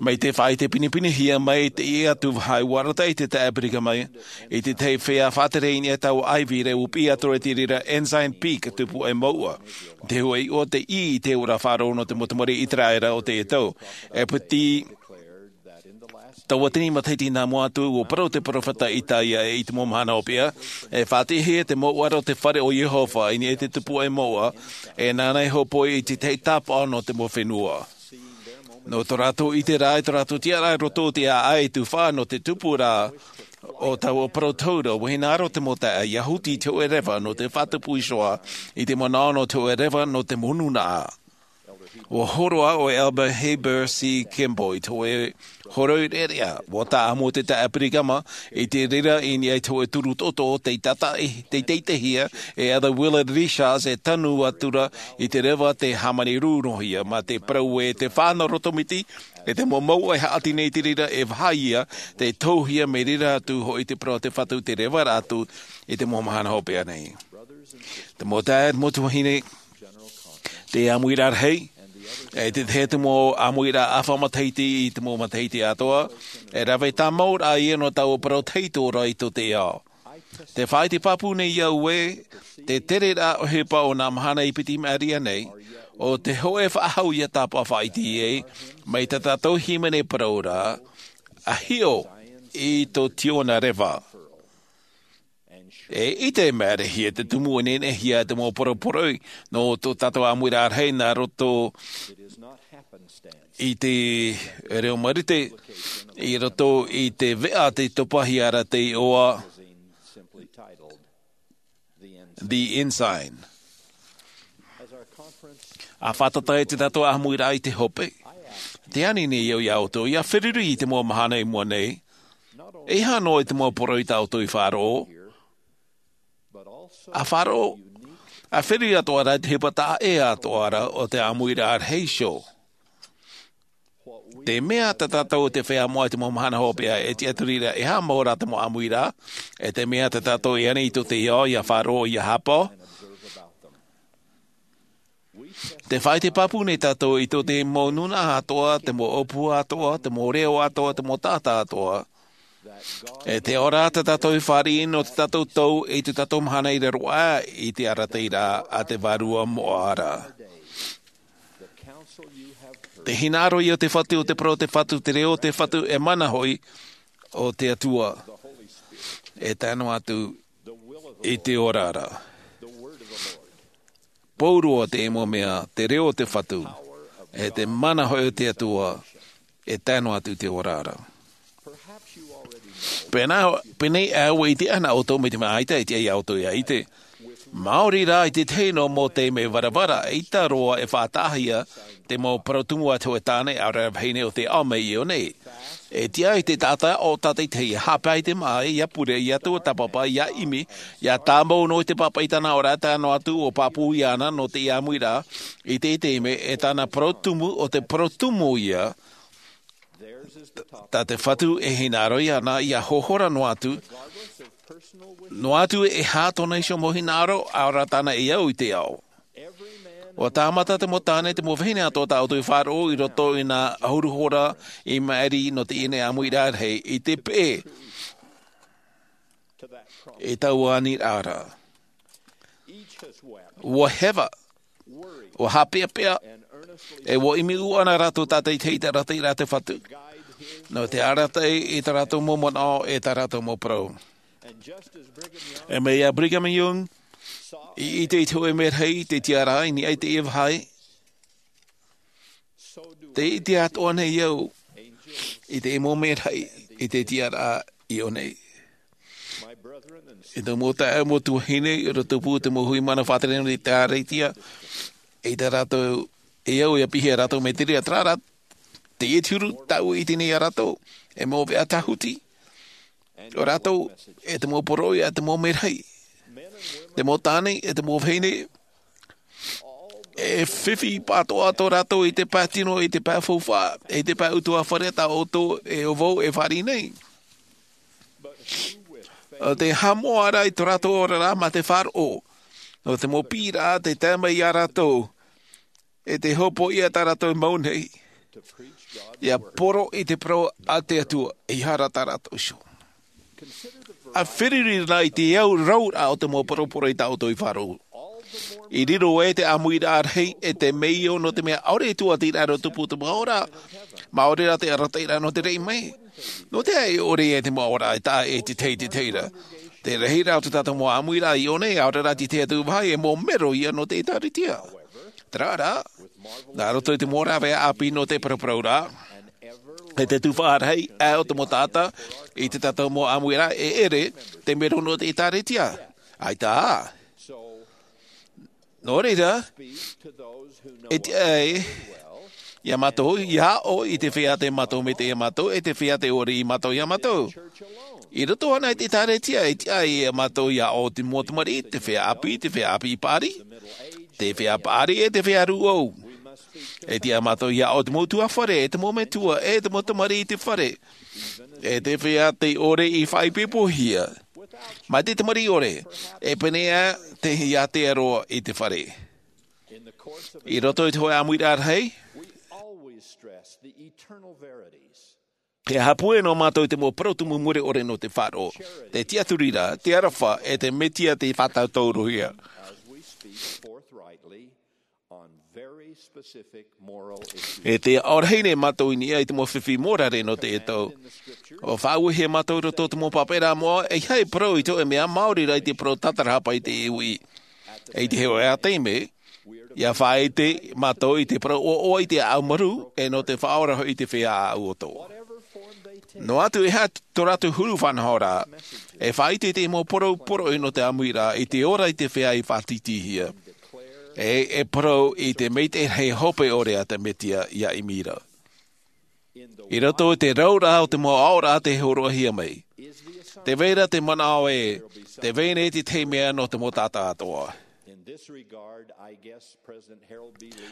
Mai te faʻaʻite pinepinehia mai, teie atu vāhi ʻua arataʻi te taeaʻe Brigham i te tahi feiā faʻatere i niʻa i taua ʻāivi, ʻua piʻi atu ra i te reira Ensign Peak, tupu ʻē mouʻa. Te hōʻē iʻoa tei ʻī i te ora faʻaroʻo nō te mau tamariʻi ʻĪteraʻera o teie tau. E piti tauatini matahiti nā mua atu, ʻua parau te peropheta Isaia ē, i te mau mahana hopeʻa, e faʻatiʻahia te mouʻa ra o te fare o Iehova i niʻa i te tupu ʻē mouʻa, e nāna e hōpoi i te tahi tāpaʻo nō te mau fenua. Nō tō rātou ʻiteraʻa, i tō rātou tiʻaraʻa i roto i te ʻāʻai tufa nō te tupu ra o taua parau tahura, ʻua hinaʻaro te mau taeaʻe ʻia huti i te hōʻē reva nō te faʻatupu iho ā, i te manaʻo nō te hōʻē reva nō te mau nūnaʻa. ʻUa hōroʻa ʻo Elder Heber C. Kimball i te hōʻē hōroʻa reʻareʻa, ʻua tāʻamu te taeaʻe Brigham i te reira i niʻa i te hōʻē turu toto tei tātaʻi, tei teiteihia e Elder Willard Richards e tanu atu ra i te reva tei hāmani rūnohia, mā te parau ē te faʻa nō roto miti, e te mau mouʻa e haʻati nei i te reira e vāhi ia, tei tohuhia mai reira atu hoʻi te parau a te Fatu i te reva ra atu i te mau mahana hopeʻa nei. Te mau taeaʻe, mau tuahine, te ʻāmuiraʻa rahi, e te tahi atu mau ʻāmuiraʻa ʻāfa matahiti i te mau matahiti atoʻa, e rave tāmau ra ia nō taua parau tahito ra i tō te ao. Te faʻaʻite pāpū nei au ē, te tere ra ʻohipa o nā mahana i piti mai ra nei, ʻo te hōʻē faʻahou ʻia tāpaʻo faʻaʻite ai, mai tā tātou hīmene parau ra, ʻa hiʻo i tō Tiona reva. E ʻite mai ra hia te tumu e nehenehe hia te mau poroporoʻi nō tō tātou ʻāmuiraʻa rahi nā roto i te reo Marite, i roto i te veʻa tei topahia ra te iʻoa The Ensign. ʻA fātata ai te tātou ʻāmuiraʻa i te hope, tē ani nei au iā ʻoutou, ʻia feruri i te mau mahana i mua nei, e aha noa i te mau poroʻi tā ʻoutou i faʻaroʻo, ʻa faʻaroʻo, ʻa feruri atoʻa ra i te ʻohipa taʻa ʻē atoʻa ra o te ʻāmuiraʻa rahi iho. Te mea tā tātou te feiā moʻa i te mau mahana hopeʻa e tiʻaturi ra, e aha mau rā te mau ʻāmuiraʻa, e te mea tā tātou e ani i tō te ao ʻia faʻaroʻo, ʻia haʻapaʻo. Te faʻaʻite pāpū nei tātou i tō te mau nūnaʻa atoʻa, te mau ʻōpua atoʻa, te mau reo atoʻa, te mau taʻata atoʻa. E te ao ra tā tātou i fāriʻi nō tō tātou tau, i tō tātou mahana i raro aʻe i te arataʻiraʻa a te Vārua moʻa ra. Te hinaʻaro ia o te Fatu, o te parau o te Fatu, te reo o te Fatu, e mana hoʻi o te Atua. E tae noa atu i te oraraʻa. Pauroa te mau mea, te reo o te Fatu, e te mana hoʻi o te Atua, e tae noa atu i te oraraʻa. Pēnā, pēnei ʻau e ʻite ana ʻoutou mai te mea ʻaita e tiʻa iā ʻoutou ia ʻite. Māori rā i te tahi nō mau taime varavara, ʻaita roa e faʻataʻahia te mau parau tumu a te hōʻē tāne, ʻaore rā vahine o te ao mai iō nei. E tiʻa i te taʻata o tātaitahi, e haʻapae i te māʻa, ia pure, ia tuatāpapa, ia ʻimi, ia tāmau noa i te pāpaʻi i tāna ora, tae noa atu ʻua pāpū iāna nō te ʻāmuiraʻa, i te taime, e tāna parau tumu, ʻo te parau tumu ia, tā te Fatu e hinaʻaro iāna, ia hohora noa atu, noa atu e aha tōna iho mau hinaʻaro, ʻaore rā tāna e au i te ao. ʻUa tāmata te mau tāne, te mau vahine atoʻa tā ʻoutou i faʻaroʻo i roto i nā ʻahuru hora i maʻiri nō teie nei ʻāmuiraʻa rahi, i te peʻe, i taua aniraʻa ra. ʻUa heva, ʻua haʻapeʻapeʻa, e ʻua ʻimi ʻū ʻana rātou tātaitahi i te arataʻiraʻa a te Fatu, nō te arataʻi i tā rātou mau manaʻo, e tā rātou mau parau. E mai iā Brigham Young i ʻite i te hōʻē merahi i te tiʻaraʻa i niʻa i teie vāhi, tē ʻite atoʻa nei au i te mau merahi i te tiʻaraʻa iō nei. E tō mau taeaʻe, mau tuahine, i roto pū te mau hui mana faʻatere nō te ʻĒkālesia, e tā rātou, e au ia piʻihia rātou mai te reira, terā rā, teie te huru tāʻu e ʻite nei iā rātou, e mau veʻa tāhuti, ʻo rātou, e te mau poroʻi, e te mau merahi, te mau tāne, e te mau vahine, e fifi pātoʻa tō rātou i te pae tino, i te pae faufaʻa, i te pae ʻutuāfare tā ʻoutou e ʻo vau e fāriʻi nei. ʻO te haʻamoʻa rā i tō rātou oraraʻa mā te faʻaroʻo, nō te mau piʻiraʻa tē tae mai iā rātou, e te hopoiʻa tā rātou e mau nei, ia poro i te parau a te Atua, ʻeiaha rā tā rātou iho. ʻA feruri na i te au rauraʻa o te mau poroporo i tā ʻoutou i faʻaroʻo. I riro ai te ʻāmuiraʻa rahi e te meio, nō te mea ʻaore e tuatiraʻa i roto pū te mau ora, mā ʻaore rā te arataʻiraʻa nō te reira mai. Nō te aha e ʻore ai te mau ora e taʻa e te tahi, te tahi ra? Te rahiraʻa o tā tātou mau ʻāmuiraʻa iō nei, ʻaore rā te tahi atu vāhi, e mau mero ia nō te ʻĒkālesia. Terā rā, nā roto i te mau rāveʻa ʻāpī nō te paraparauraʻa, e te tuhaʻa rahi aʻe o te mau taʻata i tā tātou mau ʻāmuiraʻa, e ʻere te mero nō te ʻĒkālesia. ʻAita ā. Nō reira, e tiʻa iā mātou, ia aʻo i te feiā tei mātou maitaʻi iā mātou, e te feiā tei ʻore iā mātou iā mātou. I roto anaʻe i te ʻĒkālesia, e tiʻa iā mātou ia aʻo i te mau tamariʻi, te feiā ʻāpī, te feiā ʻāpī paʻari, te feiā paʻari, e te feiā rūʻau. E tiʻa mātou ia aʻo i te mau ʻutuāfare, e te mau metua, e te mau tamariʻi i te fare, e te feiā tei ʻore i faʻaipoipohia. Mai te tamariʻi ʻore, e pēneiaʻe te Atua i te fare. I roto i te hōʻē ʻāmuiraʻa rahi, e haʻapūai noa mātou i te mau parau tumu mure ʻore nō te faʻaroʻo, te tiʻaturi ra, te aroha, e te Mesia tei faʻatautaurohia. E tē aʻo rahi nei mātou i niʻa i te mau fifi mōrare nō teie tau. ʻUa faʻauehia mātou i roto i te mau pāpaʻiraʻa moʻa, ʻeiaha e parau i te hōʻē mea, maori rā i te parau tātarahapa i te uʻi. E i te hōʻē taime, ia faʻaʻite mātou i te parau ʻoaʻoa i te ʻāʻau marū, e nō te faʻaora hoʻi i te feiā ʻāʻau ʻoto. Noa atu e aha tō rātou huru faʻanahoraʻa, e faʻaʻite i te mau parau poroʻi nō te ʻāmuiraʻa, i te ora i te feiā i faʻatītīhia. E, e parau i te maitaʻi rahi hope ʻore a te Mesia ia ʻimi ra. I roto i te rauraʻa o te mau aʻoraʻa tei hōroʻahia mai. Tē vai ra te manaʻo ē, tē vai nei te tahi mea nō te mau taʻata atoʻa.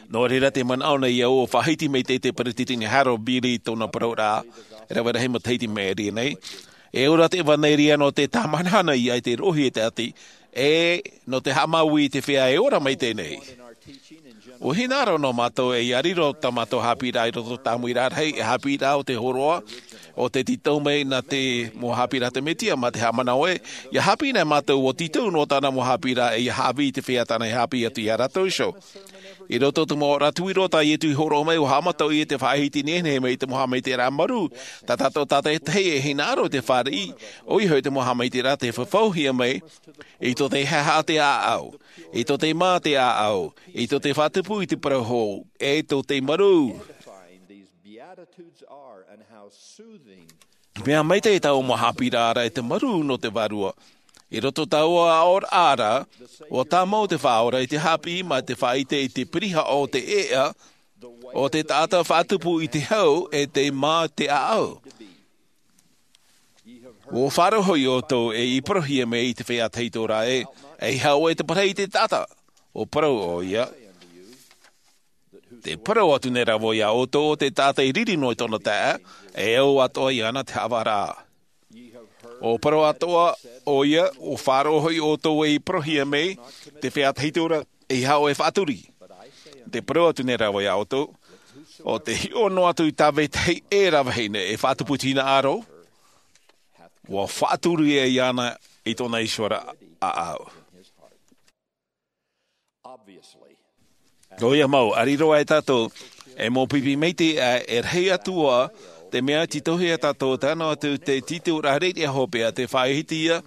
Nō reira tē manaʻo nei au ʻua faʻahiti mai te, te Peretiteni Harold B. Lee i tōna parauraʻa, e rave rahi matahiti i maʻiri aʻe nei. E ora te ʻevaneria nō te tāmahanahana i te roʻohia e te ʻati, e nō te haʻamāuiui i te feiā e ora maitaʻi nei. ʻUa hinaʻaro noa mātou ē, ia riro tā mātou haʻapiʻiraʻa i roto i te ʻāmuiraʻa rahi, e haʻapiʻiraʻa o te hōroʻa, ʻo tē tītau mai nā te mau haʻapiʻiraʻa a te Mesia, mā te haʻamanaʻo ē, ia haʻapiʻi nei mātou ʻua tītau noa tāna mau haʻapiʻiraʻa, e ia haʻavī i te feiā tāna e haʻapiʻi atu iā rātou iho. I roto i te mau ora tuiroa tā Iesu i hōroʻa mai, ʻua haʻamata ʻoia i te faʻahiti nehenehe mai i te mau haʻamaitaʻiraʻa marū, tā tātou tātaʻitahi e hinaʻaro i te fāriʻi, ʻoia hoʻi te mau haʻamaitaʻiraʻa tei fafauhia mai, i tō te haʻehaʻa te ʻāʻau, i tō te mā te ʻāʻau, i tō te faʻatupu i te parau hou, e tō te marū. These Beatitudes are and how soothing Mea maitaʻi taua mau haʻapiʻiraʻa ra e te marū nō te Vārua. I roto i taua aʻoraʻa ra, ʻua tāmau te Faʻaora i te haʻapiʻi mā te faʻaʻite i te pirihaʻa o te ʻēʻa, o te taʻata faʻatupu i te hau e te mā te ʻāʻau. ʻUa faʻaroʻo ʻoutou e i parauhia mai i te feiā tahito ra ē, ʻeiaha ʻoe te parau i te taʻata. ʻUa parau ʻoia, te parau atu nei rā vau iā ʻoutou, o te taʻata i riri noa i tōna taeaʻe, e au atoʻa iāna te haʻavāraʻa. ʻUa parau atoʻa ʻoia, ʻua faʻaroʻo ʻoutou e i parauhia mai te feiā tahito ra, ʻeiaha ʻoe e faʻaturi. Te parau atu nei rā vau iā ʻoutou, ʻo te hiʻo noa atu i tā vetahi ʻē rā vahine e faʻatupu i te hinaʻaro, ʻua faʻaturi ia iāna i tōna iho ra ʻāʻau. ʻOia mau, ʻa riro aʻe tātou, e mau pipi maitaʻi, e rahi atu ā te mea titauhia tātou, tae noa atu te titauhia rāveʻa hopeʻa, te faʻaʻite ia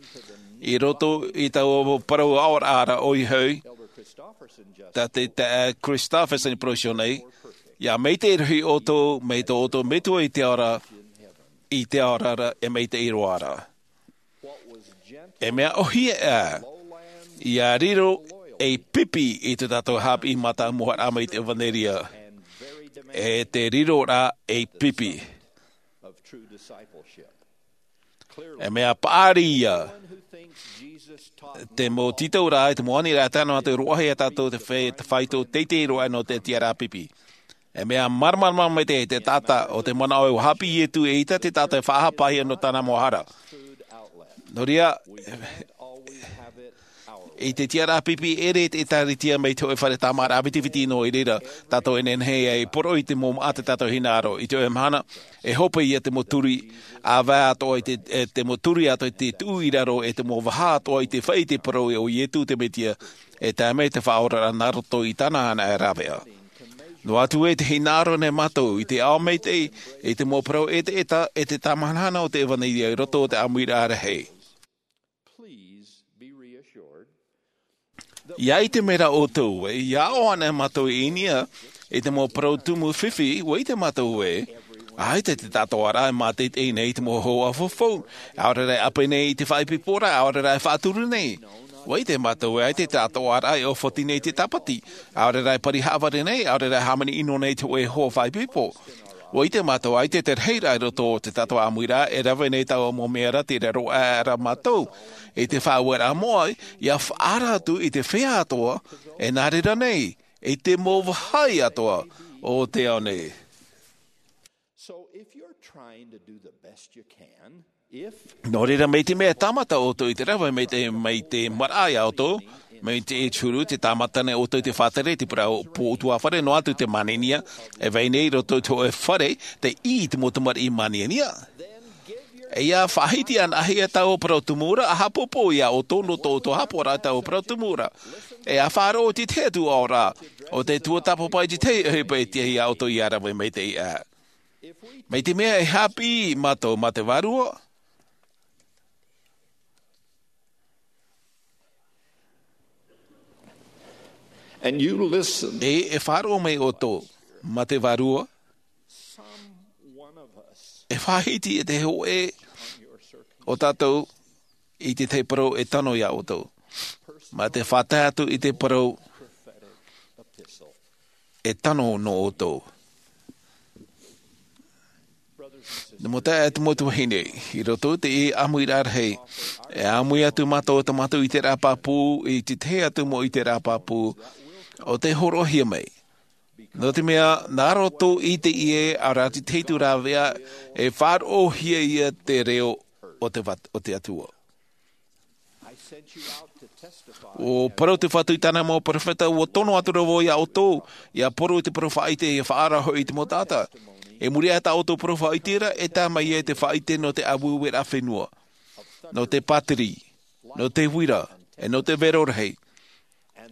i roto i taua parau aʻoraʻa ra ʻoia hoʻi, tā te taeaʻe Christofferson i parauhia nei, ʻia maitaʻi rahi ʻoutou mai tō ʻoutou Metua i te ao ra, i te ao ra, e maitaʻi roa ra. E mea ʻōhie ā, ʻia riro ei pipi i tō tātou haʻapiʻi mātāmua mai te ʻevanelia, e te riro rā ei pipi. E mea paʻari ia, te mau titauraʻa, te mau aniraʻa, tae noa atu roa ia tātou te fai-, te faito teitei roa nō te tiʻaraʻa pipi. E mea māramarama mai te, te taʻata o te manaʻo e ua haʻapiʻi Ietu, eʻita te taʻata e faʻahapahia nō tāna mau hara. Nō reira, i te tiʻaraʻa pipi, ʻere te ʻĒtārētia mai te hōʻē fare tāmāraʻa vitiviti noa i reira, tātou e nehenehe e poroʻi te mau māʻa tā tātou hinaʻaro. I te hōʻē mahana, e hope ia te mau turi, ʻāvae atoʻa i te, e te mau turi atoʻa i te tuʻu i raro, e te mau vaha atoʻa i te fai i te parau o Ietu te Metia, e tae mai te Faʻaoraraʻa nā roto i tāna anaʻe rāveʻa. Noa atu ē te hinaʻaro nei mātou i te ao maitaʻi, i te mau parau ʻetaʻeta, e te tāmahanahana o te ʻevanelia i roto o te ʻāmuiraʻa rahi. ʻIa ʻite mai rā ʻoutou ē, ʻia aʻo ana mātou i niʻa i te mau parau tumu fifi, ʻua ʻite mātou ē, ʻaita te taʻatoʻaraʻa e māteitei nei i te mau hōhoʻa faufaʻa, ʻaore rā e ʻape nei i te faʻaipoiporaʻa, ʻaore rā e faʻaturu nei. ʻUa ʻite mātou ē, ʻaita te taʻatoʻaraʻa e ʻōfoti nei i te tāpati, ʻaore rā e pari haʻavare nei, ʻaore rā e hāmani ʻino nei i te hōʻē hoa faʻaipoipo. ʻUa ʻite mātou ē, ʻaita te rahiraʻa i roto o tā tātou ʻāmuiraʻa, e rave nei taua mau mea ra, tei raro aʻe ra mātou i te faʻaueraʻa moʻa, ʻia faʻaara atu i te feiā atoʻa e nā reira nei, i te mau vāhi atoʻa o te ao nei. So if you're trying to do the best you can, if Nō reira, mai te mea e tāmata ʻoutou i te rave mai te, mai te maraʻa iā ʻoutou, mai te huru, tē tāmata nei ʻoutou i te faʻatere, te parau pō ʻutuāfare, noa atu te māniania e vai nei i roto i te hōʻē fare, tei ʻī i te mau tamariʻi māniania. E ʻia faʻahiti anaʻe ia taua parau tumu ra, ʻa haʻapōpō iā ʻoutou nō tō ʻoutou haʻapaʻoraʻa i taua parau tumu ra. E ʻia faʻaroʻo i te tahi atu aʻoraʻa o te tuatāpapa i te tahi ʻohipa e tiʻa iā ʻoutou ʻia rave maitaʻi aʻe. Mai te mea e haʻapiʻi mātou mā te Vārua. And you listen. E, e faʻaroʻo mai ʻoutou mā te Vārua. E faʻahiti e te hōʻē o tātou i te tahi parau e tano iā ʻoutou. Mā te faʻatae atu i te parau e tano nō ʻoutou. Nō te mau taeaʻe, te mau tuahine, i roto i te ʻāmuiraʻa rahi, e ʻāmui atu mātou, tā mātou ʻiteraʻa pāpū, i te tahi atu mau ʻiteraʻa pāpū, ʻo tē hōroʻahia mai. Nō te mea, nā roto i teie, ʻaore rā te tahi atu rāveʻa, e faʻaroʻohia ia te reo o te vat-, o te Atua. ʻUa parau te Fatu i tāna mau perofeta, ʻua tono atu ra vau iā ʻoutou, ʻia poro i te parau faʻaʻite, ʻia faʻaara hoʻi i te mau taʻata. I muri aʻe i tā ʻoutou parau faʻaʻite ra, e tae mai ai te faʻaʻite nō te ʻāueueraʻa fenua, nō te pātiri, nō te uira, e nō te vero rahi.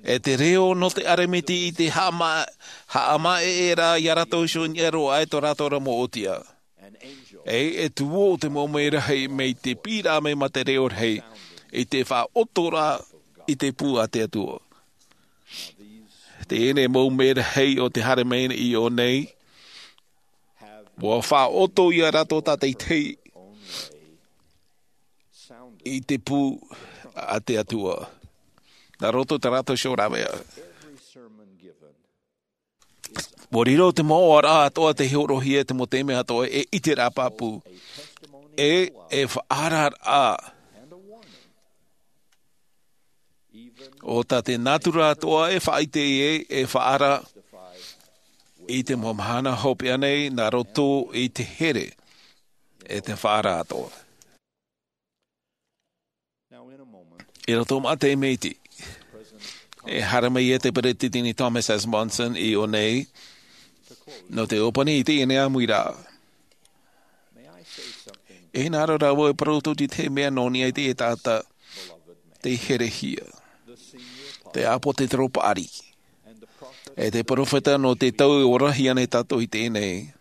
E te reo nō te ʻāramiti i te haʻama-, haʻamaʻeʻeraʻa iā rātou iho i niʻa roa aʻe tō rātou ra mau ʻōtia. E, e tuō te mau merahi mai te piʻiraʻa mai mā te reo rahi, i te faʻaʻotoraʻa i te pū a te Atua. Teie nei mau merahi o te haere mai i ʻō nei, ʻua faʻaʻoto iā rātou tātaʻitahi, i te pū a te Atua. Nā roto i tā rātou show rāveʻa. Ua riro te mau ʻoaʻoa atoʻa tei hōroʻahia te mau taime atoʻa e ʻiteraʻa pāpū. E, e faʻaararaʻa. ʻO tā te natura atoʻa e faʻaʻite i ē, e faʻaara i te mau mahana hopeʻa nei nā roto i te here e te faʻaara atoʻa. I roto mā te mea iti, e haere mai ia te Peresideni Thomas S. Monson i ʻō nei, nō te ʻōpani i teie ʻāmuiraʻa. E hinaʻaro rā vau e parau atu i te mea nō niʻa i te taʻata tei herehia. Te ʻāpōsetolo paʻari. E te peropheta nō te tau e orahia nei tātou i teie nei.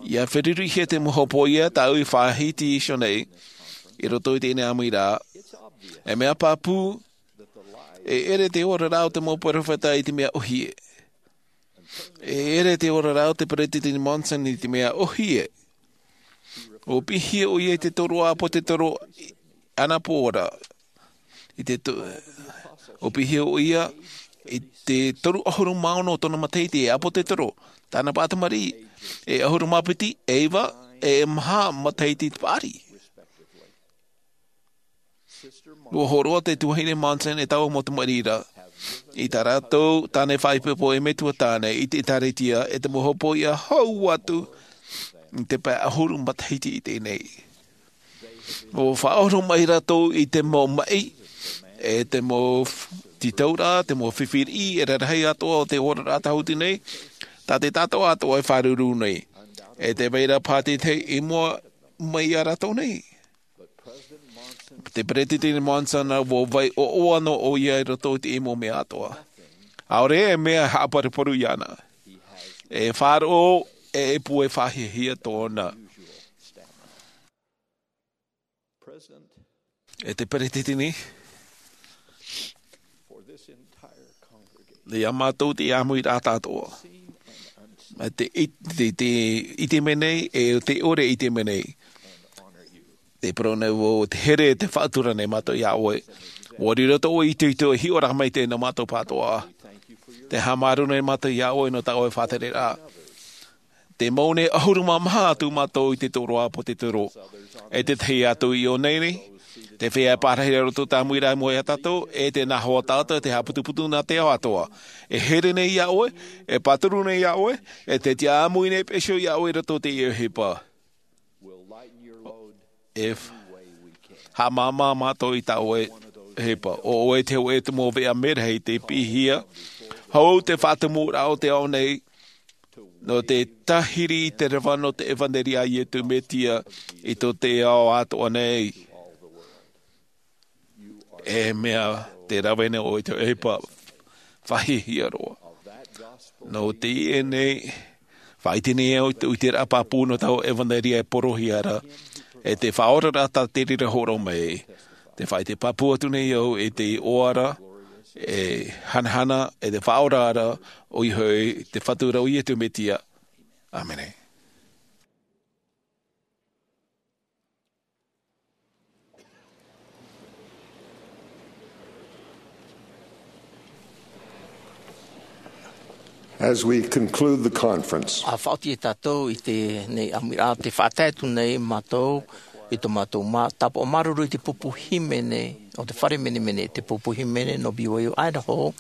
ʻIa ferurihia te mau hopoiʻa tāʻu i faʻahiti iho nei, i roto i teie ʻāmuiraʻa. E mea pāpū, e ʻere te oraraʻa o te mau peropheta i te mea ʻōhie. E ʻere te oraraʻa o te Peresideni Monson i te mea ʻōhie. ʻUa piʻihia ʻoia i te toru ʻāpōsetolo ʻanepō ra. I te to-, ʻUa piʻihia ʻoia i te toru ʻahuru mā ono o tōna matahiti e ʻāpōsetolo, tāna paʻatamariʻi, e ʻahuru mā piti, e iva, e maha matahiti te paʻari. ʻUa hōroʻa te tuahine Monson e taua mau tamariʻi ra, i tā rātou tāne faʻaipoipo e metua tāne i te ʻĒkālesia, e te mau hopoiʻa hau atu i te pae ʻahuru matahiti i teie nei. ʻUa faʻaʻoro mai rātou i te mau maʻi, e te mau f-, tītauraʻa, te mau fifi riʻi, e rarahi atoʻa o te oraraʻa tāhuti nei, tā te taʻata atoʻa e fāruru nei. E tē vai ra paha te tahi i mua mai ia rātou nei. Te Peresideni Monson, ʻua vai ʻoaʻoa noa ʻoia i roto i te mau mea atoʻa. ʻAore e mea haʻaparuparu iāna. E faʻaroʻo, e pū e faʻahiahia tōna. E te Peresideni, ia mātou te ʻāmuiraʻa atoʻa. Mai te it-, te, te ʻite mai nei, e te ʻore ʻite mai nei. Te parau nei vau, te here, te faʻatura nei mātou iā ʻoe. ʻUa riro tō ʻoe itoito e hiʻoraʻa maitaʻi nō mātou pāʻatoʻa. Tē haʻamāuruuru nei mātou iā ʻoe nō tā ʻoe faʻatereraʻa. Tē mau nei ʻahuru mā maha atu mātou i te toru ʻāpōsetolo. E te tahi atu i ʻō nei, te feiā e pārahi i roto i te ʻāmuiraʻa i mua iā tātou, e te nā hoa taʻata te haʻaputuputu nā te ao atoʻa. E here nei iā ʻoe, e pāturu nei iā ʻoe, e te tiʻa ʻāmui nei pēʻe iho iā ʻoe i roto i teie ʻohipa. E f-, haʻamāmā mātou i tā ʻoe ʻohipa. ʻO ʻoe te hōʻē tumu veʻa merahi tei piʻihia. Hou te faʻatumuraʻa o te ao nei, nō te tahiri i te reva nō te ʻevanelia a Iesu Mesia i tō te ao atoʻa nei. E mea te rave nei ʻoe i te ʻohipa faʻahiahia roa. Nō teie nei, faʻaʻite nei au i te, i te ʻiteraʻa pāpū nō taua ʻevanelia e porohia ra, e te Faʻaora ra tā te reira hōroʻa mai. Tē faʻaʻite pāpū atu nei au i te iʻoa ra, e hanahana, e te faʻaora ra, ʻoia hoʻi te Fatu ra ʻo Iesu Mesia. ʻĀmene. As we conclude the conference, ʻA faʻaoti e tātou i teie ʻāmuiraʻa, tē faʻatae atu nei mātou i tō mātou mā-, tāpaʻo māuruuru i te pupu hīmene o te fare menemene, te pupu hīmene nō B Y U Idaho,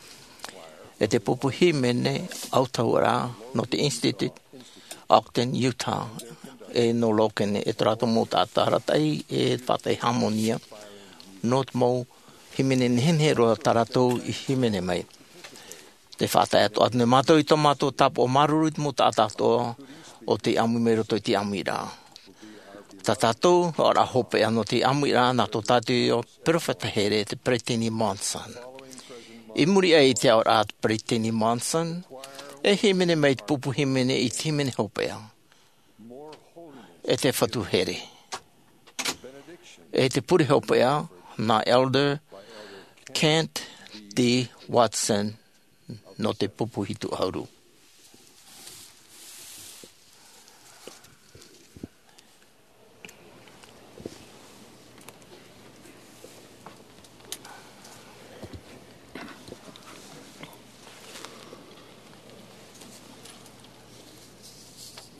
e te pupu hīmene autahuʻaraʻa nō te Institute Ogden, Utah, e nō Logan, e tō rātou mau taʻata arataʻi e faʻatae hāmani nō te mau hīmene nehenehe roa tā rātou i hīmene mai. Tē faʻatae atoʻa atu nei mātou i tō mātou tāpaʻo māuruuru i te mau taʻata atoʻa o tei ʻāmui mai roto i te ʻāmuiraʻa. Tā tātou oraraʻa hopeʻa nō te ʻāmuiraʻa nā tō tātou peropheta here, te Peresideni Monson. I muri aʻe i te oraraʻa a te Peresideni Monson, e hīmene mai te pupu hīmene i te hīmene hopeʻa, e te Fatu here, e te pure hopeʻa nā Elder Kent D. Watson nō te pupu hitu ʻahuru.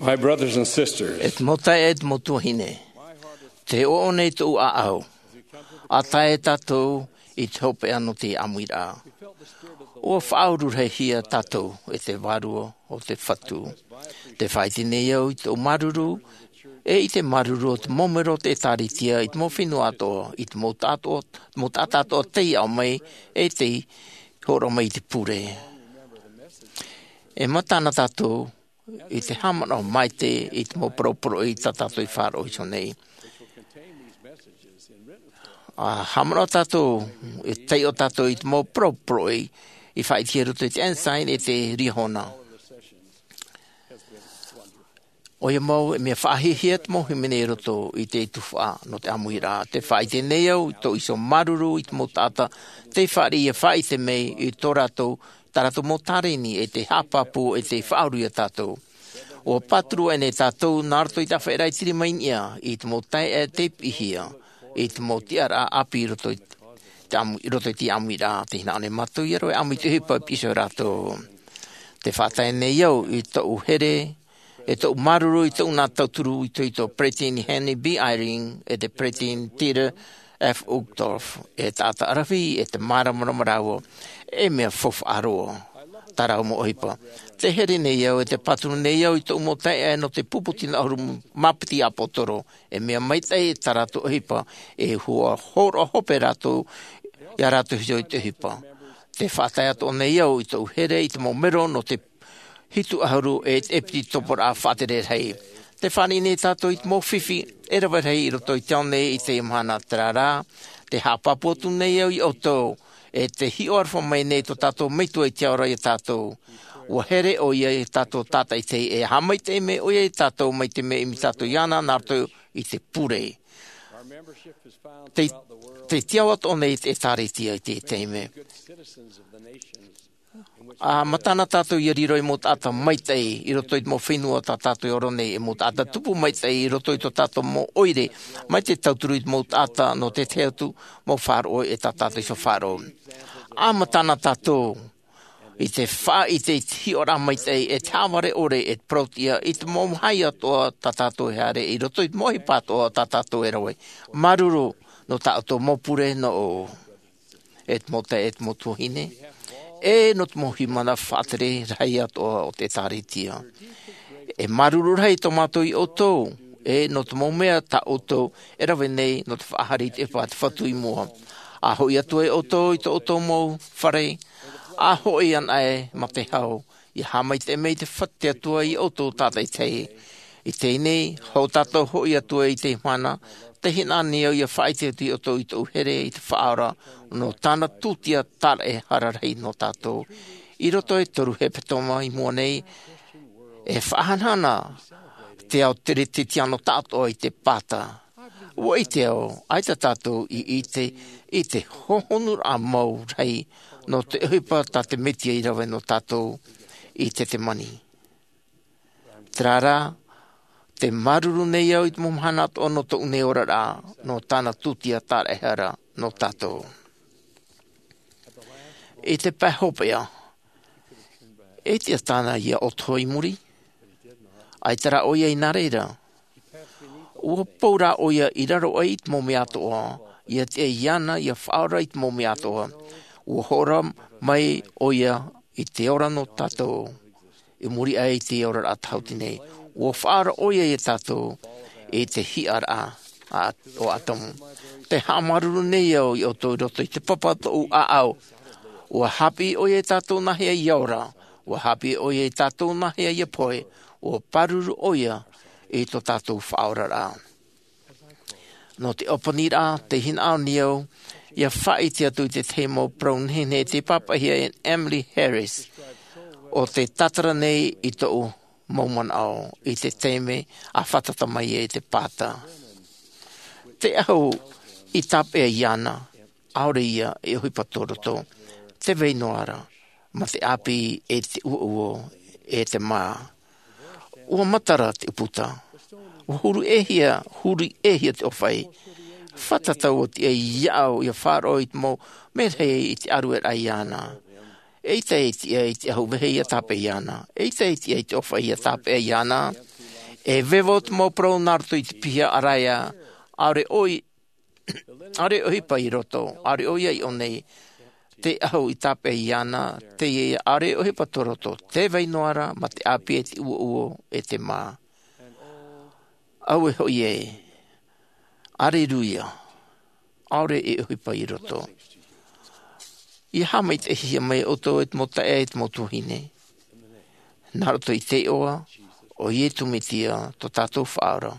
My brothers and sisters, e te mau taeaʻe, e te mau tuahine, te ʻoʻone i tōʻu ʻāʻau, ʻa tae tātou i te hopeʻa nō te ʻāmuiraʻa. ʻUa faʻaururahia tātou e te Vārua o te Fatu. Te faʻaʻite nei au i tōʻu māuruuru, e i te māuruuru o te mau mero o te ʻĒtārētia i te mau fenua atoʻa, i te mau taʻata atoʻa, mau taʻata atoʻa tei aʻo mai, e tei hōroʻa mai i te pure. E matana tātou i te haʻamanaʻo maitaʻi i te mau parau poroʻi tā tātou i faʻaroʻo iho nei. ʻA haʻamanaʻo tātou, e taiʻo tātou i te mau parau poroʻi i faʻaʻitehia i roto i te Ensign e te Liahona. ʻOia mau, e mea faʻahiahia te mau hīmene i roto i te tuhaʻa nō te ʻāmuiraʻa. Te faʻaʻite nei au i tō iho māuruuru i te mau taʻata tei fāriʻi ʻia faʻaʻite mai i tō rātou, tā rātou mau tārēni, e te haʻapāpū, e te faʻauru ia tātou. ʻUa pāturu aʻe nei tātou nā roto i te ʻāfaʻiraʻa i te rima i niʻa i te mau taeaʻe tei piʻihia i te mau tiʻaraʻa ʻāpī i roto i te ʻāmu-, i roto i te ʻāmuiraʻa. Tē hinaʻaro nei mātou ʻia roaʻa ʻāmui i te ʻohipa i piʻi iho ia rātou. Te faʻatae nei au i tōʻu here, e tōʻu māuruuru i tōʻu nā tauturu itoito, Peresideni Henry B. Eyring, e te Peresideni Dieter F. Uchtdorf, e taʻata ʻaravihi, e te māramarama rāua, e mea faufaʻa roa tā rāua mau ʻohipa. Te here nei au, e te pāturu nei au i tōʻu mau taeaʻe nō te pupu tino ʻahuru mā piti ʻāpōsetolo, e mea maitaʻi tā rātou ʻohipa, e ʻua hōroʻa hope rātou, ia rātou iho i te ʻohipa. Te faʻatae atoʻa nei au i tōʻu here i te mau mero nō te hitu ʻahuru e te ʻEpitoporaʻa Faʻatere Rahi. Tē fāriʻi nei tātou i te mau fifi e rave rahi i roto i te ao nei i teie mahana, terā rā, tē haʻapāpū atu nei au ia ʻoutou, e tē hiʻo aroha mai nei tō tātou Metua i te ao ra ia tātou. ʻUa here ʻoia ia tātou tātaʻitahi, e haʻamaitaʻi mai ʻoia ia tātou mai te mea ʻimi tātou iāna nā roto i te pure. Tē, tē tiʻa atoʻa nei te ʻĒtārētia i teie taime. ʻA matana tātou ʻia riro ei mau taʻata maitaʻi i roto i te mau fenua tā tātou e ora nei, ei mau taʻata tupu maitaʻi i roto i tō tātou mau ʻoire, mai te tauturu i te mau taʻata nō te tahi atu mau faʻaroʻo e tā tātou iho faʻaroʻo. ʻA matana tātou i te faʻaʻite i te hiʻoraʻa maitaʻi, e te haʻavare ʻore, e te parau-tiʻa i te mau mahae atoʻa tā tātou e haere, i roto i te mau ʻohipa atoʻa tā tātou e rave. Māuruuru nō tā ʻoutou mau pure nō ʻō, e te mau taeaʻe, e te mau tuahine, e nō te mau hīmene faʻatere rahi atoʻa o te ʻĒtārētia. E māuruuru rahi tō mātou ia ʻoutou, e nō te mau mea tā ʻoutou e rave nei nō te faʻahaere i te ʻohipa a te Fatu i mua. ʻA hoʻi atu ai ʻoutou i tō ʻoutou mau fare, ʻa hoʻi anaʻe mā te hau, ʻia haʻamaitaʻi mai te Fa-, te Atua ia ʻoutou tātaʻitahi. I teie nei, hou tātou hoʻi atu ai i teie mahana, tē hinaʻaro nei au ʻia faʻaʻite atu ia ʻoutou i tōʻu here i te Faʻaora, nō tāna tūtia tāraʻehara rahi nō tātou. I roto e toru hepetoma i mua nei, e faʻahanahana te ao teretetiano tāʻatoʻa i te pāta. ʻUa ʻite au, ʻaita tātou i ʻite i te hōhonuraʻa mau rahi nō te ʻohipa tā te Mesia i rave nō tātou i Ketesemani. Terā rā, tē māuruuru nei au i te mau mahana atoʻa nō tōʻu nei oraraʻa, nō tāna tūtia tāraʻehara nō tātou. I te pae hopeʻa, e tiʻa tāna ia ʻoto i muri, ʻaita rā ʻoia i nā reira. ʻUa pou rā ʻoia i raro aʻe i te mau mea atoʻa, ʻia tiʻa iāna ʻia faʻaora i te mau mea atoʻa. ʻUa hōroʻa mai ʻoia i te ora nō tātou, i muri aʻe i te oraraʻa tāhuti nei. ʻUa faʻaora ʻoia ia tātou i te hiʻaraʻa a, o Atamu. Tē haʻamāuruuru nei au ia ʻoutou i roto i te papa o tōʻu ʻāʻau. ʻUa haʻapiʻi ʻoia ia tātou nāhea ʻia ora. ʻUa haʻapiʻi ʻoia ia tātou nāhea ʻia pohe. ʻUa pāruru ʻoia i tō tātou faʻaoraraʻa. Nō te ʻōpaniraʻa, tē hinaʻaro nei au ʻia faʻaʻite atu i te tahi mau parau nehenehe tei pāpaʻihia e Emily Harris, ʻo tē tātara nei i tōʻu mau manaʻo i te taime a fātata mai ai te pāta. Te ahu i tāpeʻa iāna, ʻaore ia e ʻohipa tō roto, tē vai noa ra mā te ʻāpī e te ʻuoʻuo e te mā. ʻUa matara te ʻūputa. ʻUa huru ʻēhia, huru ʻēhia te ʻōfaʻi. Fātata ʻua tiʻa iāʻu ʻia faʻaroʻo i te mau merahi i te ʻārueraʻa iāna. ʻEita e tiʻa i te ahu vehe ʻia tāpeʻa iāna. ʻEita e tiʻa i te ʻōfaʻi ʻia tāpeʻa iāna. E vevo te mau parau nā roto i te piha ʻaraia, ʻaore ʻoi, ʻaore ʻohipa i roto, ʻaore ʻoia i ʻō nei, te ahu i tāpeʻa iāna, teie ʻaore ʻohipa tō roto, te vai noa ra, mā te ʻāpī e te uouo, e te mā. Auē hoʻi ē, aleluia, ʻaore e ʻohipa i roto. ʻIa haʻamaitaʻihia mai ʻoutou e te mau taeaʻe, e te mau tuahine. Nā roto i te iʻoa o Iesu Mesia, tō tātou Faʻaora.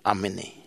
ʻĀmene.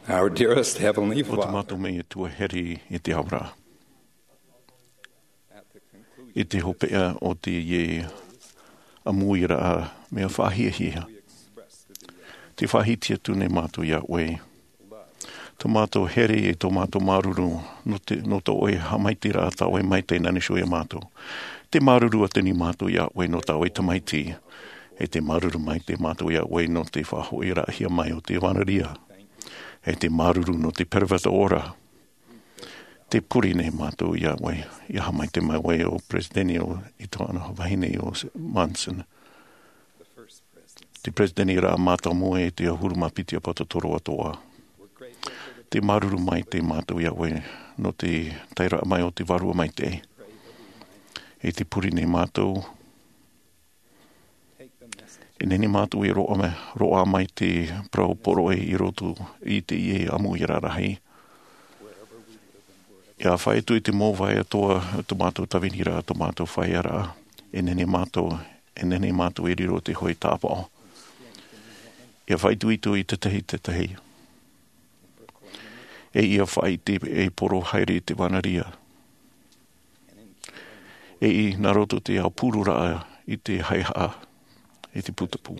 Our dearest Heavenly Father. O te mātou Metua here i te ao ra. I te hopeʻa o te ʻāmuiraʻa mea faʻahiahia, te faʻahiti atu nei mātou iā ʻoe tō mātou here e tō mātou māuruuru nō te, nō tō ʻoe haʻamaitaʻiraʻa, tā ʻoe maitaʻi nā niʻa iā mātou. Te māuruuru atu nei mātou iā ʻoe nō tā ʻoe tamaiti. E te māuruuru maitaʻi mātou iā ʻoe nō te faʻahoʻiraʻahia mai o te ʻevanelia. E te māuruuru nō te peropheta ora. Te pure nei mātou iā ʻoe, ʻia haʻamaitaʻi mai ʻoe o peresideni o, i tōna vahine o Monson. Te peresideni ra mātāmua e te ʻahuru mā piti ʻāpōsetolo atoʻa. Te māuruuru maitaʻi mātou iā ʻoe nō te taeraʻa mai o te Vārua Maitaʻi. E te pure nei mātou, e nehenehe mātou e roaʻa mai, roaʻa mai te parau poroʻi i roto i teie ʻāmuiraʻa rahi. ʻIa faʻaitoito i te mau vāhi atoʻa, tō mātou tāviniraʻa, tō mātou fāʻiaraʻa, e nehenehe mātou, e nehenehe mātou e riro te hōʻē tāpaʻo. ʻIa faʻaitoito i te tahi, te tahi. E ʻia faʻaʻite e poro haere i te ʻevanelia. E i nā roto te aupururaʻa i te haʻehaʻa, i te putapū.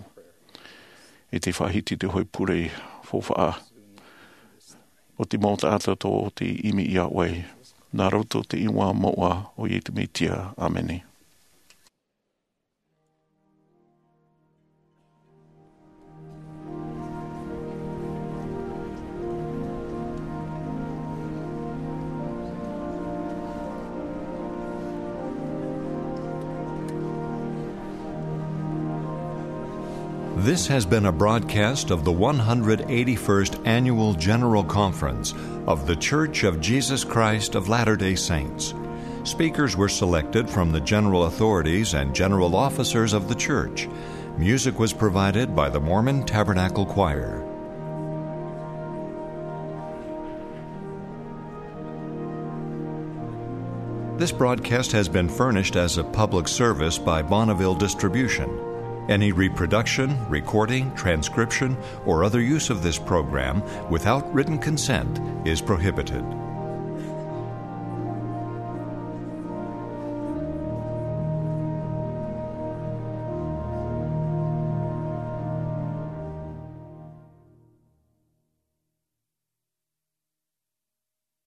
E te faʻahiti te hōʻē pure faufaʻa o te mau taʻata tō te ʻimi iā ʻoe. Nā roto te iʻoa moʻa o Iesu Mesia. ʻĀmene. This has been a broadcast of the one hundred eighty-first Annual General Conference of The Church of Jesus Christ of Latter-day Saints. Speakers were selected from the general authorities and general officers of the church. Music was provided by the Mormon Tabernacle Choir. This broadcast has been furnished as a public service by Bonneville Distribution. Any reproduction, recording, transcription, or other use of this program without written consent is prohibited.